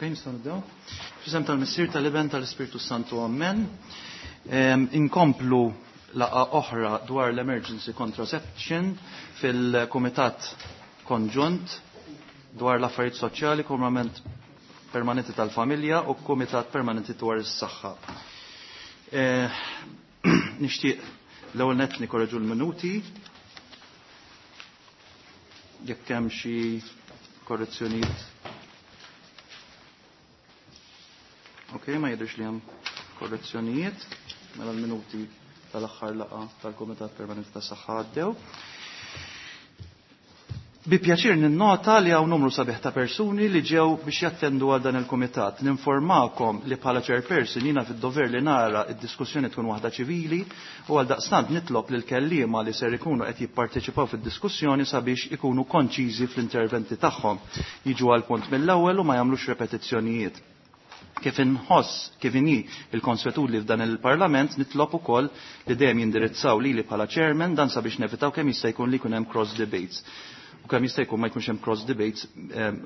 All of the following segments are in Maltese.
Ok, nistgħu nibdew. F'isem tal-Missier tal-Iben tal-Ispirtu Santu Amen. Inkomplu laqgħa oħra dwar l-emergency contraception fil-Kumitat Konġunt dwar l-affarijiet soċjali, Kumrament Permanenti tal-Familja u Kumitat Permanenti dwar is-Saħħa. Nixtieq l-ewwel nett nikorreġu l-minuti jekk hemm xi korrezzjonijiet. Ok, ma jidhirx li hemm korrezzjonijiet mela l-minuti tal-aħħar laqgħa tal-Kumitat Permanenti tas-Saħħa għaddew. Bi pjaċir ninnota li hawn numru sabiħ ta' persuni li ġew biex jattendu għal dan il-kumitat. Ninformakom li bħala chairperson jiena fid-dover li nara id-diskussjoni tkun waħda ċivili u għal daqstant nitlob lil kelliema li ser ikunu qed jipparteċipaw fid-diskussjoni sabiex ikunu konċiżi fl-interventi tagħhom. Jiġu għal punt mill-ewwel u ma jagħmlux repetizzjonijiet. Kif inħoss kif inhi il-konswetudni f'dan il-Parlament nitlob ukoll li dejjem jindirizzaw lili bħala chairman dan sabiex nevitaw kemm jista' jkun li jkun hemm cross debates. U kemm jista' jkun ma jkunx hemm cross debates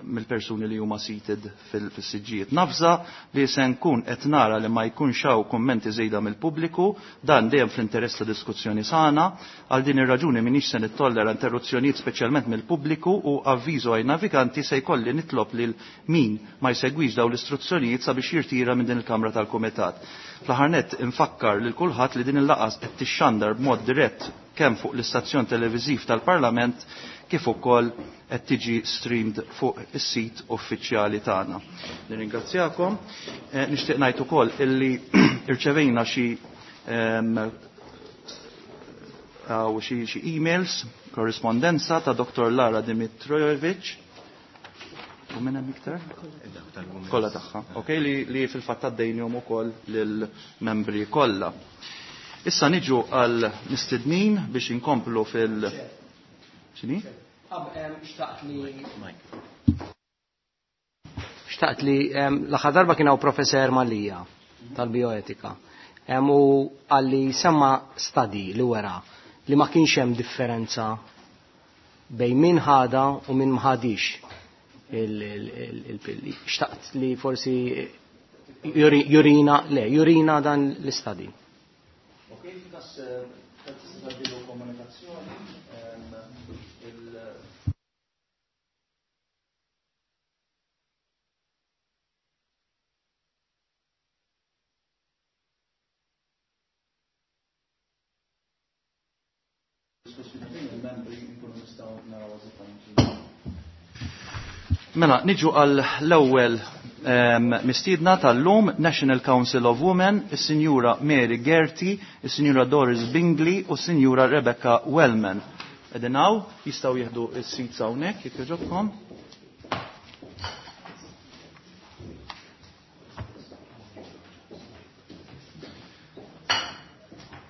mill-persuni li huma seated fis-siġġijiet. Nafza li se nkun qed nara li ma jkunx hawn kummenti żejda mill-pubbliku, dan dejjem fl-interess ta' diskussjoni sana. Għal din ir-raġuni m'iniex se nittollera interruzzjonijiet speċjalment mill-pubbliku u avviżu għaj naviganti se jkolli nitlob lil min ma jsegwix dawn l-istruzzjonijiet sabiex jirtira minn din il-Kamra tal-Kumitat. Fl-aħħar nett infakkar lil kulħadd li din il-laqgħa qed tixxandar b'mod dirett kemm fuq l-istazzjon televiżiv tal-Parlament kif ukoll qed tiġi streamed fuq is-sit uffiċjali tagħna. Nirringrazzjakom. Nixtieq ngħid ukoll illi irċevejna xi emails, korrispondenza ta' Dr. Lara Dimitrojevic. U minn hemm iktar? Kollha tagħha. Ok, li fil-fatt għaddejnihom ukoll lill-membri kollha. Issa niġu għal mistednin biex inkomplu fil- X'inhi? Xtaqt li l-aħħar darba kien hawn professor Mallia tal-bioetika. U għalli semma study li wera li ma kienx hemm differenza bejn min ħada u min ma ħadix il-pilli. Xtaqt li forsi jurina, le, jurina dan l-istadi. Ok, f'kas tista' tgħaddilu komunikazzjoni, Mela, niġu għal l-ewwel mistiedna tal-lum, National Council of Women, is-Sinjura Mary Gerti, is-Sinjura Doris Bingley u s-Sinjura Rebecca Wellman. Qegħdin hawn, jistgħu jieħdu s-seats hawnhekk jekk jogħġobkom.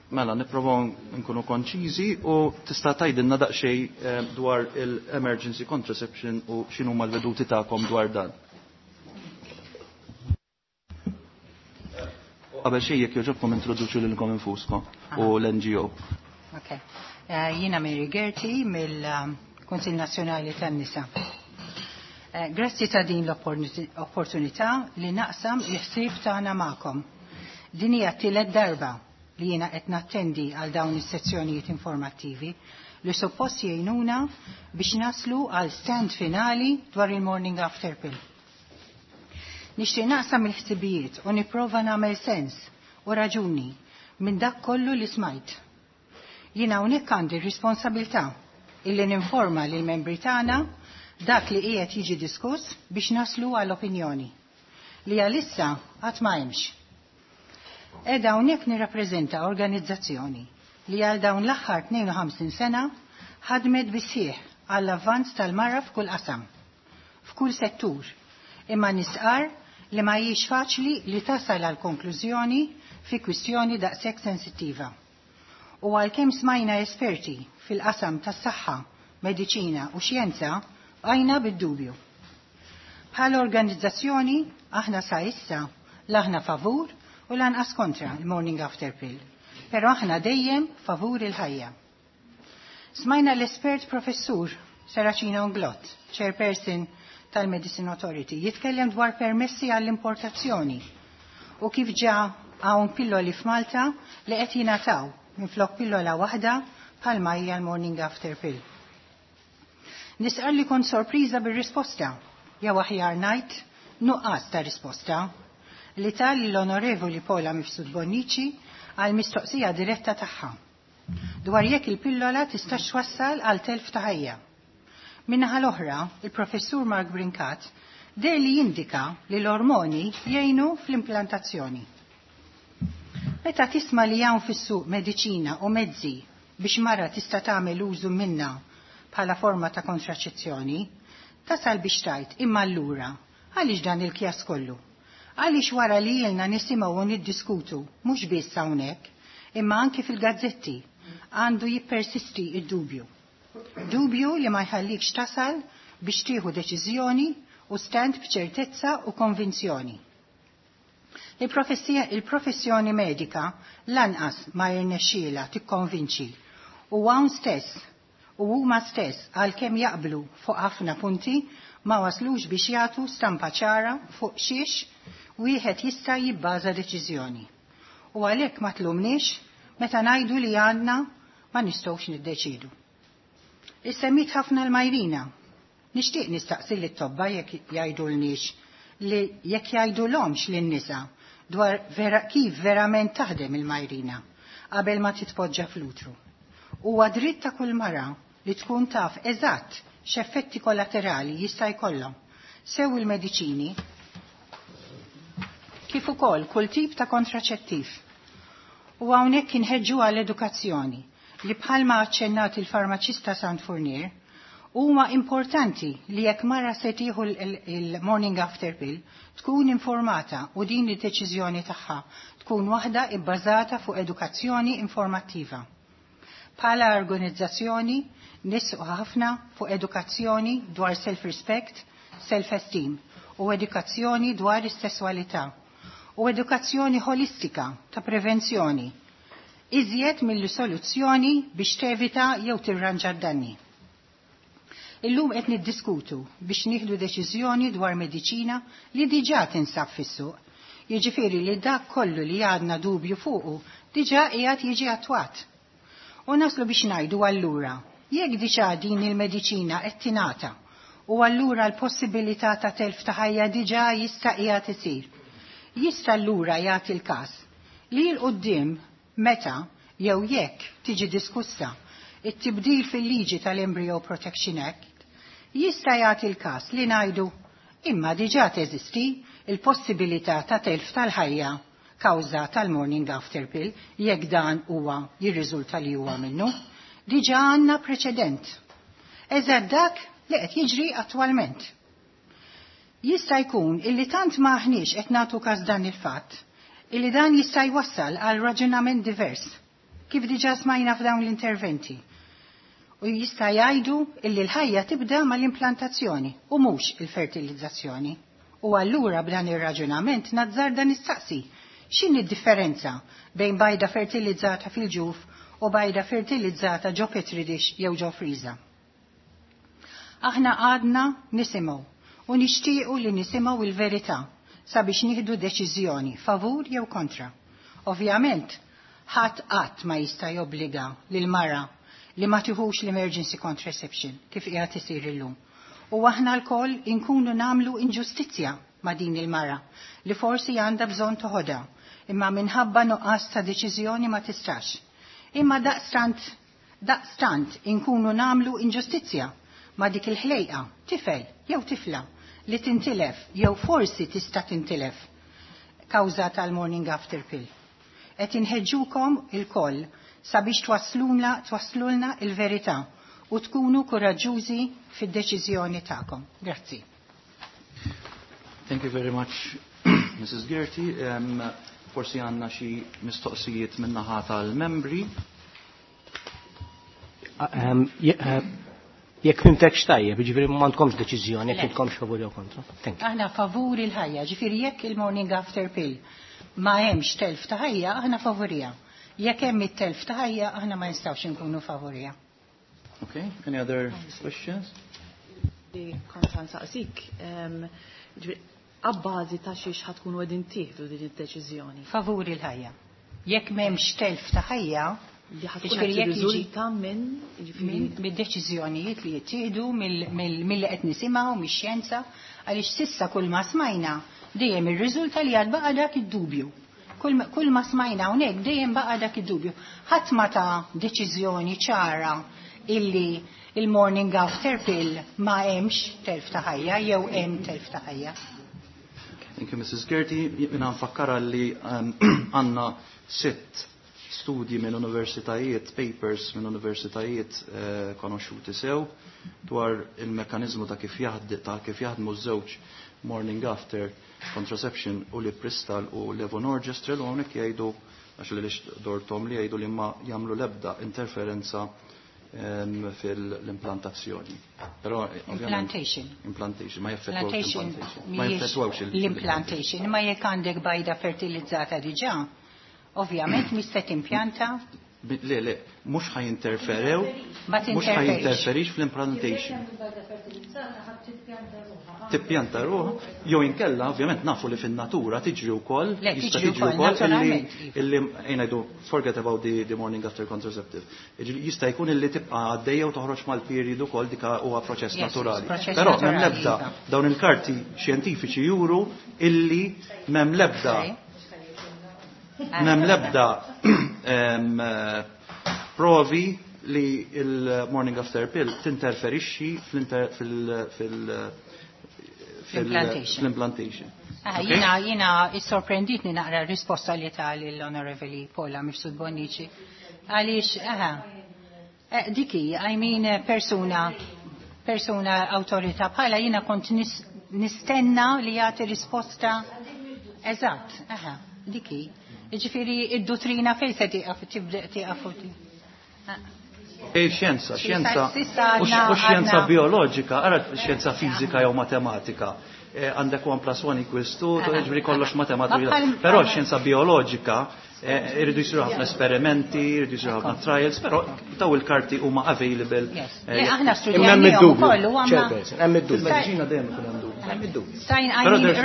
Mela, nipprovaw nkunu konċiżi u tista' tgħidilna daqsxejn dwar il-emergency contraception u x'inhuma l-veduti tagħkom dwar dan. Qabel xejn jekk jogħġobkom introduċu lilkom infuskom u l-NGO. Ok. Jiena Mary Gerti mill-Kunsill Nazzjonali tan-Nisa. Grazzi ta' din l-opportunità li naqsam l-ħsieb tagħna magħkom. Din hija t-tielet darba li jiena qed nattendi għal dawn is-sezzjonijiet informattivi li suppost jgħinuna biex naslu għal stand finali dwar il-morning after pill. Nixtieq naqsam il-ħsibijiet u nipprova nagħmel sens u raġuni minn dak kollu li smajt. Jiena hawnhekk għandi r-responsabilità illi ninforma lil membri tagħna dak li qiegħed jiġi diskuss biex naslu għal opinjoni li għalissa qatt ma hemmx. Qiegħda hawnhekk nirrappreżenta organizzazzjoni li għal dawn l-aħħar 52 sena ħadmet bisħieħ għall-avvanz tal-mara f'kull qasam, f'kull settur, imma nisqar li ma hijiex faċli li tasal għal konklużjoni fi kwistjoni daqshekk sensittiva. U għalkemm smajna esperti fil-qasam tas-saħħa, mediċina u xjenza, bqajna bid-dubju. Bħala organizzazzjoni aħna sa issa l'aħna favur u lanqas kontra il-morning after pill, pero aħna dejjem favur il-ħajja. Smajna l-espert professur Serracino Inglott, chairperson tal-Medicine Authority jitkellem dwar permessi għall-importazzjoni u kif ġa hawn pilloli f'Malta li qed jingħataw minflok pillola waħda bħalma hija l-morning after pill. Nisqal li kont sorpriża bir-risposta, jew aħjar ngħid nuqqas ta' risposta li tal l-Onorevoli Paula Mifsud Bonnici għal mistoqsija diretta tagħha dwar jekk il-pillola tistax twassal għal telf ta' ħajja. Min-naħa l-oħra, il-professur Mark Brincat deher li jindika li l-ormoni jgħinu fl-implantazzjoni. Meta tisma' li hawn fis-suq mediċina u mezzi biex mara tista' tagħmel użu minna bħala forma ta' kontraċezzjoni, tasal biex tgħid imma allura għaliex dan il-kjas kollu? Għaliex wara li ilna nisimgħu u niddiskutu mhux biss hawnhekk, imma anki fil-gazzetti għandu jippersisti id-dubju. Dubju li ma jħallikx tasal biex tieħu deċiżjoni u stand b'ċertezza u konvinzjoni. Il-professjoni medika lanqas ma jirnexxiela tikkonvinċi u hawn stess u huma stess għalkemm jaqblu fuq ħafna punti ma waslux biex jagħtu stampa ċara fuq xiex wieħed jista' jibbaża deċiżjoni. U għalhekk ma tlumniex meta ngħidu li għandna ma nistgħux niddeċidu. Issemmit ħafna l-Majrina. Nixtieq nistaqsi lit tobba jekk jgħidulniex li jekk jgħidulhomx lin-nisa dwar vera kif verament taħdem il-Majrina qabel ma titpoġġa fl-utru. Huwa dritt ta' kull mara li tkun taf eżatt x'effetti kollaterali jista' jkollhom sew il-mediċini kif ukoll kull tip ta' kontraċettiv. U hawnhekk inħeġġu għall-edukazzjoni li bħalma aċċennat il-farmaċista Sant Fournier huma importanti li jekk mara se tieħu il-morning after pill tkun informata u din id-deċiżjoni tagħha tkun waħda ibbażata fuq edukazzjoni informattiva. Bħala organizzazzjoni nisqu ħafna fuq edukazzjoni dwar self-respect, self-esteem u edukazzjoni dwar is-sesswalità u edukazzjoni holistika ta' prevenzjoni iżjed mill-soluzzjoni biex tevita jew tirranġa d-danni. Illum qed niddiskutu biex nieħdu deċiżjoni dwar mediċina li diġà tinsab fis-suq. Jiġifieri li dak kollu li għadna dubju fuqu diġà qiegħed jiġi attwat. U naslu biex ngħidu allura, jekk diġà din il-mediċina qed tingħata u allura l-possibilità ta' telf ta' ħajja diġà jista' qiegħed isir. Jista' allura jagħti l-każ li 'l quddiem meta jew jekk tiġi diskussa it-tibdil fil-liġi tal-Embryo Protection Act, jista' jagħti l-każ li ngħidu imma diġà teżisti il-possibilità ta' telf tal-ħajja kawża tal-morning after pill jekk dan huwa jirriżulta li huwa minnu. Diġà għandna preċedent. Eżatt dak li qed jiġri attwalment. Jista' jkun illi tant ma aħniex qed nagħtu każ dan il-fatt, illi dan jista' jwassal għal raġunament divers, kif diġà smajna f'dawn l-interventi. U jista' jgħidu illi l-ħajja tibda mal-implantazzjoni u mhux il-fertilizzazzjoni. U allura b'dan ir-raġunament nazzarda nistaqsi x'inhi d-differenza bejn bajda fertilizzata fil-ġuf u bajda fertilizzata ġo petri dish jew ġo friża. Aħna għadna nisimgħu u nixtiequ li nisimgħu il-verità sabiex nieħdu deċiżjoni favur jew kontra. Ovvjament, ħadd qatt ma jista' jobbliga lil mara li ma tiħux l-emergency contraception kif qiegħed isir illum. U aħna lkoll inkunu nagħmlu inġustizzja ma' din il-mara li forsi għandha bżonn toħodha, imma minħabba nuqqas ta' deċiżjoni ma tistax. Imma daqstant inkunu nagħmlu inġustizzja ma' dik il-ħlejqa, tifel jew tifla li tintilef jew forsi tista' tintilef kawża tal-morning after pill. Qed inħeġġukom ilkoll sabiex twasslulna il-verità u tkunu kuraġġużi fid-deċiżjoni tagħkom. Grazzi. Thank you very much, Mrs. Gerti. Forsi għandna xi mistoqsijiet min-naħa tal-membri. Jekk fhimtekx tajjeb, ġifieri m'għandkomx deċiżjoni, jekk Le. intkomx favur jew kontra. Thank you. Aħna favur il-ħajja, ġifieri jekk il-morning after pill ma hemmx telf ta' ħajja, aħna favurija. Jekk hemm it-telf ta' ħajja, aħna ma nistgħux inkunu favorija. Okay, any other questions? Li kont nsaqsik, abbażi ta' xiex ħa tkunu qegħdin tieħdu din id-deċiżjoni. Favur il-ħajja. Jekk m'hemmx telf ta' ħajja, Li ħa tkun qed tirriżulta minn mid-deċiżjonijiet li jittieħdu milli qed nisimgħu mix-xjenza, għaliex s'issa kull ma smajna dejjem irriżulta li għad baqa' dak id-dubju. Kull ma smajna hawnhekk dejjem baqa' dak id-dubju. Ħadd ma ta deċiżjoni ċara illi il-morning after pill ma hemmx telf ta' ħajja jew hemm telf ta' ħajja. Thank you, Mrs. Gerti. Jiena nfakkara li għandna 6 studji minn universitajiet, papers minn universitajiet konoxxuti sew dwar il-mekanizmu ta' kif jaħdmu żewġ morning after contraception u li Pristal u levonorgestrel, u hawnhekk jgħidu, għax li dortom li jgħidu li ma jagħmlu l-ebda interferenza fil-implantazzjoni. Però implantation. Implantation, ma jaffettwawx implantation. Ma jaffettwawx l-implantation, ma jekk għandek bajda fertilizzata diġà, ovvjament mista timpjanta. Le, mhux ħajinterferew, mhux ħajinterferix fl-implantation. Tippjanta ruħha, jew inkella ovvjament nafu li fin-natura tiġri wkoll, jista' tiġri wkoll illi ngħidu forget about the morning after contraceptive. Jista' jkun illi tibqa' għaddejja u toħroġ mal-period ukoll, dik huwa proċess naturali. Però m'hemm l-ebda dawn il-karti xjentifiċi juru illi m'hemm l-ebda provi li il-morning after pill tinterferixxi fil-implantation. Jiena sorprenditni naqra risposta li tal l-Onorevoli Paula Mifsud Bonnici. Għaliex, diki, I mean, persuna awtorità bħala jiena kont nistenna li jagħti risposta. Eżatt, diki. Ġifieri id-dottrina fejn se tieqaf tieqaf. Xjenza, xjenza, u xjenza bioloġika, ara xjenza fiżika jew matematika. Għandek 1 + 1 = 2, ġifieri kollox matematika. Però xjenza bioloġika irridu jsiru ħafna esperimenti, irridu jsiru ħafna trials, però daw il-karti huma available. Aħna studjajna wkoll u għamna. Hemm id-dubju. Fil-mediċina dejjem ikun hemm dubju. Hemm id-dubju.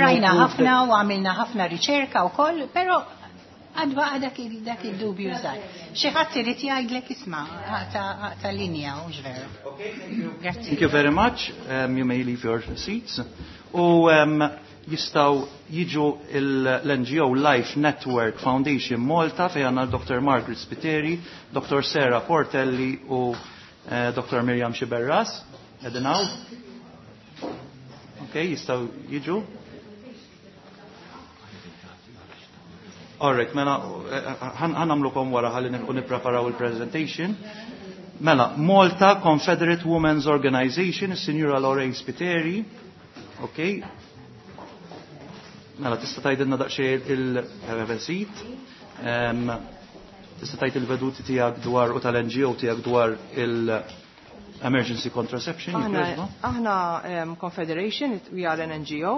Rajna ħafna u għamilna ħafna riċerka wkoll, però għadba dak id-dubju żgħar. Xi ħadd irid jgħidlek isma' aqta' linja u veru. Grazzi. Thank you very much. You may leave your seats. U jistgħu jiġu l-NGO Life Network Foundation Malta fejn għandna Dr. Margaret Spiteri, Dr. Sarah Portelli u Dr. Miriam Sciberras. Qegħdin hawn? Okay, jistgħu jiġu. Alright, mela, ħanamlukom wara ħalli nilqu nippreparaw il-presentation. Mela, Malta Confederate Women's Organization, is-Sinjura Lorraine Spiteri. Okay. Mela, tista' tgħidilna daqsxejn il-seat. Tista' tgħid il-veduti tiegħek dwar u tal-NGO tiegħek dwar il-emergency contraception. Aħna Confederation, we are an NGO.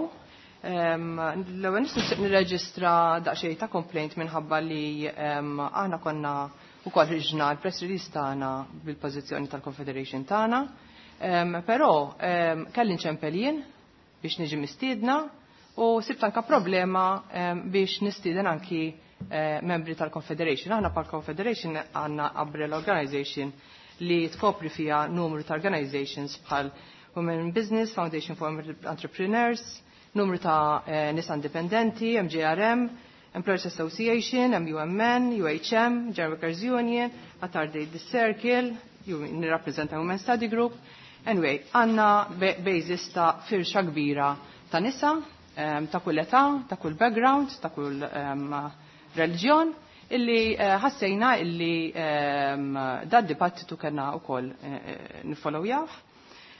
L-ewwel nixtieq nirreġistra daqsxejn ta' complaint minħabba li aħna konna wkoll ħriġna l-press release tagħna bil-pożizzjoni tal-Confederation tagħna. Però kelli nċempel jien biex niġi mistiedna u sibt anka problema biex nistieden anki membri tal-Confederation. Aħna pal Confederation għandna umbrella organization li tkopri fiha numru ta' organizations bħal Women in Business, Foundation for Entrepreneurs, numru ta' nisa indipendenti, MJRM, Employers Association, MUMN, UHM, General Workers Union, Attard the Circle, nirrappreżenta Women Study Group. Anyway, għanna basis ta' firxa kbira ta' nisa, ta' kull età, ta' kull background, ta' kull reliġjon, illi ħassejna illi da' dibattitu kena u koll nifollowjah.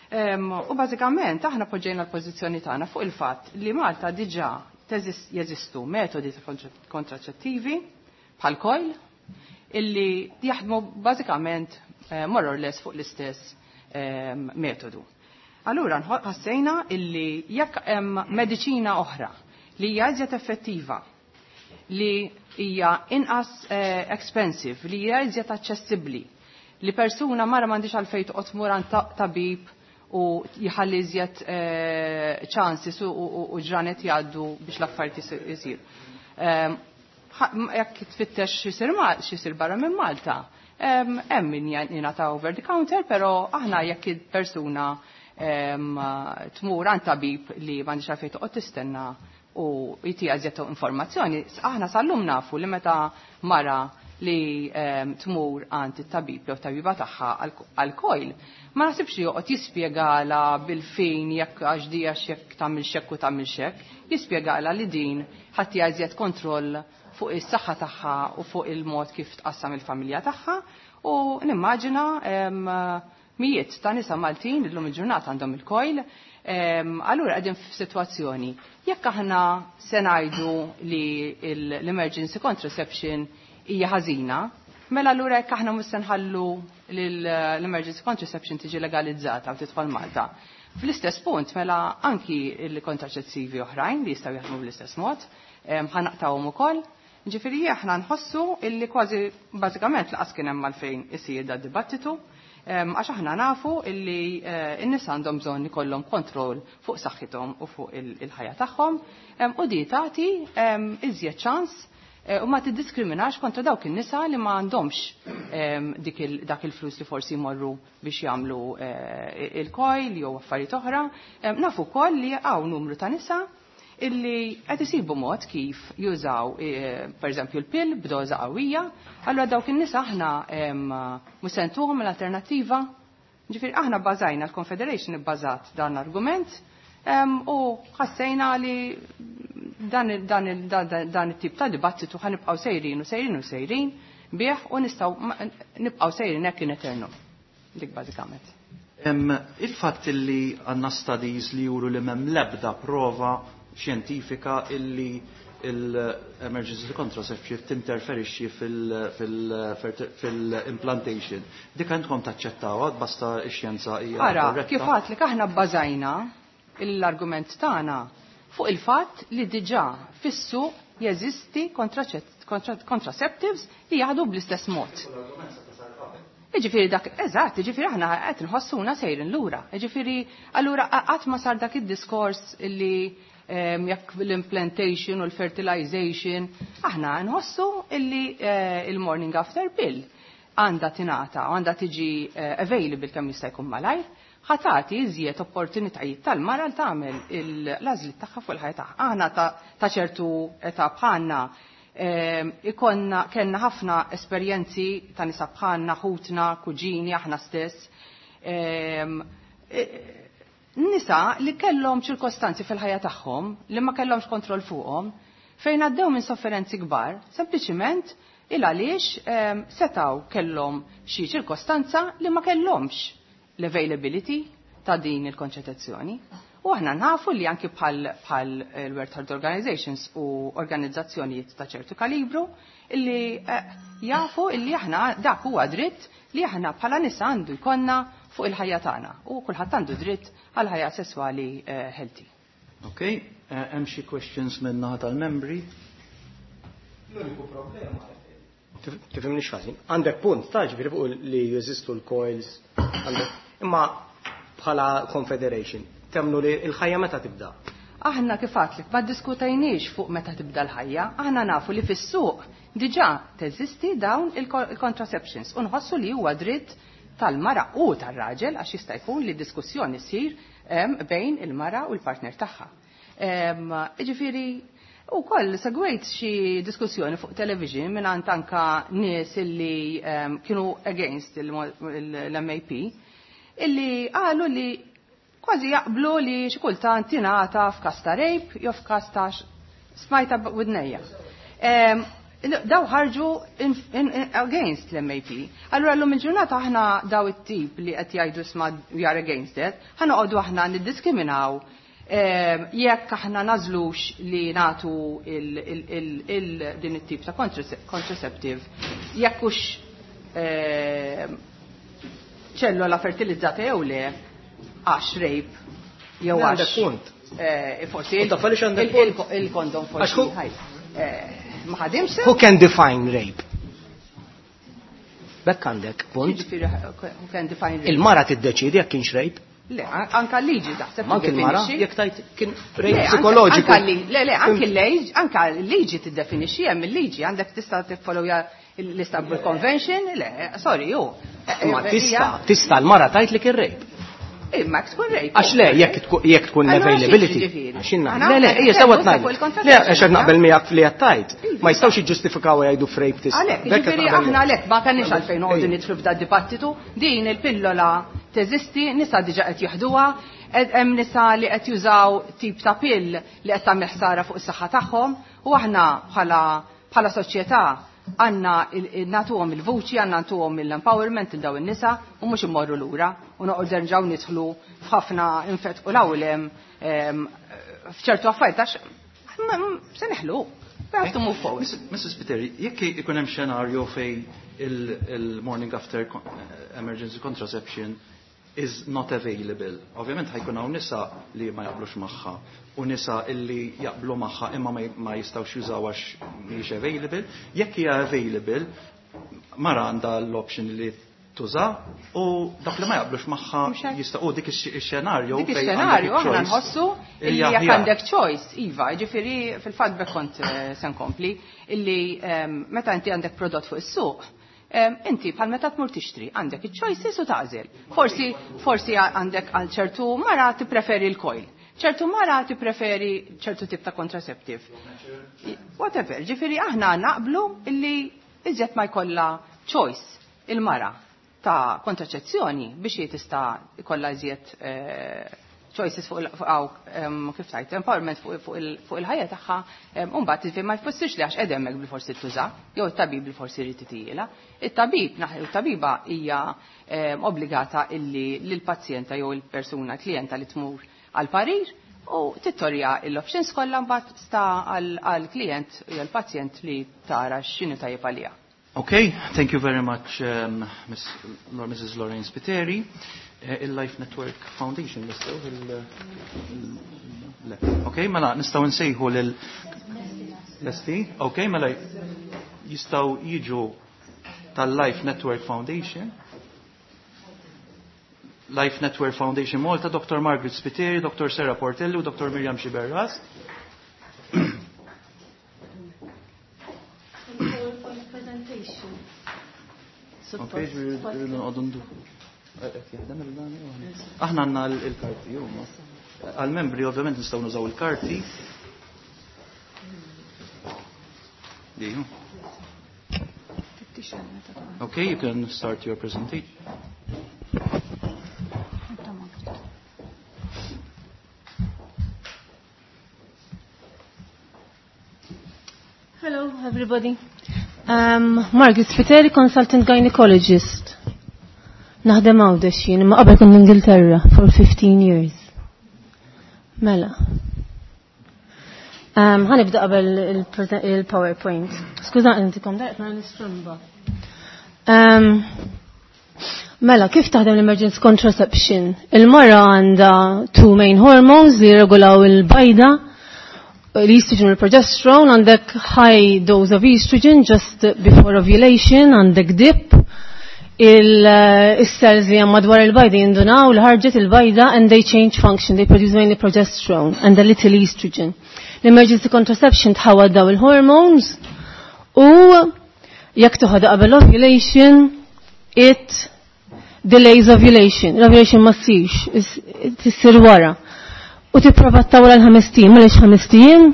U bażikament aħna poġġejna l-pożizzjoni tagħna fuq il-fatt li Malta diġà jeżistu metodi kontraċettivi bħal coil illi jaħdmu bażikament more or less fuq l-istess metodu. Allura ħassejna illi jekk hemm mediċina oħra li hija iżjed effettiva, li hija inqas expensive, li hija iżjed aċċessibbli, li persuna mara m'għandix għalfejn toqgħod tmur għand tabib u jħalli iżjed ċansis u ġranet jgħaddu biex l-affarijiet isiru. Jekk tfittex x'isir barra minn Malta, hemm min jingħata over the counter, però aħna jekk il-persuna tmur għand tabib li m'għandix għalfejn toqgħod tistenna u jtiha iżjed informazzjoni, aħna sal-lum nafu li meta mara li tmur għand it-tabib jew tabiba tagħha għal coil, ma naħsibx li joqgħod jispjegala bil-fejn jekk għax di għax jekk tagħmel xekk u tagħmel xekk, jispjegala li din ħadd iżjed kontroll fuq is-saħħa tagħha u fuq il-mod kif tqassam il-familja tagħha u nimmaġina mijiet ta' nisa Maltin illum il-ġurnata għandhom il-coil. Allura qegħdin f'sitwazzjoni. Jekk aħna se ngħidu li l-emergency contraception hija ħażina, mela allura jekk aħna mhux se nħallu l-emergency contraception tiġi legalizzata u tidħol Malta. Fl-istess punt, mela anki il-kontraċettivi oħrajn li jistgħu jaħdmu bl-istess mod, ħa naqtgħuhom ukoll. Ġifieri aħna nħossu illi kważi bażikament lanqas kien hemm għalfejn isir da dibattitu, għax aħna nafu illi n-nies għandhom bżonn ikollhom kontroll fuq saħħithom u fuq il-ħajja tagħhom u di tagħti iżjed ċans u ma tiddiskriminax kontra dawk in-nisa li ma għandhomx dak il-flus li forsi jmorru biex jagħmlu il-coil jew affarijiet oħra. Nafu wkoll li hawn numru ta' nisa illi qed isibu mod kif jużaw pereżempju l-pill b'doża qawwija, allura dawk in-nisa aħna mhux se ntuhom l-alternattiva. Ġifieri aħna bbażajna l-Confederation ibbażat dan l-argument u ħassejna li dan it-tip ta' dibattitu ħa nibqgħu sejrin u sejrin u sejrin bih u nistgħu nibqgħu sejrin hekk in eternum. Dik bażikament. Il-fatt li għandna studies li juru li m'hemm l-ebda prova xjentifika illi l-emergency contraception tinterferixxi fil-implantation. Dik għandkom taċċettawha basta x-xjenza hija Ara, korretta? Kif għedtlek, aħna bbażajna l-argument tagħna fuq il-fatt li diġà fis-suq jeżisti contraceptives li jaħdu bl-istess mod. Ġifieri dak, eżatt, ġifieri aħna qed nħossuna sejrin lura. Ġifieri, allura qatt ma sar dak id-diskors illi jekk l-implantation u l-fertilization, aħna nħossu illi il-morning after pill għandha tingħata u għandha tiġi available kemm jista' jkun malajr, ħa tagħti iżjed opportunitajiet tal-mara li tagħmel l-għażliet tagħha fuq il-ħajja tagħha. Aħna ta' ċertu età bħalna ikonna kellna ħafna esperjenzi ta' nisa bħalna, ħutna, kuġini, aħna stess. Nisa li kellhom ċirkostanzi fil-ħajja tagħhom li ma kellhomx kontroll fuqhom, fejn għaddew minn sofferenzi kbar, sempliċiment il għaliex setaw kellhom xi ċirkostanza li ma kellhomx l-availability ta' din il-konċettazzjoni. U aħna nafu li anki bħal il-World Health Organizations u organizzazzjonijiet ta' ċertu kalibru illi jafu illi aħna dak huwa dritt li aħna bħala nisa għandu jkollna fuq il-ħajja tagħna u kulħadd għandu dritt għal ħajja sesswali healthy. Ok, hemm xi questions minn naħa tal-membri? L-uniku problema, tifhimni x'ħażin, għandek punt ta' ġifieri fuq li jeżistu l-coils, imma bħala Confederation, temnu li l-ħajja meta tibda? Aħna kif għedtlek, ma diskutajniex fuq meta tibda l-ħajja, aħna nafu li fis-suq diġà teżisti dawn il-contraceptions u nħossu li huwa dritt tal-mara u tar-raġel għax jista' jkun li diskussjoni ssir bejn il-mara u l-partner tagħha. Ġifieri, u koll segwejt xi diskussjoni fuq television minn anka nies illi kienu against l-MAP illi qalu li kważi jaqblu li xi kultant tingħata f'każ ta' rape jew f'każ ta' smajta widnejja. Daw ħarġu against l-MAP. Allura l-lum il-ġurnata aħna daw it-tip li qed jgħidu isma' we are against it, ħa noqogħdu aħna niddiskriminaw jekk aħna nażlux li natu din it-tip ta' contraceptive, jekk hux ċellola fertilizzata jew le, għax rape jew Għandek għax punt. Forsi U taf għaliex għandek punt? il-kondom forsi. Għax ħaj, ma ħadimx. Who can define rape? Bekk għandek punt. Ġifieri, who can define rape? Il-mara tiddeċidi jekk kienx rape. Le, anka l-liġi taħseb. Anke l-mara, jekk tajt kien rape psikoloġiku. Le, le, anke l-liġi, anka l-liġi tiddefinixxi hemm il-liġi, għandek tista' tiffollowja l-Istanbul Convention, le, sorry, ju. Ma tista' l-mara tajt li kien rape. Imma jekk tkun rape. Għax le, jekk tkun l-availability. Le, le, ija sewa tnajt. Le, għax qed naqbel miegħek li qed tajt. Ma jistgħux jiġġustifikaw jgħidu f'rape tista'. Għalhekk, jiġifieri aħna għalhekk ma kenniex għalfejn noqogħdu nidħlu f'da dibattitu, din il-pillola teżisti, nisa diġà qed jeħduha, hemm nisa li qed jużaw tip ta' pill li qed tagħmel ħsara fuq is-saħħa tagħhom u aħna bħala soċjetà għandna nagħtuhom il-vuċi, għandna nagħtuhom l-empowerment il daw in-nisa u mhux immorru lura u noqgħod nerġgħu nidħlu f'ħafna infetqu l-awlem f'ċertu affarijiet għax se neħlu. We have to move forward. Mrs. Spiteri, jekk ikun hemm xenarju fej il-morning after emergency contraception is not available. Ovvjament ħajkun hawn nisa li ma jaqblux magħha u nisa illi jaqblu magħha imma ma jistgħux jużaw għax mhijiex available. Jekk hija available, mara għandha l-option li tuża u dak li ma jaqblux magħha jista' u dik ix-xenarju. Dik ix-xenarju aħna nħossu illi jekk għandek choice, iva, jiġifieri fil-fatt bekk kont se nkompli, illi meta inti għandek prodott fuq is-suq, inti bħal meta tmur tixtri għandek iċ-choices u tagħżel. Forsi forsi għandek għal ċertu mara tippreferi l-coil. ċertu mara tippreferi ċertu tip ta' contraceptive. Whatever, ġifieri aħna naqblu illi iżjed ma jkollha choice il-mara ta' kontraċezzjoni biex hi tista' jkollha iżjed choices fuq kif tajt, empowerment fuq il-ħajja tagħha, u mbagħad ma jfissirx li għax qed hemmhekk bil-forsi tuża, jew it-tabib bil-forsi jrid titiela. It-tabib, it-tabiba hija obbligata illi lill-pazjenta jew il-persuna klijenta li tmur għal parir u tittorja l-options kollha mbagħad sta għall-klient jew l-pazjent li tara x'inhu tajjeb għaliha. Okay, thank you very much, Mrs. Lorraine Spiteri. Il-Life Network Foundation nistgħu le. Okay, mela nistgħu nsejħu lil Lesti? Okay, mela jistgħu jiġu tal-Life Network Foundation. Life Network Foundation Malta, Dr. Margaret Spiteri, Dr. Sarah Portelli u Dr. Miriam Sciberras. Okay, rridu noqogħdu ndu. Aħna għandna l-karti, għal-membri ovvjament nistgħu nużaw il-karti. Okay, you can start your presentation. Hello, everybody. Margaret Spiteri, consultant gynecologist. Naħdem Għawdex jien, imma qabel kont l-Ingilterra for 15 years. Mela. Ħanibda qabel il-PowerPoint. Skuża intikom daqt nara l-istrumba. Mela, kif taħdem l-emergency contraception? Il-mara għandha two main hormones li jirregolaw il-bajda, l-estrogen u l-progesterone, għandek high dose of estrogen just before ovulation, għandek dip, il-cells li hemm madwar il-bajda jindunaw li ħarġet il-bajda and they change function, they produce mainly progesterone and a little estrogen. L-emergency contraception tħawad daw il-hormones u jekk toħodha qabel ovulation, it delays ovulation. L-ovulation ma ssirx, tissir wara. U tipprova ttawla l-ħames ijiem, għaliex ħames ijiem,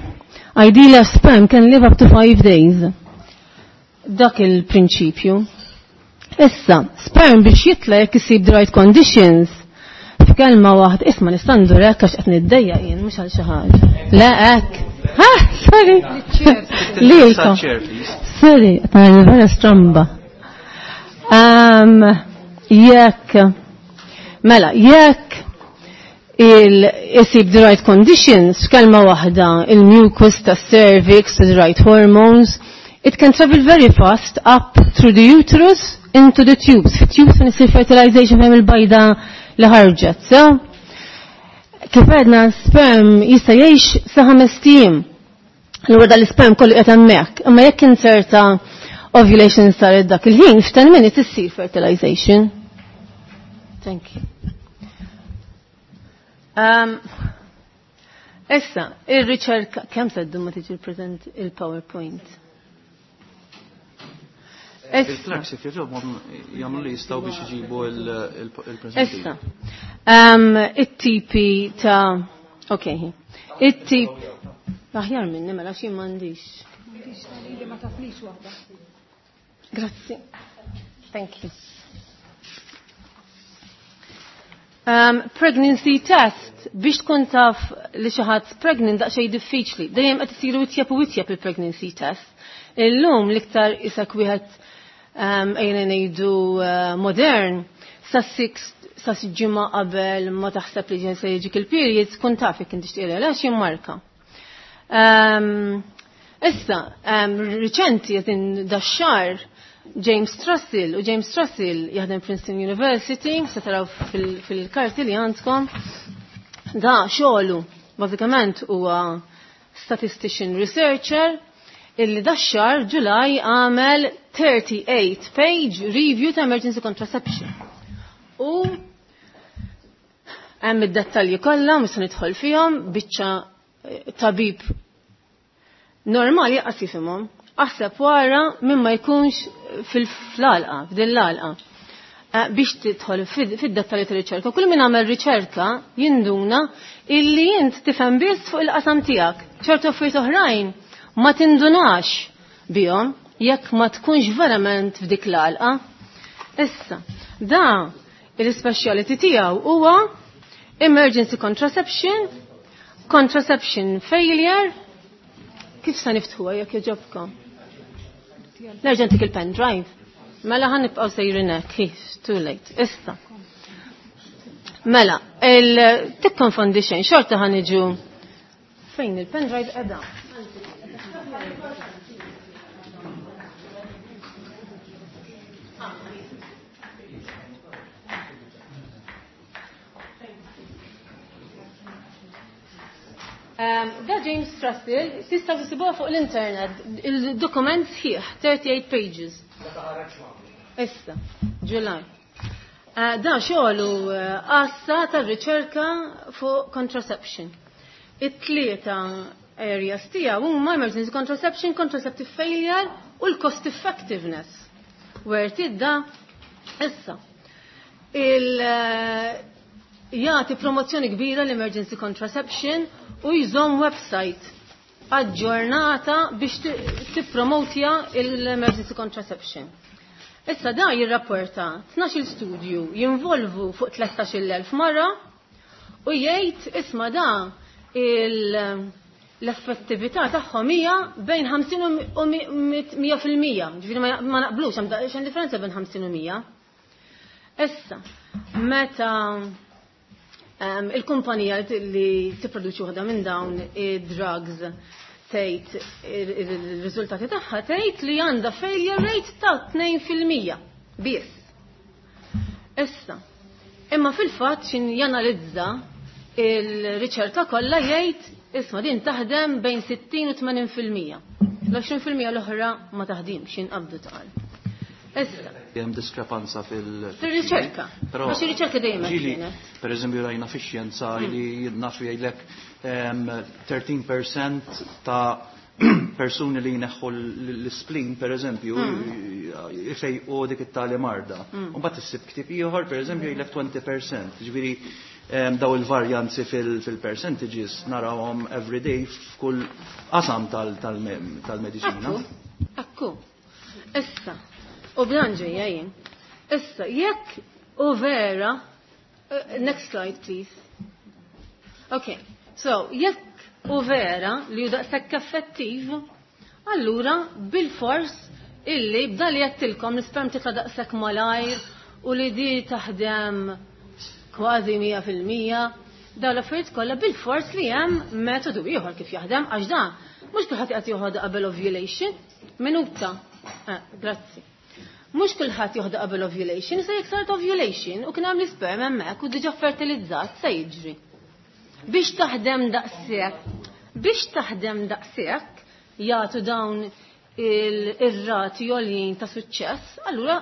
ideally a sperm can live up to 5 days. Dak il-prinċipju. Issa, sperm biex jitla jekk isib the right conditions, f'kelma waħda, isma' nista' ndur hekk għax qed niddejjaq jien mhux għal xi ħaġa. Le hekk. Ha, sorry. Lilkom. Sorry, qed nara vera stramba. Jekk, mela, jekk il-isib the right conditions, f'kelma waħda, il-mucus ta' cervix, the right hormones, it can travel very fast up through the uterus into the tubes. Fi tubes fejn isir fertilization fejn il-bajda li ħarġet. So, kif għedna sperm jista' jgħix sa ħames ijiem. Allura dal-isperm kollu qed hemmhekk. Imma jekk inserta ovulation saret dak il-ħin, f'10 minutes issir fertilization. Thank you. Issa, ir-riċerka, kemm se ddum ma tiġi present il-PowerPoint? Il-clerks jekk jogħġobhom jagħmlu li jistgħu biex iġibu il-presentation. Issa, it-tipi ta' ok, it-tip, aħjar minni mela xi m'għandix. Grazzi. Thank you. Pregnancy test, biex tkun taf li xi ħadd pregnant daqsxejn diffiċli. Dejjem qed isiru itjeb u itjeb il-pregnancy test. Illum l-iktar isak wieħed ejna ngħidu modern sa sa ġimgħa qabel ma taħseb li ġen se jiġik il-period tkun taf jekk inti tixtieq le jimmarka. Issa, riċenti qed dax-xahar James Trussell, u James Trussell jaħdem Princeton University, se taraw fil-karti li għandkom, da xogħlu bażikament huwa statistician researcher illi dax-xahar Ġulaj għamel 38 page review ta' emergency contraception. U hemm id-dettalji kollha mhux se nidħol fihom, biċċa tabib normali jaqas jifhimhom. Aħseb wara minn ma jkunx fil-għalqa, f'din l-għalqa. Biex tidħol fid-dettalji ta' riċerka. Kull min għamel riċerka jinduna illi int tifhem biss fuq il-qasam tiegħek. Ċertu affarijiet oħrajn ma tindunax bihom jekk ma tkunx verament f'dik l-għalqa. Issa, da il-speciality tiegħu huwa emergency contraception, contraception failure. Kif sa niftħuha jekk jogħġobkom? Nerġa' ntik il-pen drive. Mela ħan nibqgħu sejrin hekk, too late. Issa. Mela, tikkonfondi xejn, xorta ħan iġu fejn il-pen drive qiegħda. Da James Trussell, tista' tisibuha fuq l-internet, il-dokument sħiħ, 38 pages. Issa, July. Da xogħlu għassa tar-riċerka fuq contraception. It-tlieta areas tiegħu huma emergency contraception, contraceptive failure u l-cost effectiveness. Where tidda issa. Jagħti promozzjoni kbira l-emergency contraception u jżomm website aġġornata biex tippromotja l-emergency contraception. Issa da jirrapporta 12 studju jinvolvu fuq 13,000 mara u jgħid isma' da l-effettività tagħhom hija bejn 50 u 100%. Ġifieri ma naqblux hemm xejn differenza bejn 50 u 100. Issa, meta il-kumpanija li tipproduċi waħda minn dawn id-drugs tgħid ir-riżultati tagħha tgħid li għandha failure rate ta' 2% biss. Issa, imma fil-fatt xin janalizza il-riċerka kollha jgħid isma' din taħdem bejn 60 u 80%. L-20% l-oħra ma taħdimx jinqabdu tqal. Issa. Hemm diskrepanza fil-riċerka. Għax ir-riċerka dejjem kienet. Per eżempju rajna fix-xjenza li nafu jgħidlek 13% ta' persuni li jneħħu l-spleen per eżempju ifejqu dik it-tali marda. U mbagħad issib ktieb ieħor per eżempju jgħidlek 20%. Ġifieri daw il-varjanzi fil-percentages narawhom every day f'kull qasam tal-mediċina. Ekku. Issa. U b'dan ġejja jien. Issa, jekk u vera, next slide please. Okay, so jekk u vera li hu daqshekk effettiv, allura bil-fors illi b'dan li għedtilkom l-isperm titla' daqshekk malajr u li di taħdem kważi 100%, dawn l-affarijiet kollha bil-fors li hemm metodu ieħor kif jaħdem għax dan mhux kulħadd qed joħodha qabel ovulation. Minuta. Grazzi. Mhux kulħadd joħodha qabel ovulation, issa jekk saret ovulation u kien hemm l-isperm hemmhekk u diġà fertilizzat se jiġri. Biex taħdem daqshekk, biex taħdem daqshekk jagħtu dawn ir-rati għoljin ta' suċċess, allura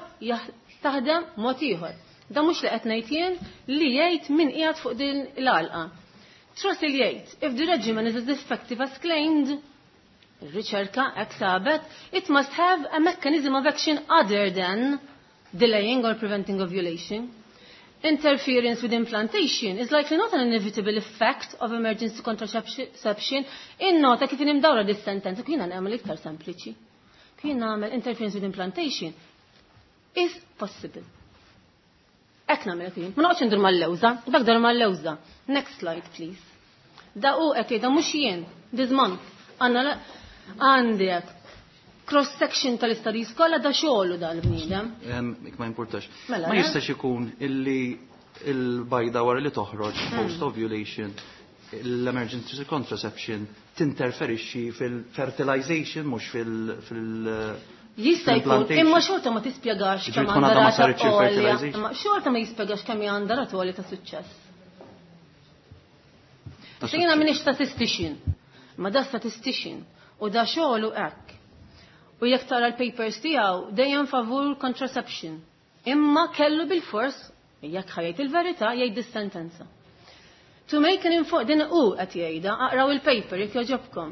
taħdem mod ieħor. Da mhux li qed ngħid jien li jgħid min qiegħed fuq din l-għalqa. Throssell jgħid, if the regimen is as effective as claimed, ir-riċerka hekk sabet, it must have a mechanism of action other than delaying or preventing ovulation. Interference with implantation is likely not an inevitable effect of emergency contraception. Innota kif imdawra dis-sentenza, kien nagħmel iktar sempliċi. Kien nagħmel interference with implantation is possible. Hekk nagħmel kien. Ma noqgħodx indur mal-lewża, dak dar mal-lewża. Next slide, please. Da u qed jgħidha mhux jien, this month. Għandna għandek cross-section tal-studies kollha da xogħlu dal-bniedem. Ik ma importax. Mela, Ma eh? jistax ikun illi il-bajda wara li toħroġ post-ovulation l-emergency contraception tinterferixxi fil-fertilization mhux fil- Jista' jkun, Implantation. imma xorta ma tispjegax Ġifieri kemm tkun għandha għadha ma rata saritx għolja, il-fertilization. imma xorta ma jispjegax kemm hija għandha rata għolja ta' suċċess. Ta' Issa jiena suċċess. m'iniex statistician, ma da statistician u da xogħlu hekk. U jekk tara l-papers tiegħu dejjem favur contraception. Imma kellu bil-fors, jekk ħa jgħid il-verità, jgħid dis-sentenza. To make an informed, din u qed jgħidha, aqraw il-paper jekk jogħġobkom.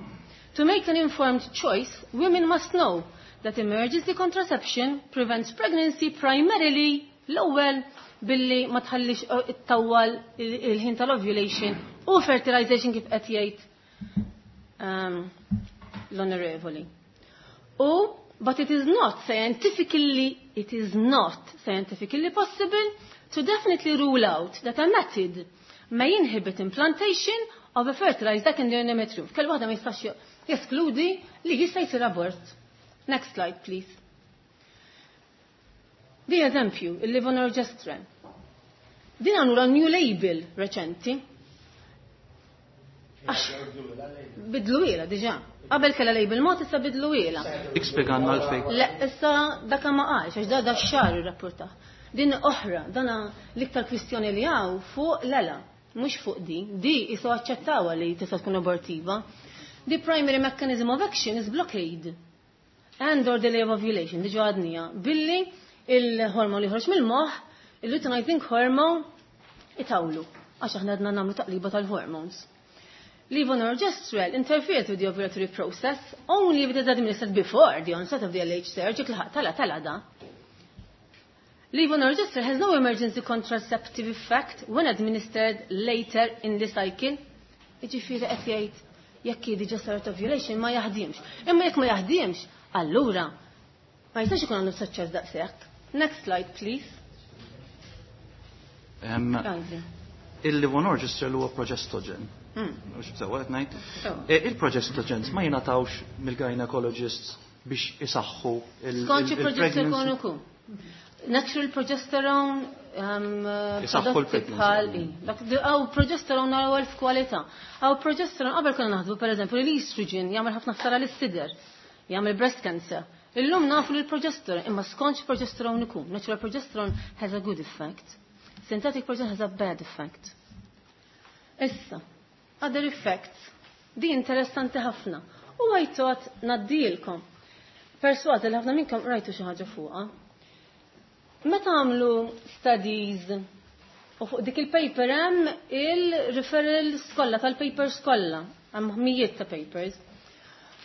To make an informed choice, women must know that emergency contraception prevents pregnancy primarily l-ewwel billi ma tħallix ittawwal il-ħin tal-ovulation u fertilization kif qed jgħid l-onorevoli. U but it is not scientifically possible to definitely rule out that a method may inhibit implantation of a fertilized egg in the endometrium. Kell waħda ma jistax jeskludi li jista' jsir abort. Next slide, please. Di eżempju, il-levonorgestrel. Din għanura new label reċenti. Għax, bidlu ila diġa. Qabel kella label mod issa bidlu ila. Ikspjeganna għalfejn. Le, issa daka ma qalx, għax da xar irrapporta. Din oħra, dana l-iktar kwistjoni li hawn fuq lela, mhux fuq di. Di isu aċċettawha li tista' tkun abortiva. The primary mechanism of action is blockade and or delay of ovulation, diġa għadnija, billi il-hormon li ħorġ mill-moħ, il-luteinizing hormone, itawlu, għax aħna għadna nagħmlu taqliba tal-hormones. Levonorgestrel interferes with the ovulatory process only if it is administered before the onset of the LH surge, jekk laħaq tala tala da. Levonorgestrel has no emergency contraceptive effect when administered later in the cycle. Iġifieri qed jgħid jekk hi diġà saret ovulation ma jaħdimx. Imma jekk ma jaħdimx, allura ma jistax ikun għandu suċċess daqshekk. Next slide, please. Għandri. Il-levonorgestrel huwa progestogen. Mhux sewwa qed ngħid. Sewwa. Il-progestogens ma jingħatawx mill-gynecologists biex isaħħu Skont xi il-pregnancy. progesterone ukoll. Natural progesterone Isaħħu prodotti l-pregnancy. bħal i. Dak Għaw progesterone għaw elf kwalità. Għaw progesterone qabel konna naħsbu pereżempju li l-estrogen jagħmel ħafna ħsara lis-sider, jagħmel breast cancer. Illum nafu li l-progesterone, imma skont xi progesterone ikun. Natural progesterone has a good effect. Synthetic progesterone has a bad effect. Issa, other effects. Di interessanti ħafna. U għajtot naddilkom. Persważ li ħafna minnkom rajtu xi ħaġa fuqha. Meta għamlu studies u fuq dik il-paper hemm il-referrals kollha tal-papers kollha, hemm mijiet ta' papers.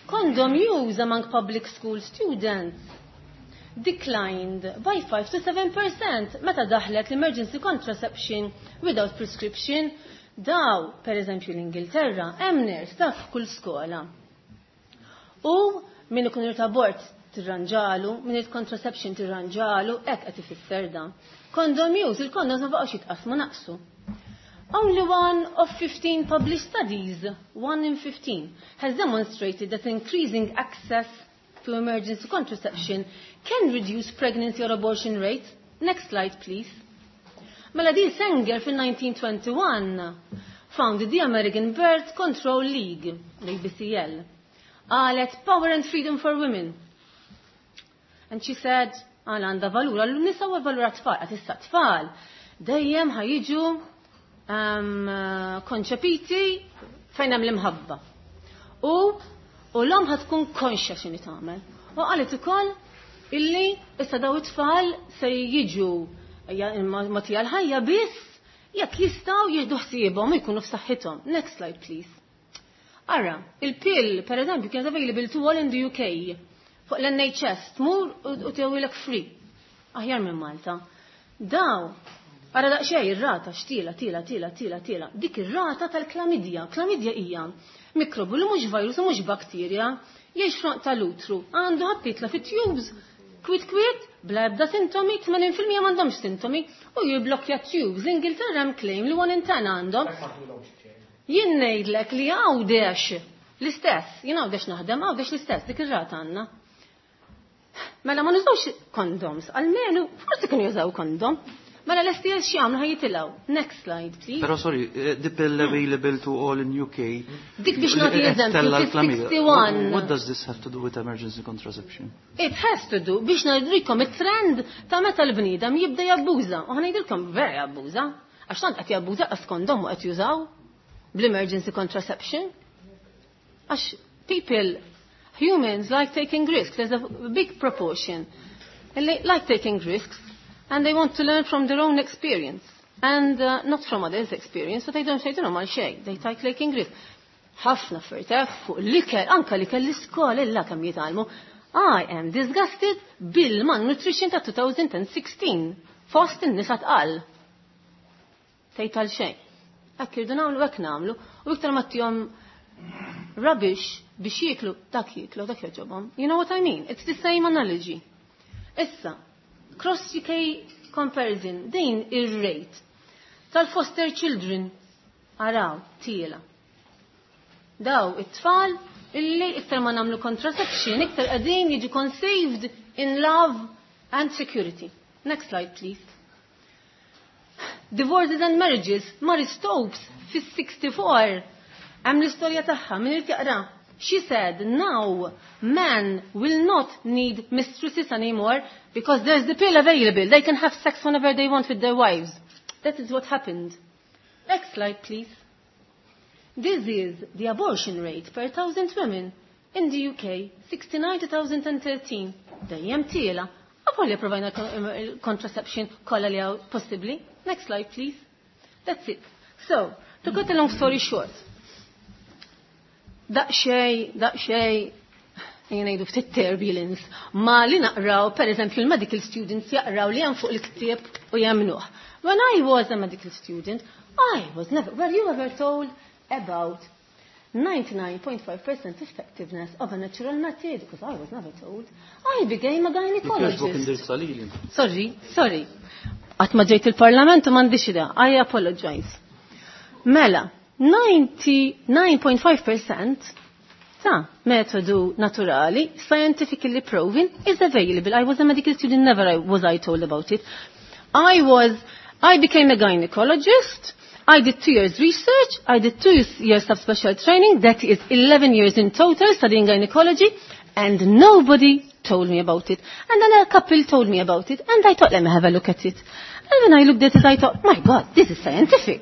Condom use among public school students declined by 5 to 7% meta daħlet l-emergency contraception without prescription. Daw, per eżempju l-Ingilterra, hemm nurse taf f'kull skola. U min ikun irid abort tirranġalu, min irid contraception tirranġalu, hekk qed ifisser dan. Condom use, il-condoms ma baqgħux jitqasmu naqsu. Only one of 15 published studies, 1 in 15, has demonstrated that increasing access to emergency contraception can reduce pregnancy or abortion rates. Next slide, please. Mela di Sanger fil-1921 founded the American Birth Control League, l-ABCL. Qalet Power and Freedom for Women. And she said, għal għanda valur, għallu nisa u valur għat-tfal, għat issa tfal, dejjem ħajġu konċepiti fejn hemm l-imħabba. U l-om ħatkun konxja x'inhi tagħmel. U qalet ukoll illi issa daw it-tfal se jiġu mogħtija l-ħajja biss Jekk jistgħu jieħdu ħsiebhom u jkunu f'saħħithom. Next slide, please. Ara, il-pill, per eżempju, kienet available to all in the UK. Fuq l-NHS, tmur u tewilek free. Aħjar minn Malta. Daw, ara daqsxejn ir-rata x'tiela, tiela, tiela, tiela, tiela. Dik ir-rata tal-klamidja. Klamidja hija mikrobu li mhux virus u mhux bakterja, jgħix f'għonq tal-utru, għandu ħadd jitla' fit-tubes, kwit kwit, bla ebda sintomi, 80% m'għandhomx sintomi, u jibblokja tubes. L-Ingilterra hemm claim li 1 in 10 għandhom. Jien ngħidlek li Għawdex l-istess, jien Għawdex naħdem, Għawdex l-istess, dik ir-rata għandna. Mela ma nużawx condoms, almenu forsi kienu jużaw kondom. Mela l-STS x'jagħmlu ħa jitilgħu. Next slide, please. Però sorry, the pill available to all in UK. Dik biex nagħti eżempju, Tella l-chlamydia. 61. What does this have to do with emergency contraception? It has to do biex ngħidilkom it-trend ta' meta l-bniedem jibda jabbuża. U ħa ngħidilkom vera jabbuża. Għax tant qed jabbuża qas kondom u qed jużaw bl-emergency contraception. Għax people, humans like taking risks. There's a big proportion. And they like taking risks and they want to learn from their own experience and not from others' experience, but they don't say, mal xejn, they like taking risks. Ħafna affarijiet fuq l-ikel, anka l-ikel l-iskola illa kemm jitgħallmu. I am disgusted bil-malnutrition ta' 2016 fost in-nisa tqal. Tgħid għal xejn. Hekk irdu nagħmlu, hekk nagħmlu, u iktar ma tihom rubbish biex jieklu, dak jieklu, dak jogħġobhom. You know what I mean? It's the same analogy. Issa, cross UK comparison, din ir-rate tal-foster children araw tiela. Daw it-tfal illi iktar ma nagħmlu contraception, iktar qegħdin jiġu conceived in love and security. Next slide, please. Divorces and marriages, Marie Stopes fis-64. Hemm l-istorja tagħha min irid jaqra. She said, now men will not need mistresses anymore because there's the pill available. They can have sex whenever they want with their wives. That is what happened. Next slide, please. This is the abortion rate per 1,000 women in the UK, 69 to 2013. Dejjem tiela. Avolja provajna contraception kollha li hawn possibbli. Next slide, please. That's it. So, to cut a long story short, daqxej, daqxej, jgħidu ftit turbulence, ma li naqraw, per eżempju, il-medical students jaqraw li hemm fuq il-ktieb u jemmnuh. When I was a medical student, I was never, were you ever told about 99.5% effectiveness of a natural method? Because I was never told. I became a gynecologist. Sorry, sorry. Qatt ma ġejt il-parlament u m'għandix idea. I apologize. Mela, 99.5% ta' metodu naturali, scientifically proven, is available. I was a medical student, never was I told about it. I became a gynecologist. I did 2 years research, I did 2 years of special training, that is 11 years in total studying gynecology, and nobody told me about it. And then a couple told me about it, and I thought, let me have a look at it. And when I looked at it, I thought, my God, this is scientific.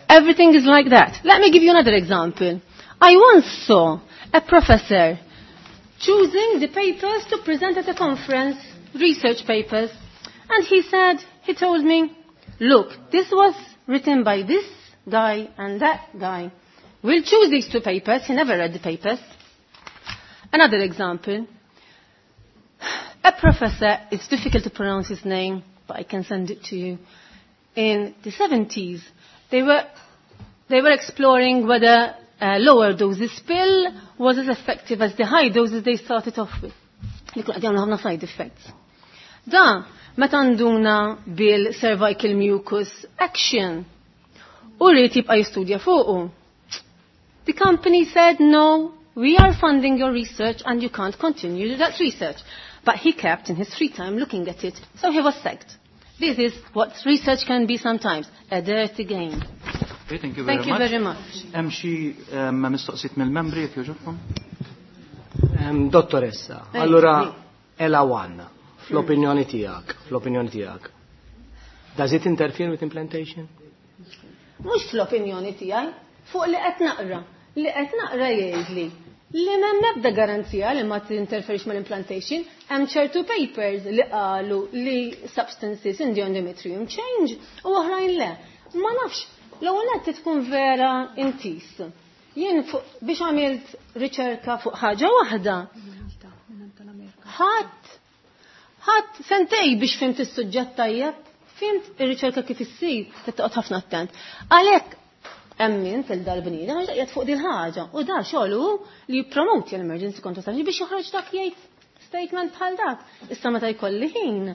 Everything is like that. Let me give you another example. I once saw a professor choosing the papers to present at a conference, research papers, and he told me, look, this was written by this guy and that guy. We'll choose these two papers. He never read the papers. Another example. A professor, it's difficult to pronounce his name, but I can send it to you. In the 70s, they were exploring whether a lower doses pill was as effective as the high doses they started off with. Li kun għadjamlu ħafna side effects. Da, meta nduna bil-cervical mucus action, u rrid jibqa' jistudja fuqu. The company said, no, we are funding your research and you can't continue that research. But he kept in his free time looking at it, so he was sacked. This is what research can be sometimes, a dirty game. Okay, thank you very Thank you much. very much. Hemm xi mistoqsijiet mill-membri jekk jogħġobkom? Dottoressa, Ej, allora sì. ELA 1, fl-opinjoni tiegħek, fl-opinjoni tiegħek. Does it interfere with implantation? Mhux fl-opinjoni tiegħi, fuq li qed naqra. Li qed naqra jgħidli Li m'hemm ebda garanzija li ma tinterferix mal-implantation, hemm ċertu papers li qalu li substances in the endometrium change u oħrajn le. Ma nafx, l-ewwel qed tkun vera intis. Jien biex għamilt riċerka fuq ħaġa waħda. Ħadd ħadd sentej biex fimt is-suġġett tajjeb, fimt ir-riċerka kif issir, toqgħod ħafna attent. Għalhekk emmin fil-dal-bniedem għax qiegħed fuq din ħaġa u da xogħlu li jippromoti l-emergency contraception biex joħroġ dak jgħid statement bħal dak. Issa meta jkolli ħin,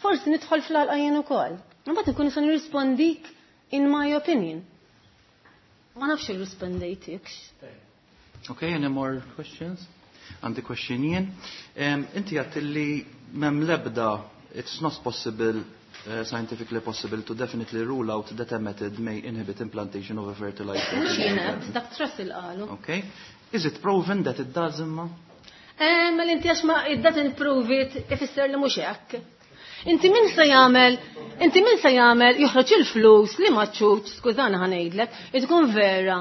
forsi nidħol fl-għalqa jien ukoll. Imbagħad inkun nista' nirrispondik in my opinion. Ma nafx irrispondejtikx. Okay, any more questions? Għandi question jien. Inti għat li mem lebda, it's not possible, scientifically possible to definitely rule out that a method may inhibit implantation of a fertilized Mhux egg. jien dak Trussell qalu. Okay. Is it proven that it does imma? Ma l-inti għax ma it doesn't prove it, ifisser li mhux hekk. Inti min se jagħmel, inti min se jagħmel joħroġ il-flus li ma ċuċ, skużana ħa ngħidlek, tkun vera.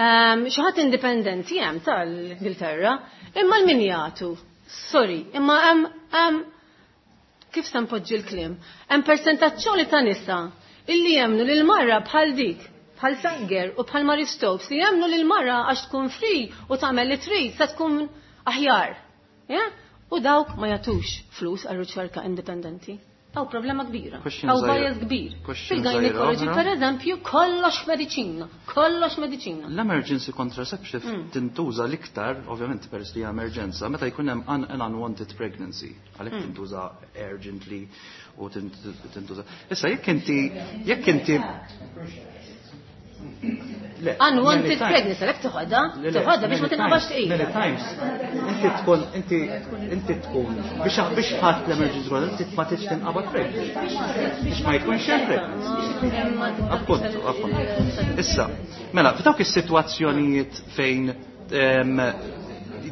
Xi ħadd indipendenti hemm tal-Ingilterra, imma l-min jagħtu. Sorry, imma hemm kif se npoġġi l-kliem? Hemm persentazzjoni ta' nisa illi jemnu lil marra bħal dik, bħal Sanger u bħal Marie Stopes li jemnu lil marra għax tkun free u tagħmel li trid se tkun aħjar. Ja? U dawk ma jagħtux flus għal riċerka indipendenti. Hawn problema kbira. Question Hawn żgħira. bias kbir. Question Fil-gynecology, żgħira oħra. per eżempju, kollox mediċina, kollox mediċina. L-emergency contraceptive tintuża l-iktar, ovvjament peress li hija emerġenza, meta jkun hemm an unwanted pregnancy, għalhekk tintuża urgently u tintuża. Issa jekk inti Le, Unwanted many times- pregnancy, għalhekk toħodha, Le, le, toħodha biex ma many tinqabax times- Many tqila. times, inti tkun, biex ħadd l-emergency contraceptive, inti ma tridx tinqabad pregnant. Biex ma jkunx hemm pregnancy. Appunto, appunto. Issa, mela, f'dawk is-sitwazzjonijiet fejn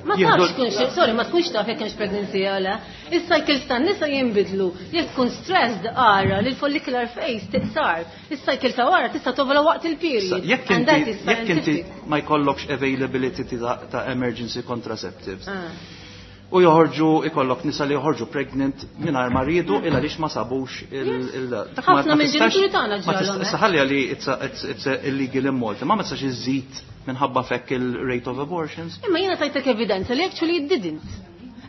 Ma tafx tkunx, sorry, ma tkunx taf jekk hemmx pregnancy jew le. Is-cycles tan-nisa jinbidlu. Jekk tkun stressed ara li l-follicular phase tiqsar. Is-cycle ta' wara tista' tovola waqt il-period. Jekk And that inti is jekk inti scientific. ma jkollokx availability ta' emergency contraceptives u joħorġu ikollok nisa li joħorġu pregnant mingħajr ma riedu illa għaliex ma sabux il dak Ħafna ma tistax- mill-ġenituri tagħna ma ġralhom Issa hekk. ħalli li it's a illegal in Malta, ma tistax iżid minħabba fekk il-rate of abortions. Imma jiena tajtek evidenza li actually it didn't.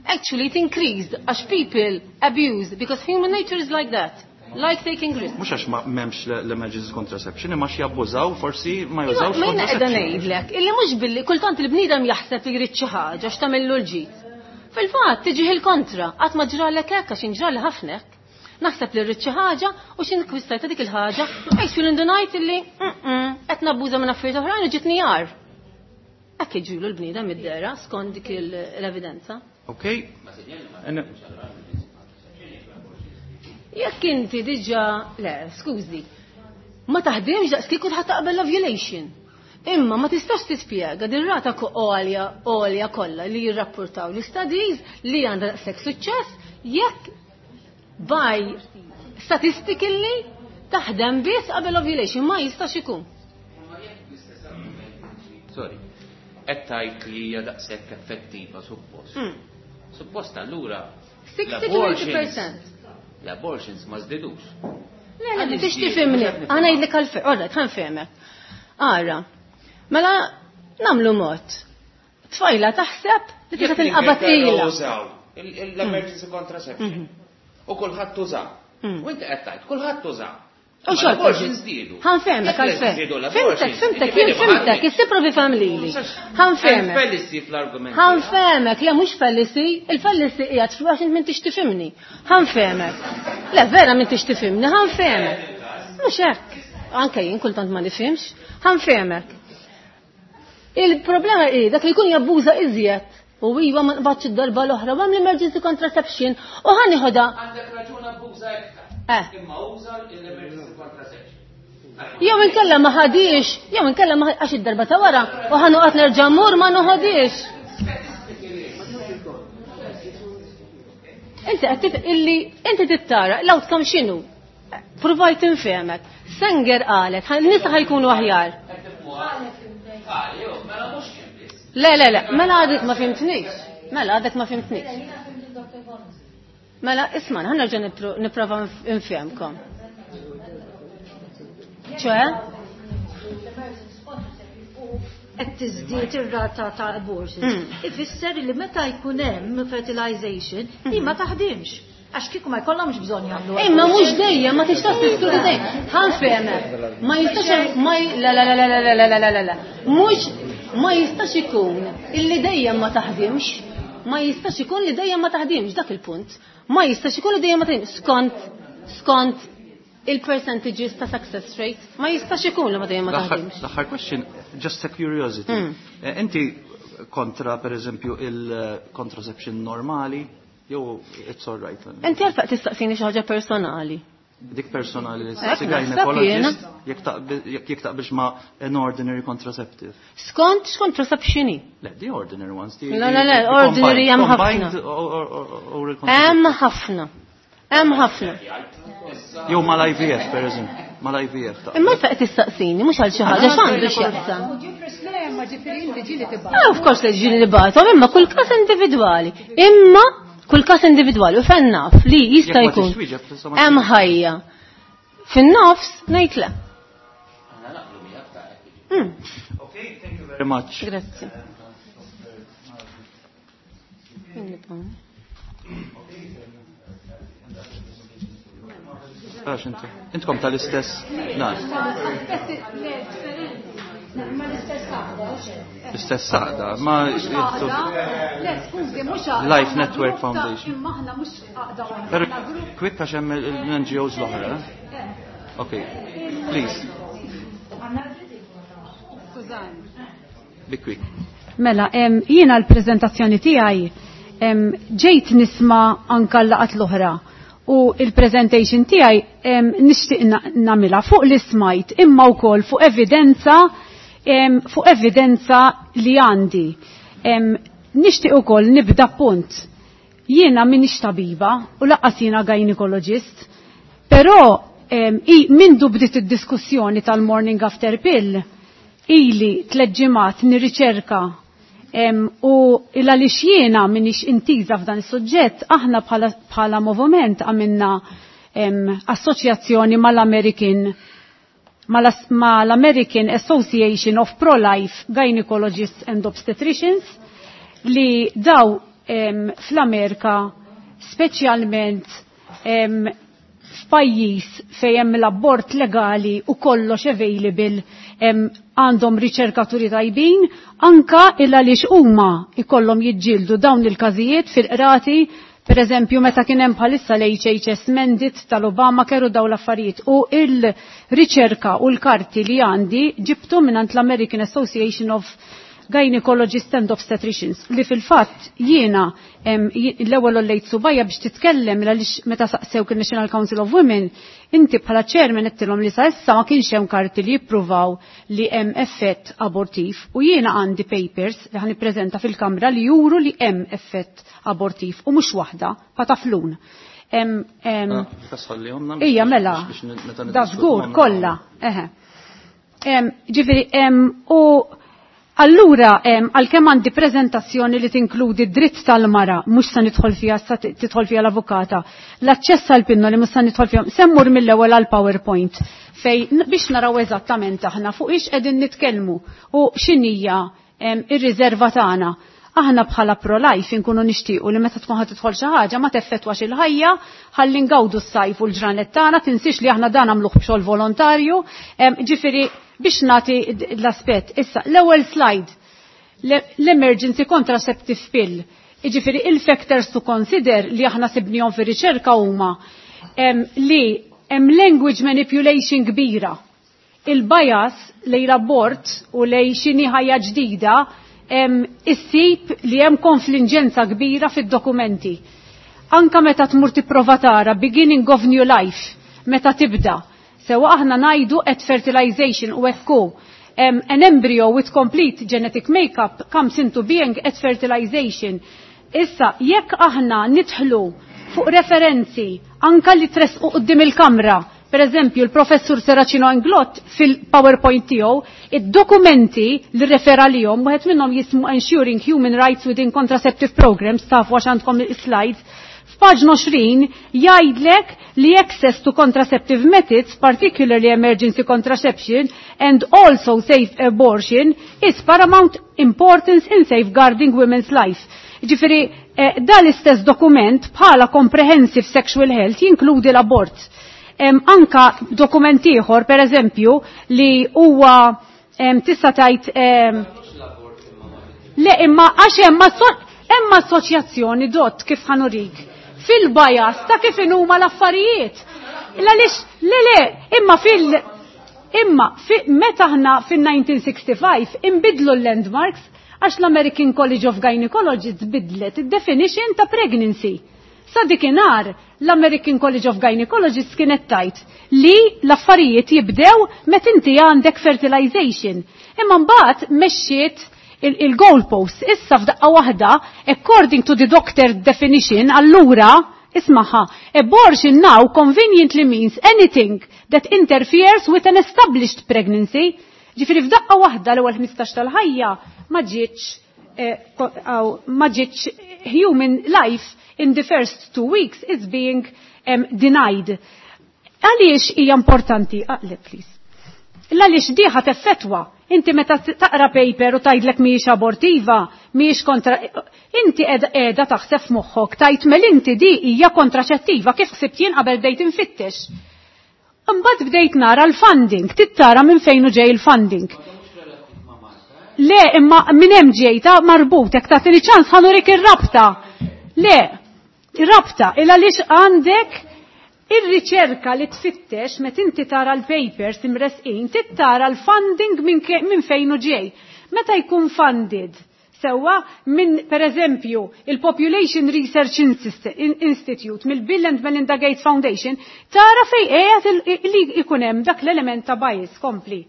Actually it increased għax people abuse because human nature is like that. Like taking risks. Mhux għax ma m'hemmx l-emergency contraception, imma xi jabbużaw forsi ma jużawx Ma jiena qiegħda contraception. ngħidlek illi mhux billi kultant il-bniedem jaħseb li jrid xi ħaġa għax tagħmillu l-ġid. Fil-fatt tiġih il-kontra, qatt ma ġralek hekk għax inġrali ħafna hekk. Naħseb li rrid xi ħaġa u xi nkwistajta dik il-ħaġa, actually indunajt illi qed nabbuża minn affarijiet oħrajn u ġitni jar. Hekk jiġrilu l-bniedem id-dera skont dik l-evidenza. Okay? Jekk inti diġà, le, skużi, ma taħdimx daqs kieku tħadd taqbel l-ovulation. Imma ma tistax tispjega din rata għolja għolja kollha li jirrapportaw l-studies li għandha daqshekk suċċess jekk by statistically taħdem biss qabel ovulation ma jistax ikun. Sorry. Qed tgħid li hija daqshekk effettiva suppost. Suppost allura 60 to 80%. L-abortions ma żdidux. Le, le, Għaliex tix żdiedu? tifhimni. Mhux qed Għana ngħidlek għalfejn, alright, ħa nfehmek. Ara, mela nagħmlu mod. Tfajla taħseb li tista' tinqabad tqila. użaw l-emergency contraception. U kulħadd uża. U inti qed tgħid kulħadd uża. U xorta. L-abortions żdiedu. Ħa nfehmek Jekk għalfejn. żdiedu Fhimtek, l-abortions, fhimtek, jiġifieri jien fhimtek, ma issipprovi fhem lili. Ħa nfehmek. Fallacy fl-argument. Ħa nfehmek, le mhux fallacy, il-fallacy qiegħed għax int m'intix tifhimni. Ħa nfehmek. Le vera m'intix tifhimni, ħa nfehmek. Mhux hekk. Anke jien kultant ma nifhimx. Ħa nfehmek. Il-problema hi dak li jkun jabbuża iżjed u iva ma nqbadx id-darba l-oħra u hemm l-emergency contraception u ħa nieħodha. Għandek raġun abbuża iktar. Imma uża l-emergency contraception. Jew inkella ma ħadix, jew inkella ma għax id-darba ta' wara u ħa noqgħod nerġa' mmur ma noħodix. Inti qed illi inti tittara l-outcome x'inhu? Provajt infehmek. Sanger qalet, nisa ħajkunu aħjar. Le, le, le, mela għadek ma fimtnix. Mela għadek ma fimtnix. Mela, isma, ħa nerġa' nipprova nfehmkom. ċoè? Qed tiżdied ir-rata ta' abortions. Ifisser li meta jkun hemm fertilization, li ma taħdimx. Għax kieku ma jkollhomx bżonn jagħmlu. Imma mhux dejjem, ma tistax tiskludi dejjem. Ħa nfehmek. Ma jistax ma la la la la la la la la la la. Mhux ma jistax ikun illi dejjem ma taħdimx. Ma jistax ikun li dejjem ma taħdimx dak il-punt. Ma jistax ikun li dejjem ma taħdimx skont il-percentages ta' success rate. Ma jistax ikun li ma dejjem ma taħdimx. L-aħħar question, just a curiosity. Inti kontra, per eżempju, il-contraception normali, jew it's all right? Inti għalfejn tistaqsini xi ħaġa personali. Dik personali li Hekk staqsi naħseb gynecologist, jiena. jekk taqbilx ma' an ordinary contraceptive. Skont x'contraception hi? Le, the ordinary ones. Le, le, le, The ordinary hemm combined ħafna. oral Hemm contraceptive. ħafna. Hemm ħafna. Jew mal-IVF, per eżempju. Mal-IVF ta' Imma fejn tistaqsini, mhux għal xi ħaġa x'għandu x'jaqsam. Ma ġifieri inti ġieli tibgħat. Ah, of course li ġieli nibgħathom, imma kull każ individwali. Imma kull każ individwali u fejn naf li jista' Jekk ma jkun tixwieġeb, tista' ma hemm tixwieġeb. ħajja. Fin-nofs ngħid le. Okay, thank you very much. Grazzi. Għax inti. Intkom tal-istess. Na. L-istess għaqda, ma jittu. Le, skużi, mhux għaqda. Life Network Foundation. Imma aħna mhux għaqda waħda. Pero quick għax hemm l-NGOs l-oħra. Eh? Okay, please. Be quick. Mela, jiena l-prezentazzjoni tiegħi ġejt nisma' anka l-laqat l-oħra. U il-presentation tiegħi nixtieq nagħmilha fuq li smajt imma wkoll fuq evidenza li għandi. Nixtieq ukoll nibda punt. Jiena m'iniex tabiba u lanqas jiena gynecologist, però mindu bdiet id-diskussjoni tal-morning after pill, ili 3 ġimgħat nirriċerka u il għaliex jiena m'iniex intiża f'dan is-suġġett, aħna bħala moviment għamilna assoċjazzjoni mal-American Association of Pro-Life Gynecologists and Obstetricians li daw fl-Amerika speċjalment f'pajjiż fejn hemm l-abort legali u kollox available għandhom riċerkaturi tajbin anka il għaliex huma ikollhom jiġġieldu dawn il-każijiet fil-qrati, per eżempju meta kien hemm bħalissa l-HHS mandate tal-Obamacare u dawn l-affarijiet. U il-riċerka u l-karti li għandi ġibtu mingħand l-American Association of Gynecologists and Obstetricians li fil-fatt jiena l-ewwel ollejt subajja biex titkellem għaliex meta saqsew kien National Council of Women, inti bħala chairman qedtilhom li sa issa ma kienx hemm karti li jippruvaw li hemm effett abortiv u jiena għandi papers li ħan nippreżenta fil-Kamra li juru li hemm effett abortiv u mhux waħda pataflun. Ah, tasħallihom Ija, mela, biex meta da niddiskutu żgur, għamna. kollha, eħe. Ġifieri, u allura, għalkemm għandi prezentazzjoni li tinkludi dritt tal-mara, mhux se nidħol fiha, sa tidħol fiha l-avukata, l-aċċess għal pinnoli mhux se nidħol fiha, semmur mill-ewwel għal PowerPoint fej biex naraw eżattament aħna fuq ix qegħdin nitkellmu u x'inhija ir-riserva tagħna. Aħna bħala pro-life inkunu nixtiequ li meta tkun ħad tidħol xi ħaġa ma teffettwax il-ħajja, ħalli ngawdu s-sajf u l-ġranet tagħna, tinsiex li aħna dan nagħmluh b'xogħol volontarju, ġifieri biex nagħti l-aspett. Issa, l-ewwel slide, l-emergency contraceptive pill. Jiġifieri il-factors to consider li aħna sibnihom fir-riċerka huma li hemm language manipulation kbira. Il-bias lejn l-abort u lejn xini ħajja ġdida issib li hemm konfliġenza kbira fid-dokumenti. Anka meta tmur tipprova tara beginning of new life, meta tibda. Sewa aħna ngħidu at fertilization u ekku. An embryo with complete genetic makeup comes into being at fertilization. Issa, jekk aħna nidħlu fuq referenzi anka li tresqu quddiem il-kamra Per eżempju, il-professur Serracino Inglott fil-PowerPoint tiegħu, id-dokumenti li refera lihom, wieħed minnhom jismu Ensuring Human Rights Within Contraceptive Programs, tafu għax għandkom slides, f'paġna 20 jgħidlek li access to contraceptive methods, particularly emergency contraception and also safe abortion, is paramount importance in safeguarding women's life. Ġifiri, dal istess dokument bħala comprehensive sexual health jinkludi l-abort. Anka dokument ieħor, per eżempju, li huwa tista' tgħid le imma għax hemm assoċjazzjoni dott kif ħanurik fil-bajas ta' kif inhuma l-affarijiet. Għaliex le imma fil imma meta aħna fil-1965 imbidlu l-landmarks għax l-American College of Gynecologists bidlet id-definition ta' pregnancy. Sa dikinhar l-American College of Gynecologists kienet tajt li l-affarijiet jibdew meta inti għandek fertilization. Imma mbagħad mexxiet il-goalpost. Issa f'daqqa waħda, according to the doctor definition, allura, ismaħa, abortion now conveniently means anything that interferes with an established pregnancy. Ġifieri f'daqqa waħda l-ewwel 15 tal-ħajja ma ġietx human life in the first 2 weeks is being denied. Għaliex hija importanti? Aqleb, please. Għaliex diħa teffettwa. Inti meta taqra paper u tgħidlek mhijiex abortiva, mhijiex kontra inti qiegħda taħseb f'moħħok tajt mel inti di hija kontraċettiva kif ħsibt jien qabel bdejt infittex. Imbagħad bdejt nara l-funding, tittara minn fejn hu ġej il-funding. Le, imma minn hemm ġejta marbut, jekk tagħtini ċans ħanurik ir-rabta. Le, ir-rabta, il għaliex għandek ir-riċerka li tfittex meta inti tara l-papers imresqin, tittara l-funding minn fejn hu ġej. Meta jkun funded, sewwa minn per eżempju il-Population Research Institute, mill-Bill and Melinda Gates Foundation, tara fej qiegħed li jkun hemm dak l-element ta' bias kompli.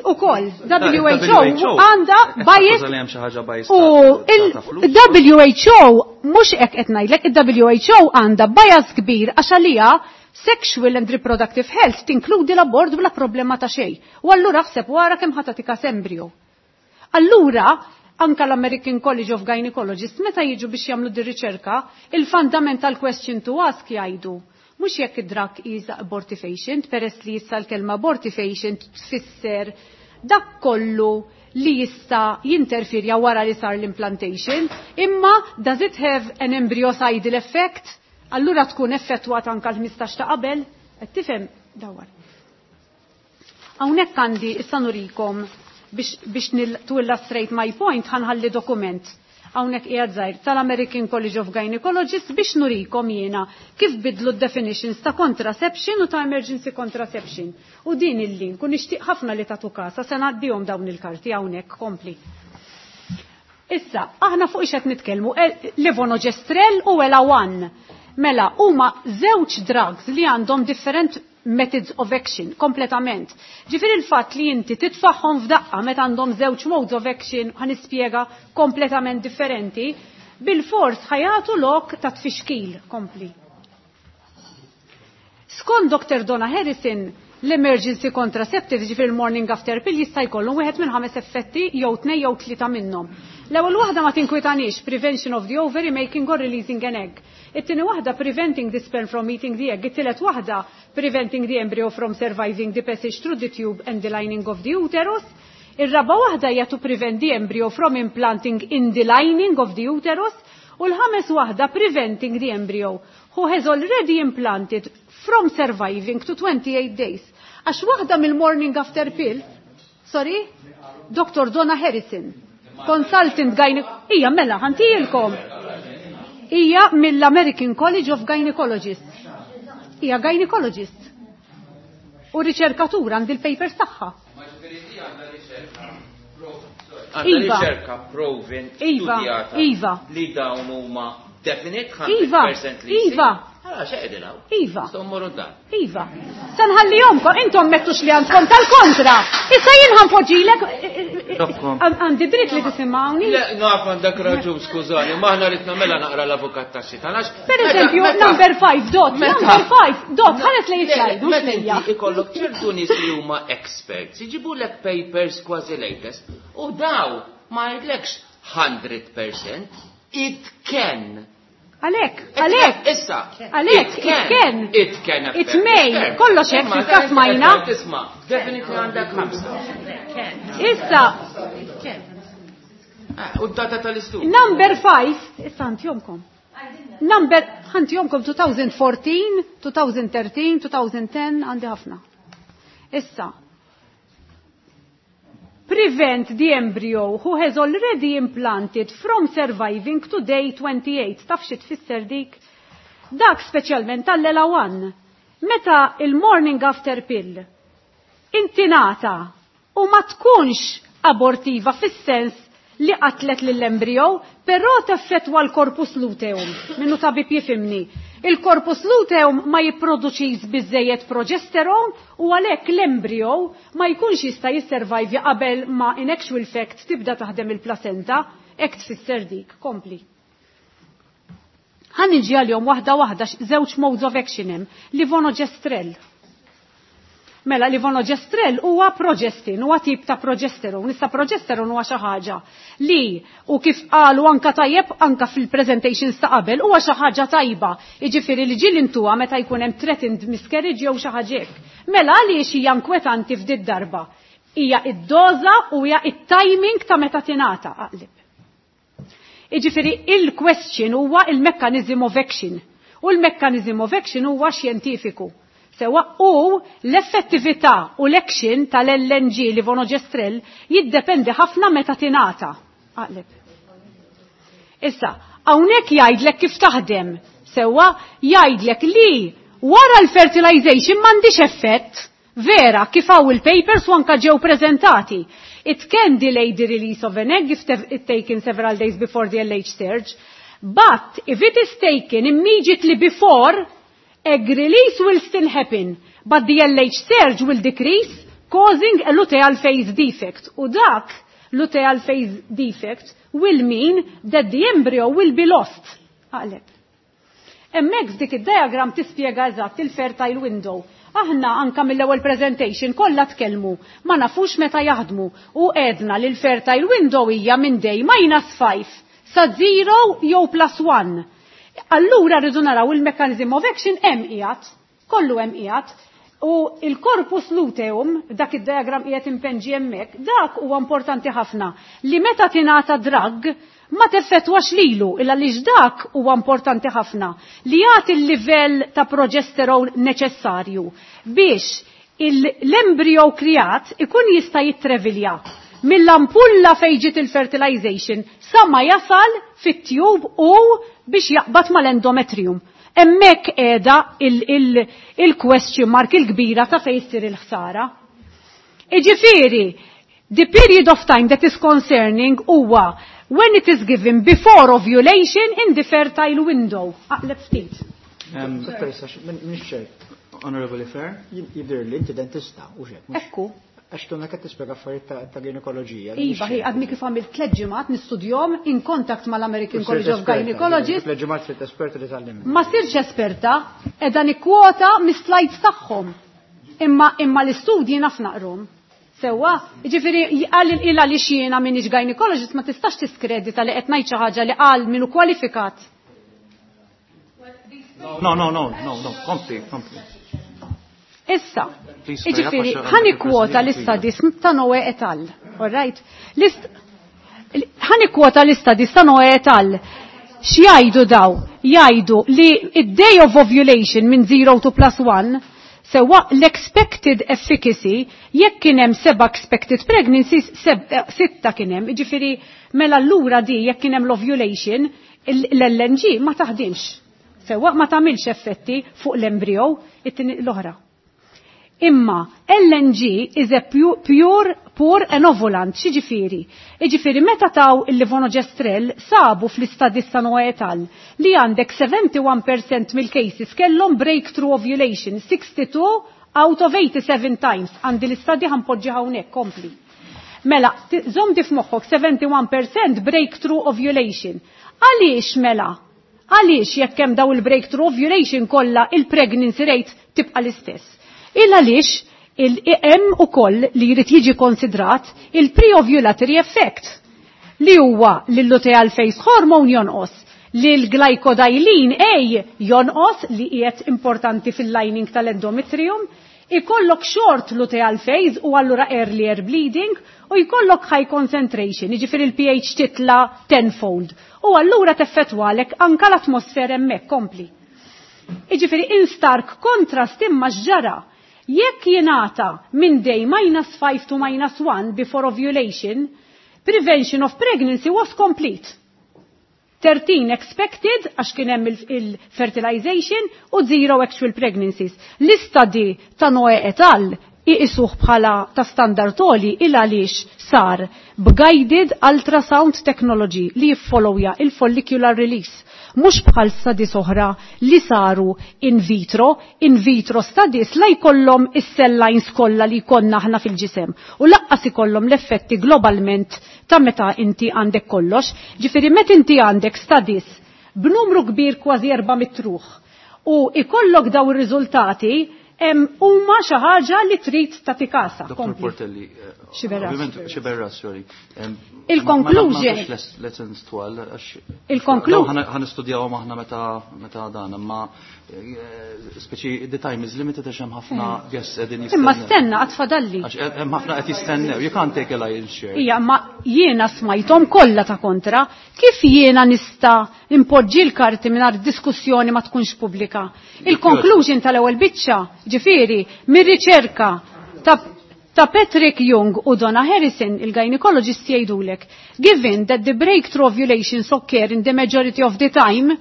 Ukoll, WHO għandha bias u il-WHO mhux hekk qed ngħidlek, il-WHO għandha bias kbir għax għalija sexual and reproductive health tinkludi l-abort bla problema ta' xejn. U allura ħseb wara kemm ħa tagħtik embryo. Allura, anka l-American College of Gynecologists meta jiġu biex jagħmlu di riċerka, il-fundamental question to ask jgħidu. Mhux jekk id-drug is abortifacient, peress li issa l-kelma abortifacient tfisser dak kollu li jista' jinterferja wara li sar l-implantation, imma does it have an embryocidal effect? Allura tkun effettwat anka l-15 ta' qabel, qed tifhem dawar. Hawnhekk għandi issa nurikom biex to illustrate my point ħanħalli dokument hawnhekk qiegħed żgħir tal-American College of Gynecologists biex nurikom jiena kif bidlu d-definitions ta' contraception u ta' emergency contraception. U din il-link u nixtieq ħafna li tagħtu kasa se ngħaddihom dawn il-karti hawnhekk kompli. Issa, aħna fuq ix qed nitkellmu levonorgestrel u EllaOne. Mela, huma żewġ drugs li għandhom different methods of action, kompletament. Ġifieri il-fatt li inti titfaħħom f'daqqa meta għandhom żewġ modes of action ħa nispjega kompletament differenti, bil-fors ħajatu lok ta' tfixkil kompli. Skont Dr. Donna Harrison, l-emergency contraceptives, ġifieri il-morning after pill, jista' jkollhom wieħed minn 5 effetti jew 2 jew 3 minnhom. L-ewwel waħda ma tinkwitanix, prevention of the ovary making or releasing an egg. It-tieni waħda preventing the sperm from meeting the egg. It-tielet waħda preventing the embryo from surviving the passage through the tube and the lining of the uterus. Ir-raba waħda hija to prevent the embryo from implanting in the lining of the uterus. U l-ħames waħda preventing the embryo who has already implanted from surviving to 28 days. Għax waħda mill-morning after pill, sorry, Dr. Donna Harrison, consultant gynecologist, ija mela, ħantijilkom. Ija mill-American College of Gynecologists. Ija gynecologist. U riċerkatura għand il-papers tagħha. Għandha riċerka proven Iva, studjata Iva. li dawn huma definite Iva, 100% li Iva. Għala, xeqedin hawn. Iva. Nistgħu mmorru d-dar. Iva. Sanħallihomkom, intom mettux li għandkom tal-kontra. Issa jien ħanpoġġilek għandi dritt li tisimgħuni. Le, naf għandek raġun, skużani, ma aħna rid nagħmilha naqra l-avukat ta' xitan għax. Per eżempju, number 5 dot, number 5 dot, ħares lej slide, mhux lejja. Meta ikollok ċertu nies li huma experts, iġibulek papers kważi latest, u daw ma jgħidlekx 100%, it can. Għalek, għalek. Issa. Għalek, it can. It can. It may. Kollox hekk fil-każ majna. Tisma', definitely għandek 5. Issa. U d-data tal-istudju. Number 5, issa ħantihomkom. Number, ħantihomkom 2014, 2013, 2010, għandi ħafna. Issa. Prevent the embryo who has already implanted from surviving to day 28. Taf xi tfisser dik? Dak speċjalment tal-LA1. Meta il-morning after pill intinata u ma tkunx abortiva fis-sens li qatlet lill-embryo, però teffettwa l-corpus luteum. Minnu tabib jifimni. Il-corpus luteum ma jipproduċix biżejjed progesteron u għalhekk l-embryo ma jkunx jista' jisservajvi qabel ma in actual fact tibda taħdem il-placenta, hekk tfisser dik. Kompli. Ħa niġi għalihom waħda waħda żewġ modes of action hemm, levonorgestrel. Mela levonorgestrel huwa progestin, huwa tip ta' progesteron. Issa progesteron huwa xi ħaġa li u kif qalu anka tajjeb anka fil-presentations ta' qabel huwa xi ħaġa tajba. Jiġifieri li ġieli intuha meta jkun hemm threatened miscarriage jew xi ħaġa hekk. Mela għaliex hija inkwetanti f'did darba? Hija id-doża u hija it-timing ta' meta tingħata aqlib. Jiġifieri il-question huwa il-mechanism of action. U l-mechanism of action huwa xjentifiku. Sewa u l-effettività u l-action tal-LNG levonorgestrel jiddependi ħafna meta tingħata. Aqleb. Issa, hawnhekk jgħidlek kif taħdem. Sewa jgħidlek li wara l-fertilization m'għandix effett. Vera, kif hawn il-papers u anka ġew preżentati. It can delay the release of an egg if it taken several days before the LH surge. But if it is taken immediately before, egg release will still happen, but the LH surge will decrease, causing a luteal phase defect. U dak luteal phase defect will mean that the embryo will be lost. Aqleb. Hemmhekk f'dik id-diagram tispjega eżatt il-fertile window. Aħna anka mill-ewwel presentation kollha tkellmu, ma nafux meta jaħdmu u għedna li l-fertile window hija minn day minus 5 sa 0 jew plus 1. Allura rridu naraw il-mechanism of action hemm qiegħed, kollu hemm qiegħed, u il-corpus luteum, dak id-diagram qiegħed impenġi hemmhekk, dak huwa importanti ħafna li meta tingħata drug ma teffettwax lilu, illa li dak huwa importanti ħafna li jagħti l-livell ta' progesterone neċessarju biex l-embryo kreat ikun jista' jitrevilja mill-ampulla fejn ġiet il-fertilization sa ma jasal fit-tube u biex jaqbad mal-endometrium. Hemmhekk qiegħda il-question mark il-kbira ta' fejn issir il-ħsara. Iġifieri, the period of time that is concerning huwa when it is given before ovulation in the fertile window. Aqleb ftit. Mhix ċert. Honorable Fair? Jidher li inti dentista u xek. Ekku. Għax tuna qed tispjega affarijiet ta' ginekoloġija. Iva, hi għadni kif għamilt 3 ġimgħat nistudjom in contact mal-American College of Gynecologists. 3 ġimgħat sirt esperta li tgħallimni. Ma sirx esperta, qiegħda nikkwota mis-slides tagħhom. Imma l-istudji naf naqrom. Sewwa, jiġifieri qal il li jiena m'iniex gynecologist ma tistax tiskredita li qed ngħid xi ħaġa li qal minnu kwalifikat. No, no, no, no, no, kompli, kompli. Issa, jiġifieri, ħa nikkwota l-istadis ta' Noe et al. All right? Ħa nikkwota l-istadis ta' Noe et al. X'jgħidu daw? Jgħidu li id-day of ovulation minn 0 to plus 1 sewa l-expected efficacy jekk kien hemm 7 expected pregnancies, 6 kien hemm, jiġifieri mela allura di jekk kien hemm l-ovulation, l-LNG ma taħdimx. Sewa ma tagħmilx effetti fuq l-embryo, it-tieni l-oħra. Imma LNG is a pure, pure enovulant, x'jiġifieri? Jiġifieri meta taw il-levonorgestrel sabu fl-istadis ta' Noe et al. Li għandek 71% mill-cases kellhom breakthrough ovulation, 62 out of 87 times. Għandi l-istadi ħa npoġġi hawnhekk, kompli. Mela, żomm di f'moħħok 71% breakthrough ovulation. Għaliex mela? Għaliex jekk hemm daw il-breakthrough ovulation kollha il-pregnancy rate tibqa' l-istess? Il għaliex il-hemm ukoll li jrid jiġi konsidrat il-pre-ovulatory effect li huwa l-luteal phase hormone jonqos, li l-glycodylene A jonqos li qiegħed importanti fil-lining tal-endometrium, ikollok short luteal phase u allura earlier bleeding u jkollok high concentration, jiġifieri il-pH titla tenfold. U allura teffettwalek anka l-atmosfera hemmhekk kompli. Jiġifieri in stark contrast imma x'ġara. Jekk jingħata minn day minus 5 to minus 1 before ovulation, prevention of pregnancy was complete. 13 expected, għax kien hemm il-fertilization, u 0 actual pregnancies. L-istadi ta' Noe et al. Iqisuh bħala ta' standard għoli il għaliex sar b'guided ultrasound technology li jiffollowja il-follicular release. Mhux bħal studies oħra li saru in vitro, in vitro studies la jkollhom is-cell lines kollha li jkollna aħna fil-ġisem u lanqas ikollhom l-effetti globalment ta' meta inti għandek kollox. Ġifieri meta inti għandek studies b'numru kbir kważi 400 ruħ u ikollok daw ir-riżultati huma xi ħaġa li trid tagħti kasha. Dr. Portelli, Xiberras. ovvjament, Xiberras, sorry. Il-conclusion. Ma nagħmlux lessons twal, għax Il-conclusion. Dawn ħa nistudjawhom aħna meta dan, imma speċi the time is limited għax hemm ħafna guests qegħdin jistennew. Imma stenna għad fadalli. Għax hemm ħafna qed jistennew. You can't take a lion's share. Ija, ma jiena smajthom kollha ta' kontra, kif jiena nista' impoġġi l-karti mingħajr diskussjoni ma tkunx pubblika? Il-conclusion tal-ewwel biċċa, ġifieri, mir-riċerka ta' Patrick Young u Donna Harrison, il-gynecologist jgħidulek, given that the breakthrough ovulations occur in the majority of the time,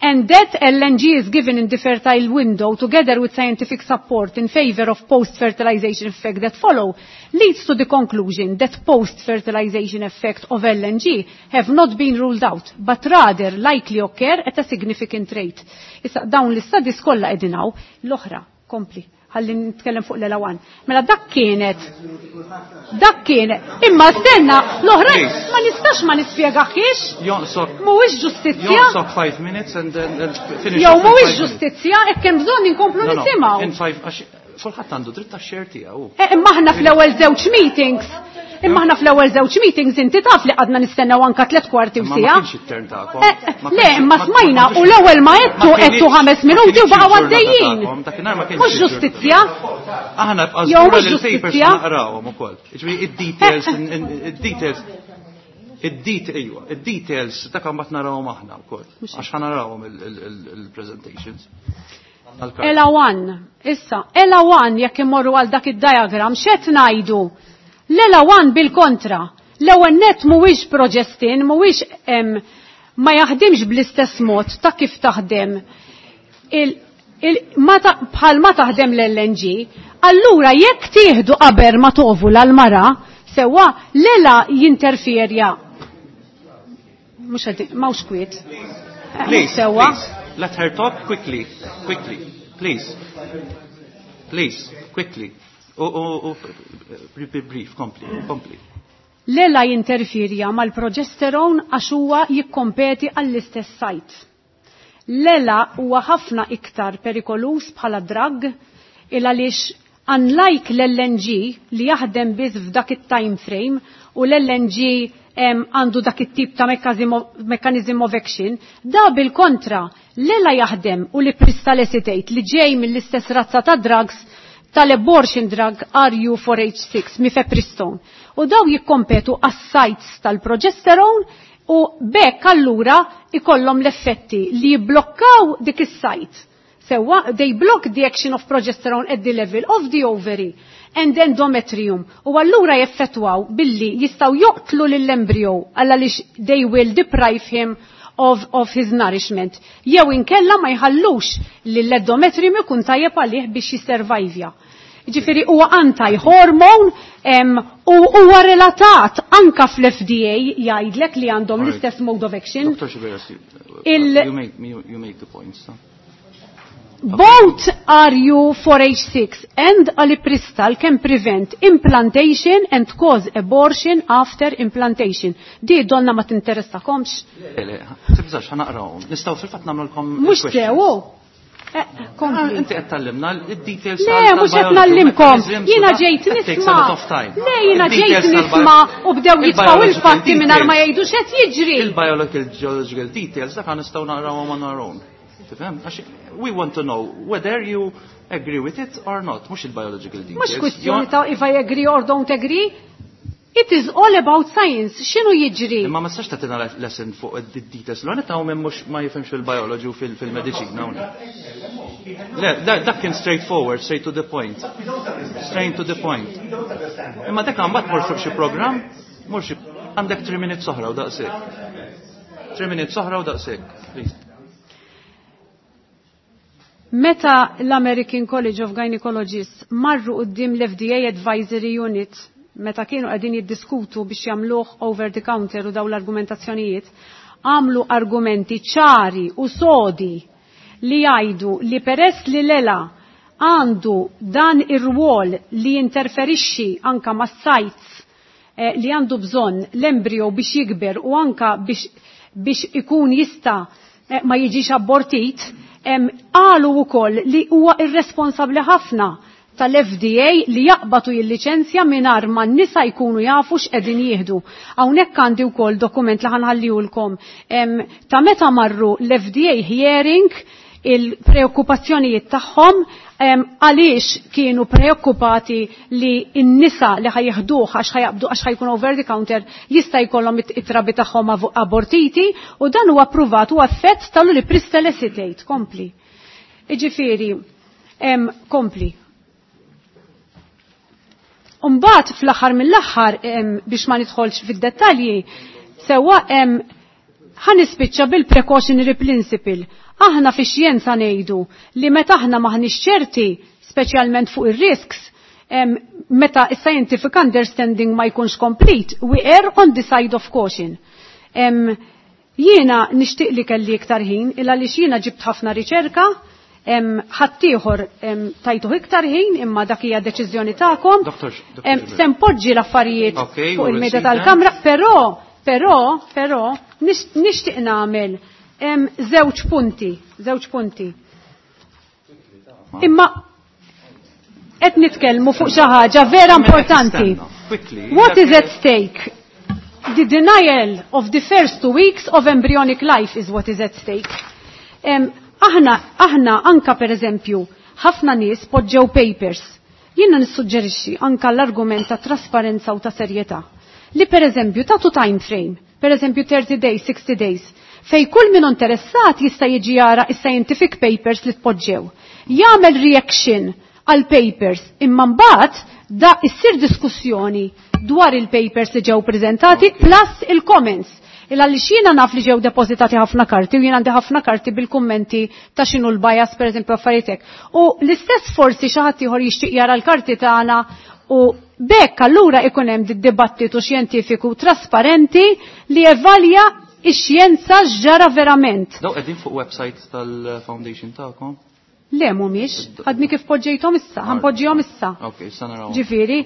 and that LNG is given in the fertile window together with scientific support in favor of post-fertilization effect that follow, leads to the conclusion that post-fertilization effect of LNG have not been ruled out, but rather likely occur at a significant rate. Issa dawn l-istadis kollha qegħdin hawn, l-oħra, kompli, ħalli nitkellem fuq l-elawan. Mela dak kienet, dak kienet, imma stenna, l-oħra ma nistax ma nispjegaħiex. Jonqsok. Mhuwiex ġustizzja. Jonqsok 5 minutes and then finish. Jew up in mhuwiex 5 minutes. ġustizzja, hekk hemm bżonn inkomplu No, nisimgħu. in five, għax kulħadd għandu dritt tax-share tiegħu. Imma aħna fl-ewwel żewġ meetings, imma aħna fl-ewwel żewġ meetings inti taf li għadna nistennew anka 3/4 u Imma ma siegħa. kienx it-turn tagħkom. Le, imma smajna u l-ewwel ma għedtu għedtu 5 minuti u baqgħu għaddejjin. Dakinhar ma kienx Mhux il-ġurnata. ġustizzja. Aħna bqa' Jew żgura mhux li l-papers ġustizzja. naqrawhom ukoll. Jiġifieri id-details id-details id-details id-details dak imbagħad narawhom aħna wkoll. Għax ħa narawhom il-presentations. ELA 1, issa, ELA 1 jekk imorru għal dak id-diagram, x'qed ngħidu? L-ELA 1 bil-kontra. L-ewwel net mhuwiex progestin, mhuwiex ma jaħdimx bl-istess mod ta' kif taħdem bħal ma taħdem l-LNG, allura jekk tieħdu qabel ma tovula l-mara, sewwa l-ELA jinterferja. Mhux qed m'hawnx kwiet. Please, Sewwa. please, let her talk quickly, quickly, please. Please, quickly. U, brief, kompli, kompli. L-ELA jinterferja mal-progesterone għax huwa jikkompeti għall-istess site. L-ELA huwa ħafna iktar perikolus bħala drug il għaliex unlike l-LNG li jaħdem biss f'dak it-time frame u l-LNG għandu dak it-tip ta' mechanism of action, da bil-kontra l-ELA jaħdem u li ulipristal acetate li ġej mill-istess razza ta' drugs tal-abortion drug RU486 mifepristone. U daw jikkompetu għas-sites tal-progesterone u bekk allura ikollhom l-effetti li jibblokkaw dik is-site. Sewwa, they block the action of progesterone at the level of the ovary and endometrium. U allura jeffettwaw billi jistaw joqtlu lill-embryo għaliex they will deprive him of his nourishment. Jew inkella ma jħallux lill-endometrium ikun tajjeb għalih biex jisservajvja. Ġifieri huwa anti-hormone u huwa relatat anka fl-FDA jgħidlek li għandhom l-istess mode of action. Dr. Sciberras, you make the points. Both RU4H6 and ulipristal can prevent implantation and cause abortion after implantation. Di donna ma tinteressakomx. Le, tibżax, ħa naqrawhom. Nistgħu fil-fatt nagħmlulkom Mhux il-questions. sew. Kompli. Inti qed tallimna id-details Le, mhux qed nallimkom. Jiena ġejt nisma'. Le, jiena ġejt nisma' u bdew jitfgħu il-fatti mingħajr ma jgħidu x'qed jiġri. Il-biological details dak nistgħu naqrawhom on our own. Tifhem? Għax we want to know whether you agree with it or not, mhux il-biological details. Mhux kwistjoni ta' if I agree or don't agree. It is all about science. X'inhu jiġri? Imma ma tistax tagħtina lesson fuq id-details. L-għanet hawn min mhux ma jifhimx fil-biology u fil-mediċina hawnhekk. Le, dak kien straightforward, straight to the point. Straight to the point. Imma dak mbagħad mur fuq xi programm, mur xi għandek 3 minutes oħra u daqshekk. 3 minutes oħra u daqshekk, please. Meta l-American College of Gynecologists marru quddiem l-FDA Advisory Unit meta kienu qegħdin jiddiskutu biex jagħmluh over the counter u daw l-argumentazzjonijiet, għamlu argumenti ċari u sodi li jgħidu li peress li l-ELA għandu dan ir-rwol li jinterferixxi anka mas-sites li għandu bżonn l-embryo biex jikber u anka biex ikun jista' ma jiġix abortit, qalu wkoll li huwa irresponsabbli ħafna tal-FDA li jaqbatu jil-liċenzja mingħajr ma n-nisa jkunu jafu x'qegħdin jieħdu. Hawnhekk għandi wkoll dokument li ħanħallihulkom ta' meta marru l-FDA hearing il-preokkupazzjonijiet tagħhom għaliex kienu preokkupati li n-nisa li ħajjeħduh għax ħajaqbdu għax ħajkun over the counter jista' jkollhom it-trabi tagħhom abortiti u dan huwa appruvat u effett tal-ulipristal acetate. Kompli. Iġifieri, kompli. Umbagħad fl-aħħar mill-aħħar biex ma nidħolx fid-dettalji, sewwa ħa nispiċċa bil-precautionary principle. Aħna fix-xjenza ngħidu li meta aħna maħniex ċerti, speċjalment fuq ir-risks, meta is-scientific understanding ma jkunx complete, we err on the side of caution. Jiena nixtieq li kelli iktar ħin, illa li jiena ġibt ħafna riċerka, ħaddieħor tajtuh iktar ħin, imma dak hija deċiżjoni tagħkom. Dr. Se npoġġi l-affarijiet Okay, fuq we will il-mejda see tal-kamra, però nixtieq nagħmel żewġ punti, żewġ punti. Imma qed nitkellmu fuq xi ħaġa vera importanti. Quickly. What is at stake? The denial of the first 2 weeks of embryonic life is what is at stake. Aħna anka per eżempju, ħafna nies poġġew papers. Jiena nissuġġerixxi anka l-argument ta' trasparenza u ta' serjetà. Li per eżempju tagħtu time frame, per eżempju 30 days, 60 days, fej kull min interessat jista' jiġi jara is-scientific papers li tpoġġew. Jagħmel reaction għal papers imma mbagħad da issir diskussjoni dwar il-papers li ġew preżentati plus il-comments. Il għaliex jiena naf li ġew depożitati ħafna karti u jiena għandi ħafna karti bil-kummenti ta' x'inhu l-bias pereżempju affarijiet hekk. U l-istess forsi xi ħadd ieħor jixtieq jara l-karti tagħna u bekk allura ikun hemm dibattitu xjentifiku trasparenti li evalja ix-xjenza x'ġara verament. Daw qegħdin fuq website tal-foundation tagħkom? Le mhumiex, għadni kif poġġejthom issa, ħanpoġġihom issa. Ok, issa naraw. Ġifieri,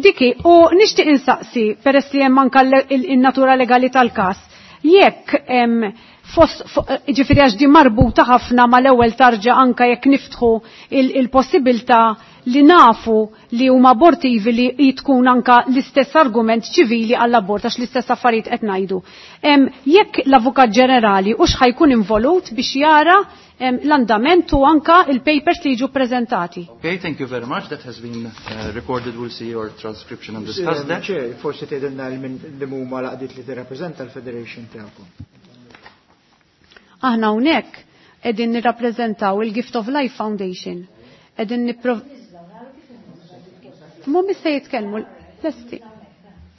diki, u nixtieq insaqsi peress li hemm anke in-natura legali tal-każ, jekk ġifieri għax di marbuta ħafna mal-ewwel tarġa anke jekk niftħu il-possibilità li nafu li huma abortivi li tkun anka l-istess argument ċivili għall-abort għax l-istess affarijiet qed ngħidu. Jekk l-Avukat Ġenerali hux ħajkun involut biex jara l-andament u anka il-papers li jiġu prezentati. Okay, thank you very much. That has been recorded. We'll see your transcription and discuss that. Chair, forsi tgħidilna li huma l-għaqdiet li tirrappreżenta l-Federation tagħkom. Aħna hawnhekk qegħdin nirrappreżentaw il-Gift of Life Foundation. Qegħdin nipprov Mhumiex se jitkellmu lesti.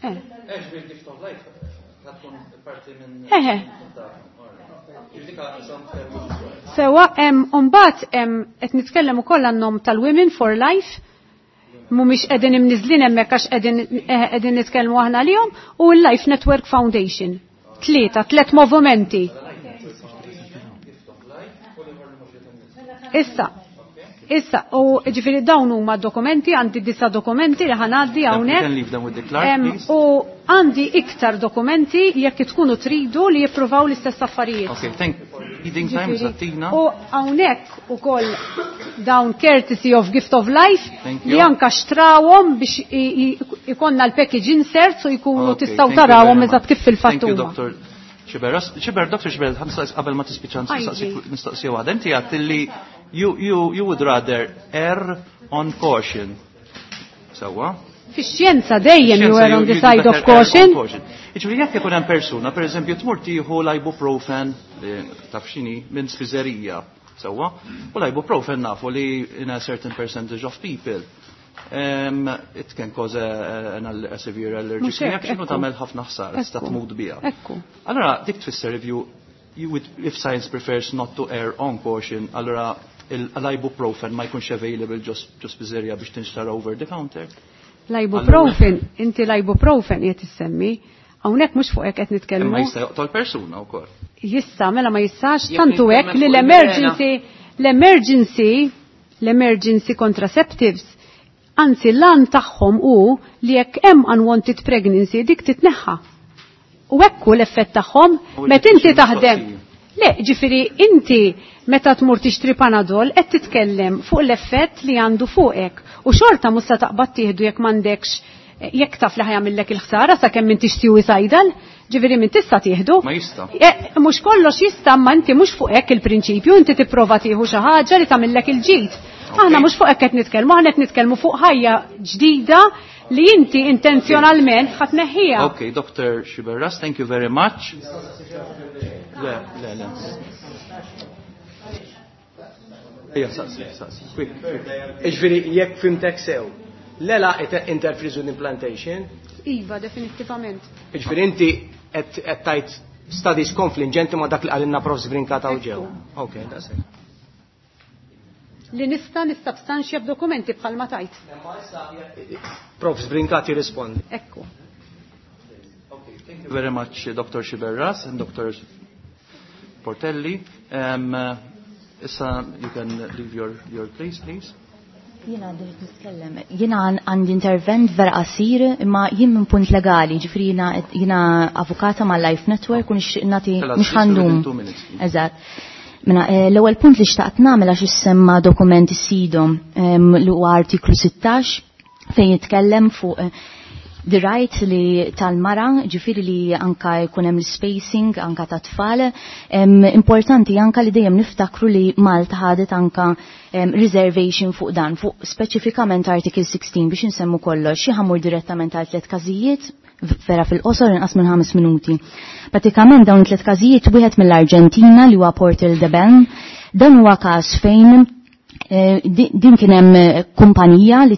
Ex bil-Gift of Life. Eħe. Sewa, mbagħad qed nitkellem ukoll għan-nom tal-Women for Life, mhumiex qegħdin imniżlin hemmhekk għax qegħdin nitkellmu aħna lihom, u l-Life Network Foundation. Tlieta, tliet movimenti. Issa, issa, u ġifieri dawn huma dokumenti, għandi disa dokumenti li ħanaddi hawnhekk. U għandi iktar dokumenti jekk tkunu tridu li jippruvaw l-istess affarijiet. Okay, thank you. Reading time, Zattina. U hawnhekk ukoll dawn courtesy of Gift of Life li anka xtrawhom biex ikonna l-package inserts u jkunu tistgħu tarawhom eżatt kif fil-fatt Thank you, Dr. Xiber, Dr. Xiber, qabel ma tispiċċa nistaqsi waħda. Inti għedt li you would rather err on caution. Sewwa? Fix-xjenza dejjem you err on the side of caution. Jiġifieri jekk ikun hemm persuna, pereżempju tmur tieħu l-ibuprofen, taf x'inhi, minn spiżerija, sewwa? U l-ibuprofen nafu li in a certain percentage of people it can cause a severe allergic reaction u tagħmel ħafna ħsara, tista' tmut biha. Allora dik tfisser if you would, if science prefers not to err on caution, allora l-ibuprofen ma jkunx available just spiżerija biex tinxtara over the counter. L-ibuprofen, inti l-ibuprofen qed issemmi, hawnhekk mhux fuq hekk qed nitkellmu. Imma jista' joqtol persuna wkoll. Jista', mela ma jistax, tantu hekk li l-emergency contraceptives, anzi l-għan tagħhom hu li jekk hemm unwanted pregnancy dik titneħħa. U hekk hu l-effett tagħhom meta inti taħdem. Le, ġifieri inti meta tmur tixtri Panadol qed titkellem fuq l-effett li għandu fuqek. U xorta mhux se taqbad tieħdu jekk m'għandekx, jekk taf li ħajamillek il-ħsara sakemm m'intix suicidal, ġifieri min tista' tieħdu. Ma jista'. Mhux kollox jista', ma inti mhux fuq hekk il-prinċipju, inti tipprova tieħu xi ħaġa li tagħmillek il-ġid. Aħna mhux fuq hekk qed nitkellmu, aħna qed nitkellmu fuq ħajja ġdida li inti intenzjonalment ħadd neħħiha. Okay, Dr. Xiberras, thank you very much. Le, le, le. Ejja, saqsi, saqsi. Quick, quick. Iġifieri jekk fimtek sew, l-ela interferes with implantation? Iva, definittivament. Iġifieri inti qed tajt studies konfliġenti ma dak li qalilna Prof. Brincat hawn ġew. Okay, that's it. Li nista' nissubstanxja b'dokumenti bħalma tajt. Prof. Brincat jirrispondi. Ekku. Okay, thank you very much, Dr. Xiberras and Dr. Portelli. Issa, you can leave your place, please. Jiena għandi nitkellem. Jiena għandi intervent vera qasir, imma jien minn punt legali, ġifieri jiena avukata ma' Life Network u nixtieq nagħti mhux ħandum. Eżatt. Mela, l-ewwel punt li xtaqt nagħmel għax issemma dokument is-SIDO li huwa artiklu 16 fejn jitkellem fuq the right li tal-mara, ġifieri li anka jkun hemm l-spacing anka ta' tfal. Importanti anka li dejjem niftakru li Malta ħadet anka reservation fuq dan, fuq speċifikament article 16 biex insemmu kollox. Xi ħamur direttament għal 3 każijiet, vera fil-qosor inqas minn 5 minuti. Pratikament dawn 3 każijiet, wieħed mill-Arġentina li huwa Portal de Ben, dan huwa każ fejn din kien hemm kumpanija li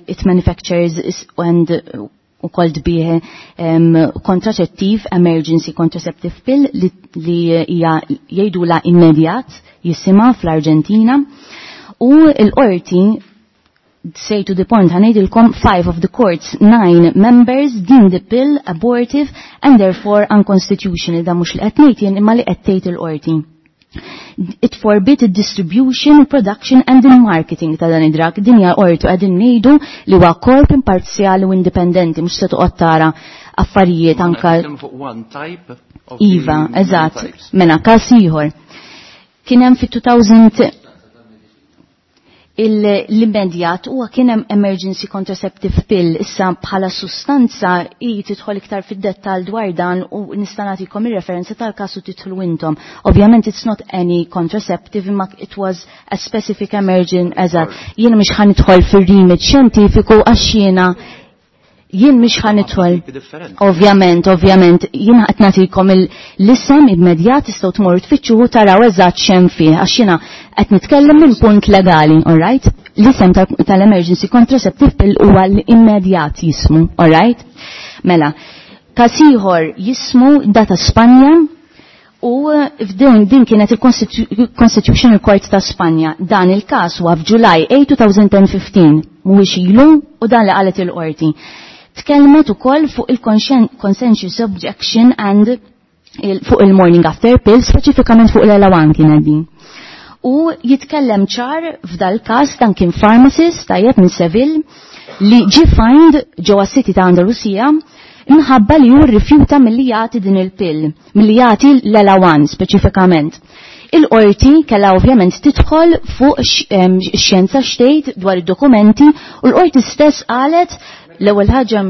it manufactures and ukoll tbih contraceptive, emergency contraceptive pill li hija jgħidula immedjat jisimha fl-Arġentina. U l-qorti say to the point ħanejdilkom 5 of the court's 9 members deemed the pill abortive and therefore unconstitutional. Da mhux li qed ngħid jien imma li qed tgħid il-qorti. It forbid the distribution, production and the marketing ta' dan id-drug. Din hija qorti qegħdin ngħidu li huwa korp imparzjali u indipendenti, mhux se toqgħod tara affarijiet anka Nitkellmu fuq one type of Iva, the many eżatt. types. Mela, każ ieħor. Kien hemm fit-2000 l-immedjat huwa kien hemm emergency contraceptive pill. Issa bħala sustanza hi tidħol iktar fid-dettall dwar dan u nista' nagħtikom ir-referenza tal-każ u tidħlu intom. Ovvjament it's not any contraceptive imma it was a specific emergency. Eżatt. Jiena mhux ħa nidħol fir-remit xjentifiku għax jien mhux ħa nidħol. Ovvjament, ovvjament, jien qed nagħtikom l-isem immedjat tistgħu tmorru tfittxuhu taraw eżatt x'hemm fih għax jiena qed nitkellem minn punt legali, all right? L-isem tal-emergency contraceptive pill huwa l-immedjat jismu, all right? Mela, Każ ieħor jismu data Spanja u f'din din kienet il-Constitutional Court ta' Spanja. Dan il-każ huwa f'July 8 2015 mhuwiex ilu u dan li qalet il-qorti. Tkellmet ukoll fuq il-consensus objection and fuq il-morning after pill, speċifikament fuq l-elawan kienet din. U jitkellem ċar f'dal każ dan kien pharmacist tajjeb minn Seville li ġie find ġewwa City ta' Andalusija minħabba li hu rrifjuta milli jagħti din il-pill, milli jagħti l-elawan speċifikament. Il-qorti kellha ovvjament tidħol fuq x-xjenza xtejt dwar id-dokumenti u l-qorti stess qalet l-ewwel ħaġa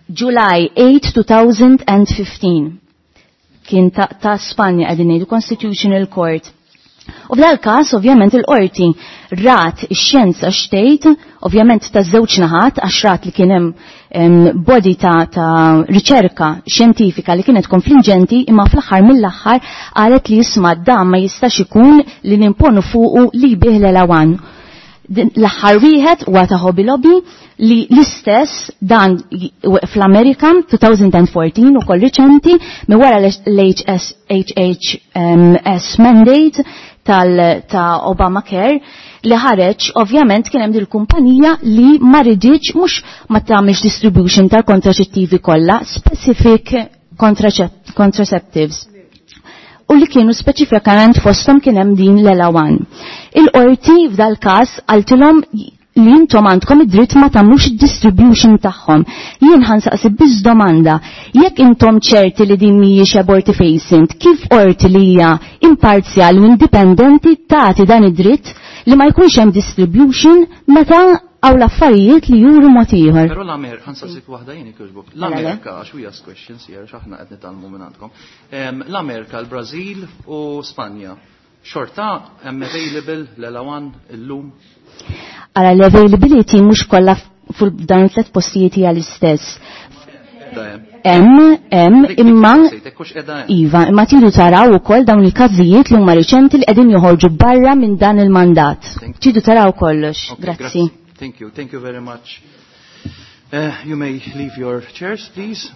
July 8, 2015 kien ta' Spanja qegħdin ngħidu Constitutional Court. U f'dal każ ovvjament il-qorti rat ix-xjenza xtejt, ovvjament ta' żewġ naħat għax rat li kien hemm body ta' riċerka xjentifika li kienet konfliġenti imma fl-aħħar mill-aħħar qalet li jisma' dan ma jistax ikun li nimponu fuqu li bih l-elawan. L-aħħar wieħed huwa ta' Hobby Lobby li l-istess dan fl-Amerika 2014 ukoll riċenti minn wara l-HHS mandate ta' Obamacare li ħareġ ovvjament kien hemm dil-kumpanija li ma ridiċ mhux ma tagħmilx distribution tal-kontraċettivi kollha, specific contraceptives. U li kienu speċifikament fosthom kien hemm din l-elawan. Il-qorti f'dal każ qaltilhom li intom għandkom id-dritt ma tagħmlux id-distribution tagħhom. Jien ħansaqsi biss domanda, jekk intom ċerti li din mhijiex abortifacient, kif qorti li hija imparzjali u indipendenti tagħti dan id-dritt li ma jkunx hemm distribution meta għaw l-affarijiet li juru mod ieħor. Però l-Amerika, ħansaqsik waħda jien ikjoġbok. L-Amerika, għax we ask questions here, għax aħna qed nitgħallmu minn għandkom. L-Amerika, l-Brażil u Spanja. Xorta hemm available l-elawan illum? Ara l-availability mhux kollha fuq dawn it-tliet postijiet hija l-istess. Hemm imma iva, imma tridu taraw ukoll dawn il-każijiet li huma riċenti li qegħdin joħorġu barra minn dan il-mandat. Tridu taraw kollox. Grazzi. Thank you, thank you very much. You may leave your chairs, please.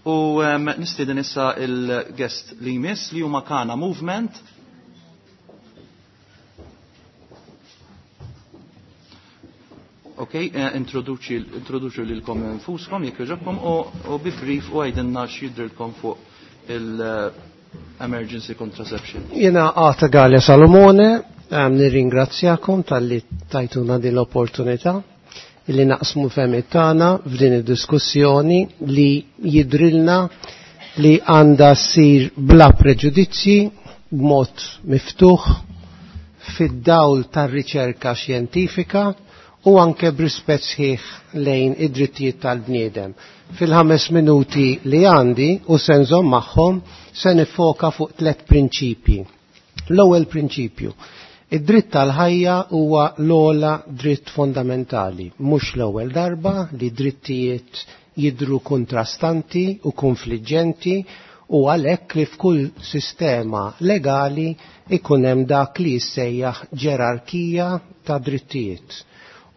U nistieden issa il-guest li jmiss li huma Kana Movement. Ok, introduċu lilkom infuskom jekk jogħġobkom u bi brief u għidilna x'jidrilkom fuq il-emergency contraception. Jena Għata Galea Salomone, nirringrazzjakom tal-li tajtuna din l-opportunità li naqsmu fehmiet tagħna f'din id-diskussjoni li jidrilna li għandha ssir bla preġudizzji b'mod miftuħ fid-dawl tar-riċerka xjentifika u anke b'rispett sħiħ lejn id-drittijiet tal-bniedem. Fil-5 minuti li għandi u se nżomm magħhom se nifoka fuq 3 prinċipji. L-ewwel prinċipju, id-dritt tal-ħajja huwa l-ogħla dritt fondamentali, mhux l-ewwel darba li drittijiet jidru kontrastanti u konfliġġenti u għalhekk li f'kull sistema legali ikun hemm dak li jissejjaħ ġerarkija ta' drittijiet.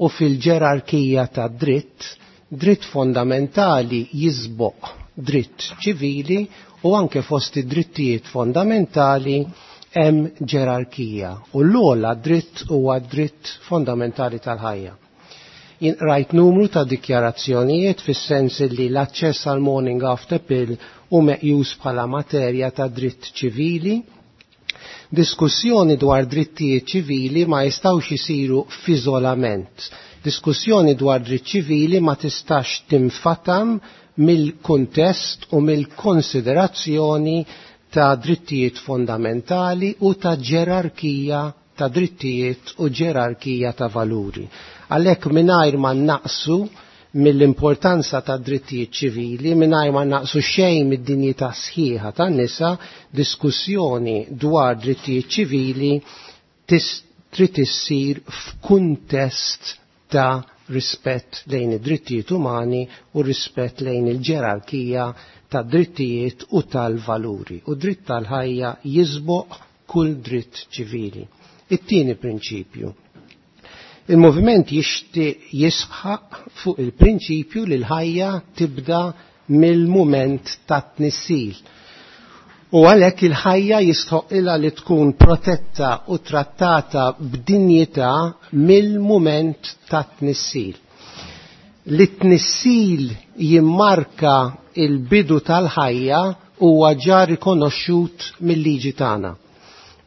U fil-ġerarkija ta' dritt, dritt fondamentali jisboq dritt ċivili u anke fost id-drittijiet fondamentali hemm ġerarkija. U l-ogħla dritt huwa dritt fondamentali tal-ħajja. Jien rajt numru ta' dikjarazzjonijiet fis-sens li l-aċċess għal morning after pill hu meqjus bħala materja ta' dritt ċivili. Diskussjoni dwar drittijiet ċivili ma jistgħux isiru f'iżolament. Diskussjoni dwar dritt ċivili ma tistax tinfatam mill-kuntest u mill-konsiderazzjoni ta' drittijiet fondamentali u ta' ġerarkija ta' drittijiet u ġerarkija ta' valuri. Għalhekk mingħajr ma naqsu mill-importanza ta' drittijiet ċivili, mingħajr ma naqsu xejn mid-dinjità sħiħa tan-nisa, diskussjoni dwar drittijiet ċivili trid issir f'kuntest ta' rispett lejn id-drittijiet umani u rispett lejn il-ġerarkija ta' drittijiet u tal-valuri. U dritt tal-ħajja jisboq kull dritt ċivili. It-tieni prinċipju. Il-moviment jixtieq jisħaq fuq il-prinċipju li l-ħajja tibda mill-mument tat-tnissil. U għalhekk il-ħajja jistħoqilha li tkun protetta u trattata b'dinjità mill-mument tat-tnissil. Li t-tnissil jimmarka il-bidu tal-ħajja huwa ġa rikonoxxut mill-liġi tagħna.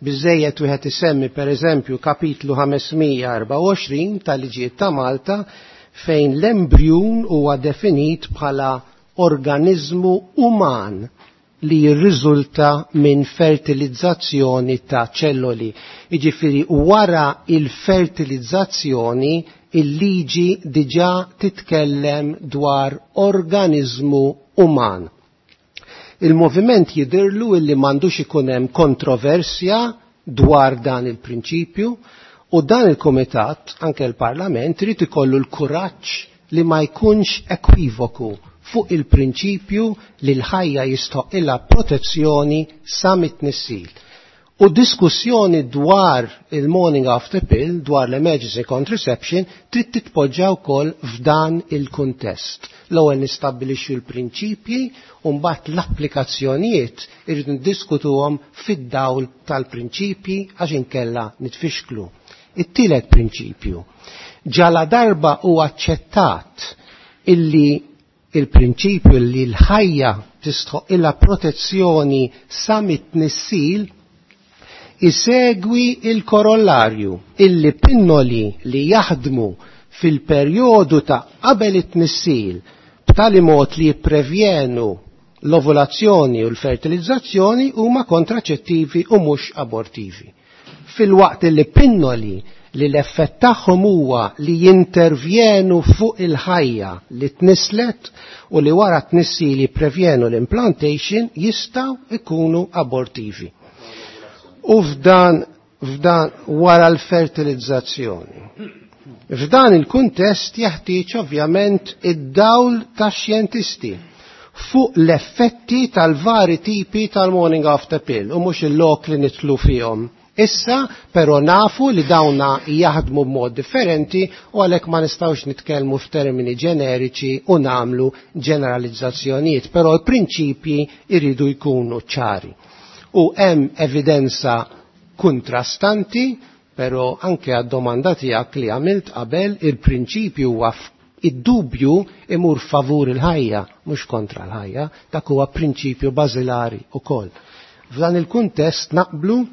Biżejjed wieħed isemmi pereżempju kapitlu 524 tal-liġijiet ta' Malta fejn l-embrjun huwa definit bħala organizmu uman li jirriżulta minn fertilizzazzjoni ta' ċelloli. Jiġifieri wara il-fertilizzazzjoni il-liġi diġà titkellem dwar organizmu uman. Il-moviment jidirlu illi m'għandux ikun hemm kontroversja dwar dan il-prinċipju u dan il-komitat, anke l-Parlament, irid ikollu l-kuraġġ li ma jkunx ekwivoku fuq il-prinċipju li l-ħajja jistoqilha protezzjoni sa mit-tnissil. U diskussjoni dwar il-morning after pill, dwar l-emergency contraception, trid titpoġġa wkoll f'dan il-kuntest. L-ewwel nistabbilixxu l-prinċipji u mbagħad l-applikazzjonijiet irrid niddiskutuhom fid-dawl tal-prinċipji għax inkella nitfixklu. It-tielet prinċipju. Ġala darba u aċċettat illi il-prinċipju li l-ħajja tistħoq protezzjoni sa mit-tnissil isegwi il-korollarju illi pinnoli li jaħdmu fil-perjodu ta' qabel it-tnissil b'tali mod li jipprevjenu l-ovulazzjoni u l-fertilizzazzjoni huma kontraċettivi u mhux abortivi. Fil-waqt li pinnoli li l-effett tagħhom huwa li jintervjenu fuq il-ħajja li tnislet u li wara tnissil jipprevjenu l-implantation jistgħu ikunu abortivi. U f'dan f'dan wara l-fertilizzazzjoni. F'dan il-kuntest jeħtieġ ovvjament id-dawl tax-xjentisti fuq l-effetti tal-vari tipi tal-morning after pill u mhux il-lok li nitlu fihom. Issa, però nafu li dawna jaħdmu b'mod differenti u għalhekk ma nistgħux nitkellmu f'termini ġeneriċi u nagħmlu ġeneralizzazzjonijiet, però l-prinċipji jridu jkunu ċari. U hemm evidenza kontrastanti, però anke għad-domanda tiegħek li għamilt qabel il-prinċipju huwa id-dubju imur favur il-ħajja, mhux kontra l-ħajja, dak huwa prinċipju bażilari wkoll. F'dan il-kuntest naqblu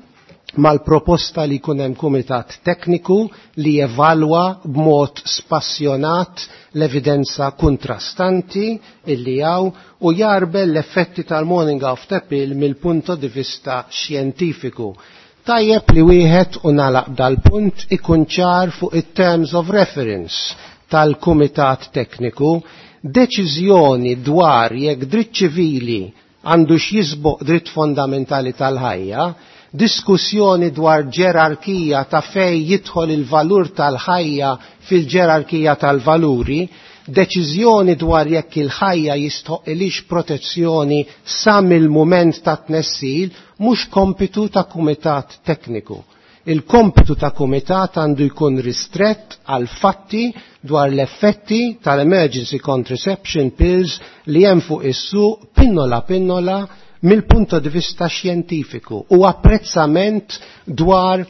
mal-proposta li jkun hemm kumitat tekniku li jevalwa b'mod spassjonat l-evidenza kontrastanti illi hawn u jarbel l-effetti tal-morning after pill mill-punto di vista xjentifiku. Tajjeb li wieħed u nalaq dal-punt ikun ċar fuq it-terms of reference tal-kumitat tekniku, deċiżjoni dwar jekk dritt ċivili għandu x'jisboq dritt fondamentali tal-ħajja, diskussjoni dwar ġerarkija ta' fej jidħol il-valur tal-ħajja fil-ġerarkija tal-valuri, deċiżjoni dwar jekk il-ħajja jistħoqilix protezzjoni sa mill-mument ta' tnessil mhux kompitu ta' kumitat tekniku. Il-kompitu ta' kumitat għandu jkun ristrett għal fatti dwar l-effetti tal-emergency contraception pills li hemm fuq is-suq pinnola pinnola mill-punto di vista xjentifiku u apprezzament dwar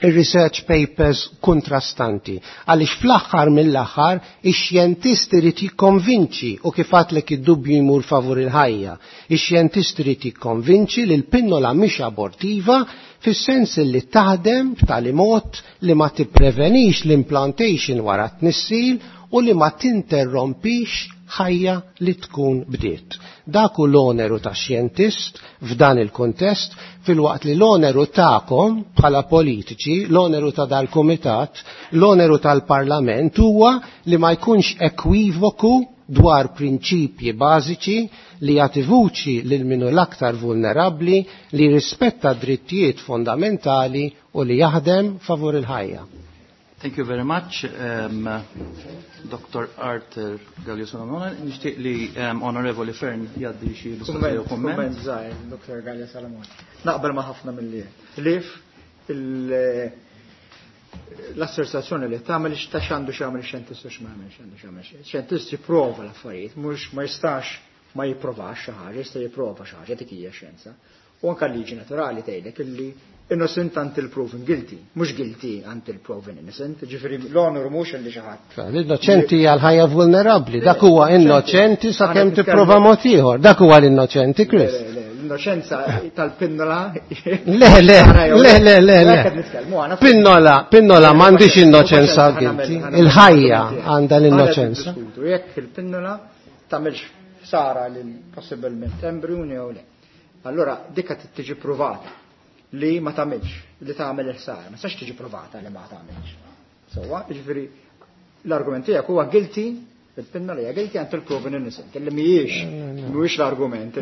il-research papers kontrastanti. Għaliex fl-aħħar mill-aħħar ix-xjentist irid jikkonvinċi u kif għadlek id-dubju jmur favur il-ħajja. Ix-xjentist irid jikkonvinċi li l-pinnola mhix abortiva fis-sens li taħdem b'tali mod li ma tipprevenix l-implantation wara t-tnissil u li ma tinterrompix ħajja li tkun bdiet. Dak hu l-oneru ta' xjentist f'dan il-kontest fil-waqt li l-oneru ta'kom bħala politiċi, l-oneru ta' dal-komitat, l-oneru tal-parlament huwa li ma jkunx ekwivoku dwar prinċipji bażiċi li jagħti vuċi lil minu l-aktar vulnerabbli li rispetta drittijiet fondamentali u li jaħdem favur il-ħajja. Thank you very much, Dr. Arthur Gallia Salamone. Nixtieq li Onorevoli Fern jgħaddi xi mistoqsija jew komment. Komment żgħir, Dr. Gallia Salamone. Naqbel ma' ħafna mill-li. Lif l-asserzazzjoni li tagħmel ta' x'għandu x'jagħmel ix-xjentist u x'ma jagħmel x'għandu x'jagħmel. Xjentist jipprova l-affarijiet, mhux ma jistax ma jipprovax xi ħaġa, jista' jipprova xi ħaġa dik hija xjenza. U anke l-liġi naturali tgħidlek illi innocent until proven guilty, mhux guilty until proven innocent, ġifieri l-onor mhux illi xi ħadd. L-innoċenti hija l-ħajja vulnerabbli, dak huwa innoċenti sakemm tipprova mod ieħor, dak huwa l-innoċenti, Chris. L-innoċenza tal-pinnola. Le, le, le, le, le, le. Pinnola, pinnola m'għandix innoċenza guilty, il-ħajja għandha l-innoċenza. Jekk il-pinnola tagħmilx ħsara lil possibilment embrjuni jew le. Allora dikka tiġi provata li ma tagħmilx, li tagħmel il-ħsara, ma tistax tiġi provata li ma tagħmilx. Sewwa, jiġifieri l-argument tiegħek huwa guilty, il-pinna li hija guilty until proven innocent, li mhijiex mhuwiex l-argument.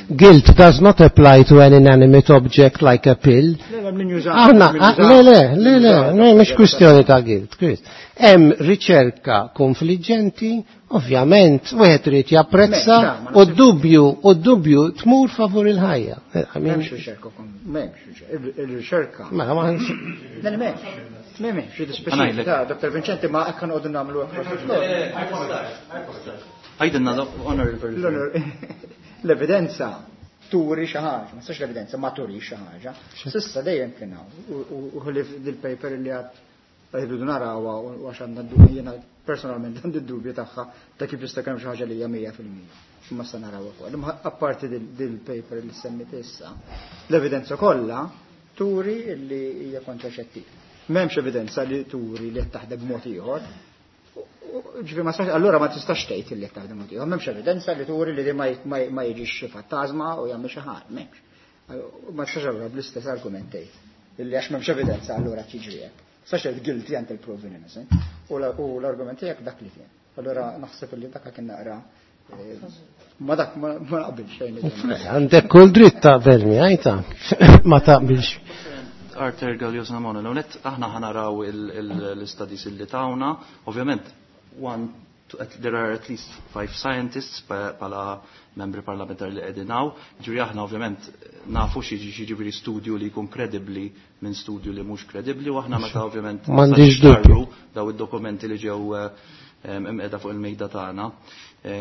Guilt does not apply to an inanimate object like a pill. Aħna, le, le, le, le, mhux kwistjoni ta' guilt, Chris. Hemm riċerka konfliġġenti, ovvjament, wieħed irid japprezza u d-dubju, u d-dubju tmur favur il-ħajja. M'hemmx riċerka, m'hemmx riċerka. Il-riċerka. Mela ma Le, m'hemmx. M'hemmx, jiddispjaċini. Dr. Vincenti ma hekk noqogħdu nagħmlu hekk. Għidilna honorable. L-evidenza turi xi ħaġa, ma tistax l-evidenza ma turi xi ħaġa. S'issa dejjem kien hawn u ħlief dil-paper li għad rridu narawha u għax għandna dubju jiena personalment għandi d-dubju tagħha ta' kif jista' kemm xi ħaġa li hija 100%. Imma sa narawha wkoll. Imma apparti dil-paper li semmit issa, l-evidenza kollha turi li hija kontraċettiv. M'hemmx evidenza li turi li qed taħdem b'mod ieħor. Ġifieri ma sax, allura ma tistax tgħid li qed taħdem mod ieħor. M'hemmx evidenza li turi li ma jiġix xi fantasma u jagħmel xi ħaġa, m'hemmx. Ma tistax allura bl-istess argument tgħid illi għax m'hemmx evidenza allura tiġri hekk. Tistax tgħid guilty until proven innocent. U l-argument tiegħek dak li kien. Allura naħseb li dak kien naqra ma dak ma naqbilx xejn. Għandek kull dritt taqbel miegħi ta' ma taqbilx. Arthur Gallios Namona, l-għonet aħna ħanaraw l-studies illi tawna, ovvjament, one, there are at least 5 scientists pala membri parlamentari li qegħdin hawn, ġifieri aħna ovvjament nafu xi ġifieri studju li jkun kredibbli minn studju li mhux kredibbli, u aħna meta ovvjament M'għandix dubju. daw id-dokumenti li ġew imqiegħda fuq il-mejda tagħna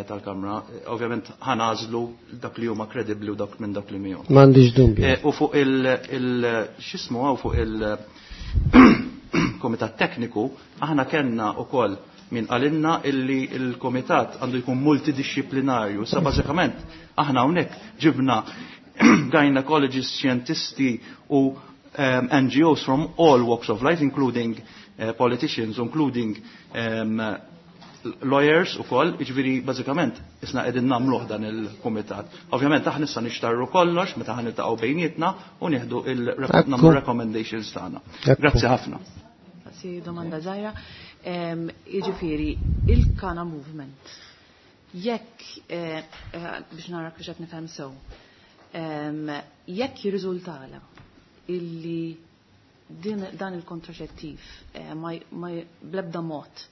tal-Kamra, ovvjament ħanażlu dak li huma kredibbli u dak minn dak li mihom. M'għandix dubju. U fuq il x'ismu hawn fuq il-Komitat Tekniku, aħna kellna wkoll min qalilna illi il-komitat għandu jkun multidisciplinarju. Sa bażikament aħna hawnhekk ġibna gynecologists, xjentisti u NGOs from all walks of life, including politicians, including lawyers u koll, iġviri bażikament isna qegħdin nagħmluh dan il-kumitat. Ovvjament aħna issa nixtarru kollox meta ħa niltaqgħu bejnietna u nieħdu nagħmlu recommendations tagħna. Grazzi ħafna. Si domanda żgħira. Jiġifieri il-Kana Movement. Jekk biex nara kif qed nifhem sew. Jekk jirriżultala illi dan il-kontraċettiv ma bl-ebda mod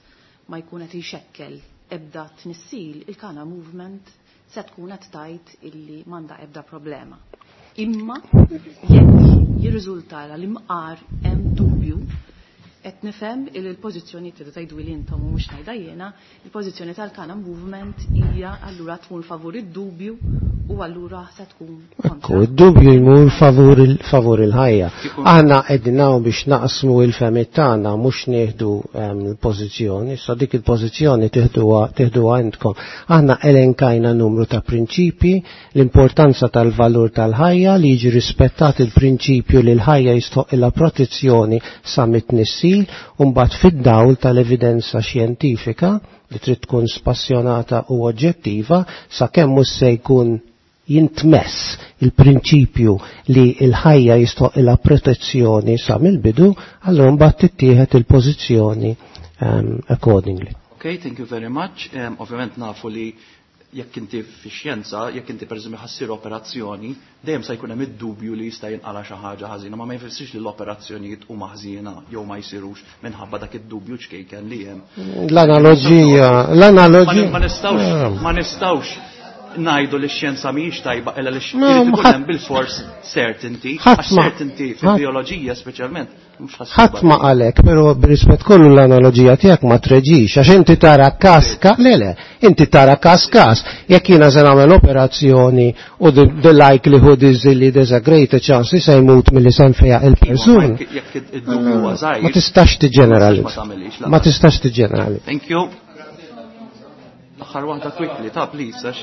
ma jkun qed jxekkel ebda tnissil, il-Kana Movement se tkun qed tgħid illi m'għandha ebda problema. Imma jekk jirriżultala li mqar hemm dubju, qed nifhem il l-pożizzjoni tridu tgħidu li intom u mhux ngħidha jiena, il-pożizzjoni tal-Kana Movement hija allura tmur favur id-dubju u allura se tkun kontra. Ekku, id-dubju jmur favur il-ħajja. Aħna qegħdin hawn biex naqsmu il-fehmiet tagħna mhux nieħdu l-pożizzjoni, sa dik il-pożizzjoni tieħduha għandkom. Aħna elenkajna numru ta' prinċipji, l-importanza tal-valur tal-ħajja li jiġi rispettat il-prinċipju li l-ħajja jistoqilha protezzjoni sa mit-tnissil u mbagħad fid-dawl tal-evidenza xjentifika li trid tkun spassjonata u oġġettiva sakemm mhux se jkun jintmess il-prinċipju li l-ħajja jistoqilha protezzjoni sa mill-bidu, allura mbagħad tittieħed il-pożizzjoni accordingly. Okay, thank you very much. Ovvjament nafu li jekk inti fi-xjenza, jekk inti pereżempju ħassir operazzjoni, dejjem se jkun hemm id-dubju li jista' jinqala xi ħaġa ħażina, ma ma jfissirx li l-operazzjonijiet huma ħażina jew ma jsirux minħabba dak id-dubju ċkejken li hemm. L-analoġija, l-analoġija. Ma nistgħux, ma nistgħux. ngħidu li x-xjenza mhijiex tajba illa li irid ikun hemm bil-fors certainty, għax certainty fil-bioloġija speċjalment. Ħadd ma qalek, però b'rispett kollu l-analoġija tiegħek ma treġix, għax inti tara każ le le, inti tara każ każ, jekk jiena se nagħmel operazzjoni u the likelihood is li there's a greater chance li se jmut milli se nfejjaq il-persuna. Jekk id-dubju huwa żgħir. Ma tistax tiġġeneralizza. Ma tistax tiġġeneralizza. Thank you. L-aħħar waħda quickly, ta' please, għax.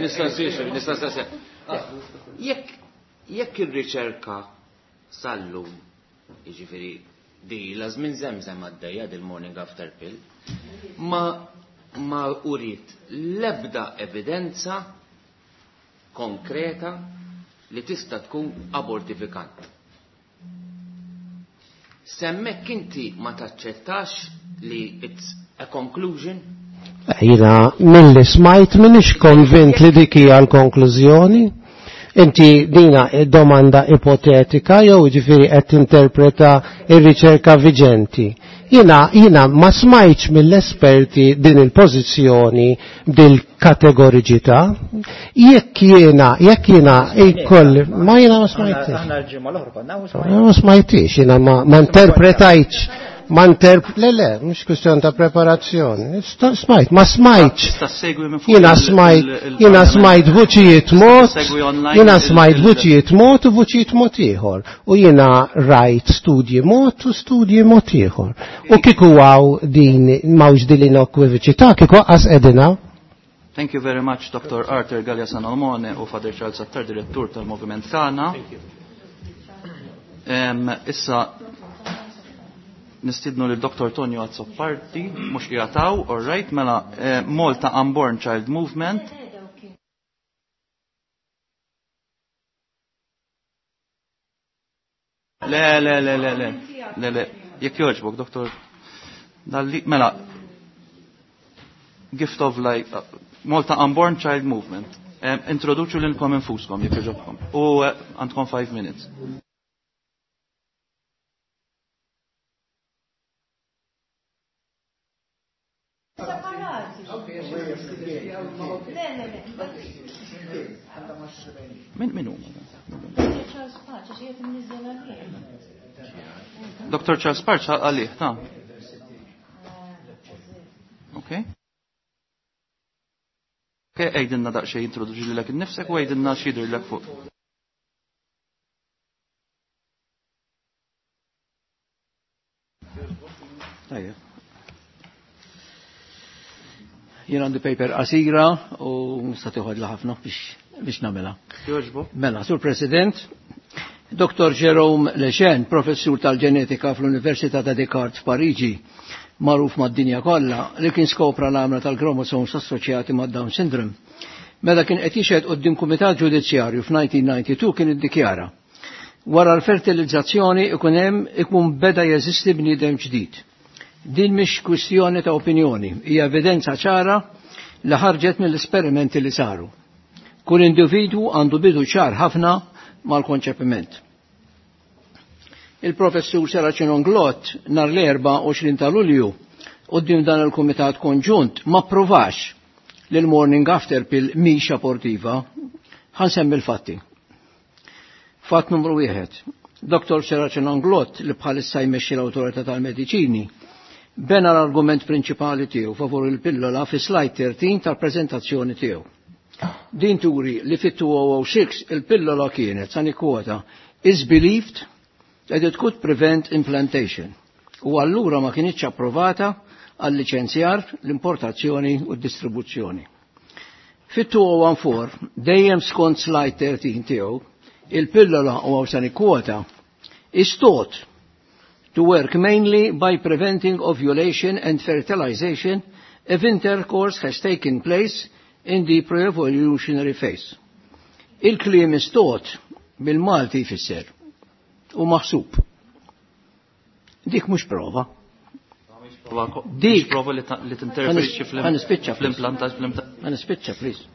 Nista' nsir, nista' nsir. Jekk ir-riċerka sal-lum, jiġifieri di la żmien żemżem għaddejja dil-morning after pill, ma uriet l-ebda evidenza konkreta li tista' tkun abortifikant. Semmek inti ma taċċettax li it's a conclusion? Jiena milli smajt minix konvint li dik hija l-konklużjoni. Inti dina domanda ipotetika jew ġifieri qed tinterpreta r-riċerka viġenti. Jiena ma smajtx mill-esperti din il-pożizzjoni bil-kategoriċità. Jekk jiena jkolli ma jiena ma smajtix. Aħna l-ġimgħa l-oħra konna u Ma smajtix, jiena ma interpretajtx. Ma le le, mhux kwistjoni ta' preparazzjoni. Smajt, ma smajtx. Jiena smajt, jiena smajt vuċijiet mod, jiena smajt vuċijiet mod u vuċijiet mod ieħor. U jiena rajt studji mod u studji mod ieħor. U kieku hawn din m'hawnx din l-inokwiviċità, kieku qas qegħdin. Thank you very much, Dr. Arthur Galea Salomone u Father Charles Attard, direttur tal-Moviment tagħna. Issa nistidnu lil Dr. Tonio Azzopardi, mhux qiegħataw, all right, mela Malta Unborn Child Movement. Le, le, le, le, le, le, le, jekk jogħġbok, Dr. Dalli, mela, Gift of Life, Malta Unborn Child Movement. Introduċu lilkom infuskom, jekk jogħġobkom. U għandkom 5 minutes. Min huma? Dr. Charles Parch għalih, ta'. Okay. Okay, għidilna daqsxejn introduċi lilek innifsek u għidilna x'jidhirlek fuq. Tajjeb. Jien għandi paper qasira u nista' tieħodla ħafna biex nagħmilha. Mela, Sur President, Dr. Jerome Lejeune, professur tal-ġenetika fl-Università ta' Descartes f'Pariġi, magħruf mad-dinja kollha, li kien skopra l-għamla tal-kromosomes assoċjati mad Down syndrome. Meta kien qed jixhed quddiem kumitat ġudizzjarju f'1992 kien iddikjara: wara l-fertilizzazzjoni ikun hemm ikun beda jeżisti bniedem ġdid. Din mhix kwistjoni ta' opinjoni, hija evidenza ċara li ħarġet mill-esperimenti li saru. Kull individwu għandu bidu ċar ħafna mal-konċepiment. Il-professur Serracino Inglott nhar l-24 ta' Lulju quddiem dan il-Kumitat Konġunt ma provax li l-morning after pill mhix abortiva. Ħansemmi l-fatti. Fatt numru 1. Dr. Serracino Inglott li bħalissa jmexxi l-Awtorità tal-Mediċini bena l-argument prinċipali tiegħu favur il-pillola fi slide 13 tal-preżentazzjoni tiegħu. Din turi li fit-2006 il-pillola kienet, sa nikkwota, is believed that it could prevent implantation u allura ma kienitx approvata għal liċenzjar, l-importazzjoni u d-distribuzzjoni. Fit-2014, dejjem skont slide 13 tiegħu, il-pillola u għaw sa nikkwota is thought to work mainly by preventing ovulation and fertilization if intercourse has taken place in the pre-evolutionary phase. Il-kliem is thought bil-Malti jfisser u maħsub. Dik mhux prova. Dik prova li tinterferixxi fl-implantaġġ. Ħanispiċċa, please.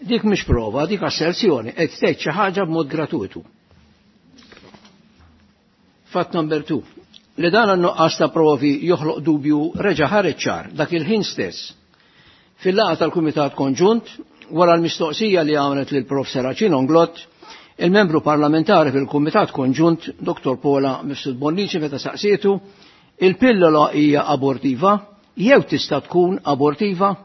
Dik mhux prova, dik asserzjoni qed tgħid xi ħaġa b'mod gratuitu. Fatt number 2. Li dan n-nuqqas ta' provi joħloq dubju reġa' ħareġ ċar dak il-ħin stess. Fil-laqgħa tal-Kumitat Konġunt, wara l-mistoqsija li għamlet lil Prof. Serracino Inglott, il-membru parlamentari fil-Kumitat Konġunt, Dr. Paula Mifsud Bonnici, meta saqsietu, il-pillola hija abortiva jew tista' tkun abortiva?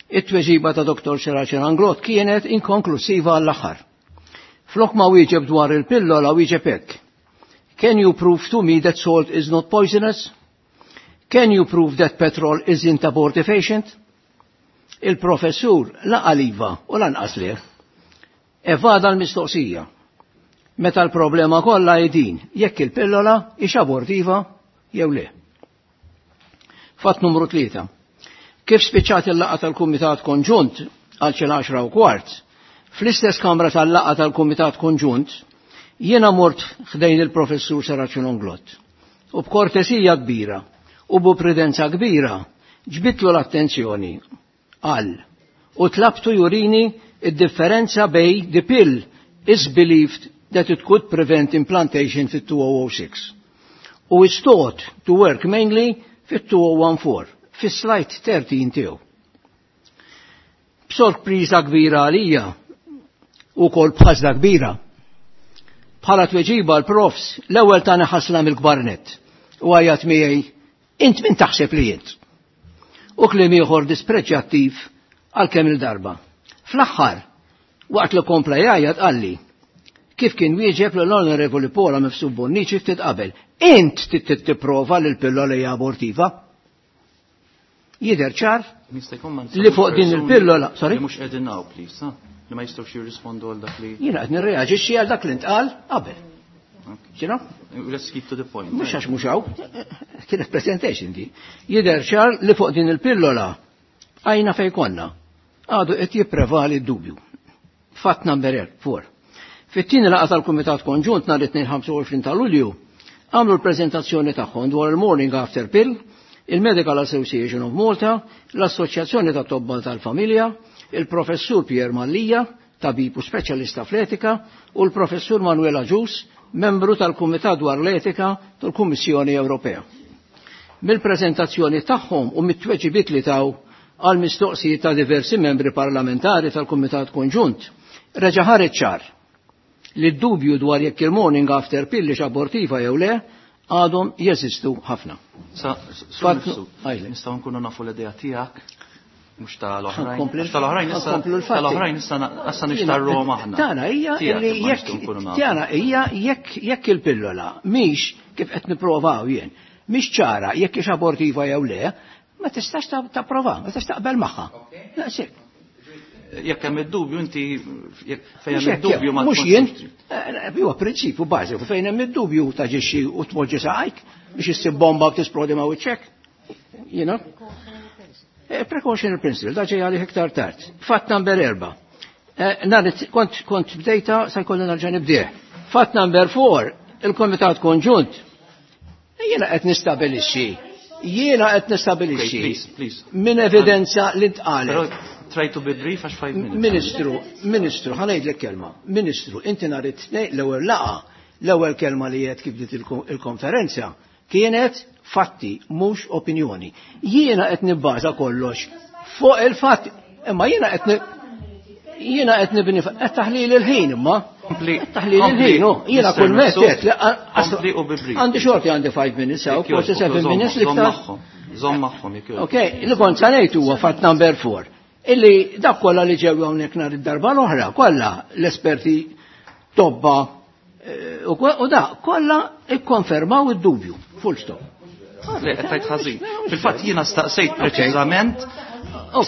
It-tweġiba ta' Dr. Serracino Inglott kienet inkonklusiva għall-aħħar. Flok ma wieġeb dwar il-pillola wieġeb hekk. Can you prove to me that salt is not poisonous? Can you prove that petrol isn't abortifacient? Il-professur la qal iva u lanqas le. Evada l-mistoqsija. Meta l-problema kollha hi din, jekk il-pillola hix abortiva jew le. Fatt numru 3. Kif spiċċat il-laqgħa tal-Kumitat Konġunt għal xi 10:15, fl-istess kamra tal-laqgħa tal-Kumitat Konġunt, jiena mort ħdejn il-professur Serracino Inglott. U b'kortesija kbira u b'prudenza kbira ġbidtlu l-attenzjoni għal u tlabtu jurini id-differenza bejn the pill is believed that it could prevent implantation fit-2006 u is thought to work mainly fit-2014 fis-slide 13 tiegħu. B'sorpriża kbira għalija u kol b'ħasda kbira. Bħala tweġiba l-profs l-ewwel tani ħasla mill-kbar nett u għajat miegħi int min taħseb li int. U kliem ieħor dispreġjattiv għal kemm il-darba. Fl-aħħar, waqt li kompla jgħajjat qalli, kif kien wieġeb l-Onorevoli Paula Mifsud Bonnici ftit qabel, int tipprova li l-pillola hija abortiva? Jidher ċar li fuq din il-pillola, sorry? Li mhux qegħdin hawn, please, ha? Li ma jistgħux jirrispondu għal dak li. Jiena qed nirreaġixxi għal dak li ntqal qabel. You know? Let's keep to the point. Mhux għax mhux hawn, kienet presentation di. Jidher ċar li fuq din il-pillola għajna fejn konna. Għadu qed jipprevali d-dubju. Fatt number 4. Fit-tieni laqgħa tal-Kumitat Konġunt nhar it-Tnejn 25 ta' Lulju għamlu l-preżentazzjoni tagħhom dwar il-Morning After Pill, il-Medical Association of Malta, l-Assoċjazzjoni ta' Tobba tal-Familja, il-Professur Pier Mallia, tabib u speċjalista fl-etika, u l-Professur Manuel Agius, membru tal-Kumitat dwar l-Etika tal-Kummissjoni Ewropea. Mill-preżentazzjoni tagħhom u mit-tweġibiet li taw għal mistoqsijiet ta' diversi membri parlamentari tal-Kumitat Konġunt, reġa' ħareġ ċar li d-dubju dwar jekk il-morning after pill hix abortiva jew le għadhom jeżistu ħafna. Sa, nistgħu nkunu nafu l-idea tiegħek mhux tal-oħrajn. Tal-oħrajn issa tal-oħrajn issa issa nixtarruhom aħna. Tana hija li jekk tana hija jekk jekk il-pillola mhix kif qed nipprovaw jien, mhix ċara jekk hix abortiva jew le, ma tistax tapprova, ma tistax taqbel magħha. Daqshekk. Jekk hemm id-dubju inti fejn hemm id-dubju ma mhux jien, huwa prinċipju bażiku fejn hemm id-dubju taġixxi u tpoġġi saqajk biex issib bomba u tisplodi ma' wiċċek. You know? Precautionary principle, da ġej għalih iktar tard. Fatt number 4. Nhar kont kont bdejta sa jkolli nerġa' nibdih. Fatt number 4, il-Komitat Konġunt. Jiena qed nistabilixxi. Jiena qed nistabilixxi. Please, please. Minn evidenza li ntqalet. Try to be brief għax 5 minutes. Ministru, Ministru, ħa ngħidlek kelma. Ministru, inti nhar it-tnejn l-ewwel laqgħa, l-ewwel kelma li qed kif bdiet il-konferenza kienet fatti mhux opinjoni. Jiena qed nibbaża kollox fuq il-fatti, imma jiena qed jiena qed nibni qed taħlil il-ħin imma. Taħlil il-ħin, jiena kull met għandi xorti għandi 5 minutes, forsi 7 minutes li iktar. Żomm magħhom jekk. Ok, li kont sa ngħid huwa fatt number 4. Illi dak kollha li ġew hawnhekk nhar id-darba l-oħra, kollha l-esperti tobba u da kollha ikkonfermaw id-dubju. Full stop. Le, qed tgħid ħażin. Fil-fatt jiena staqsejt preċiżament,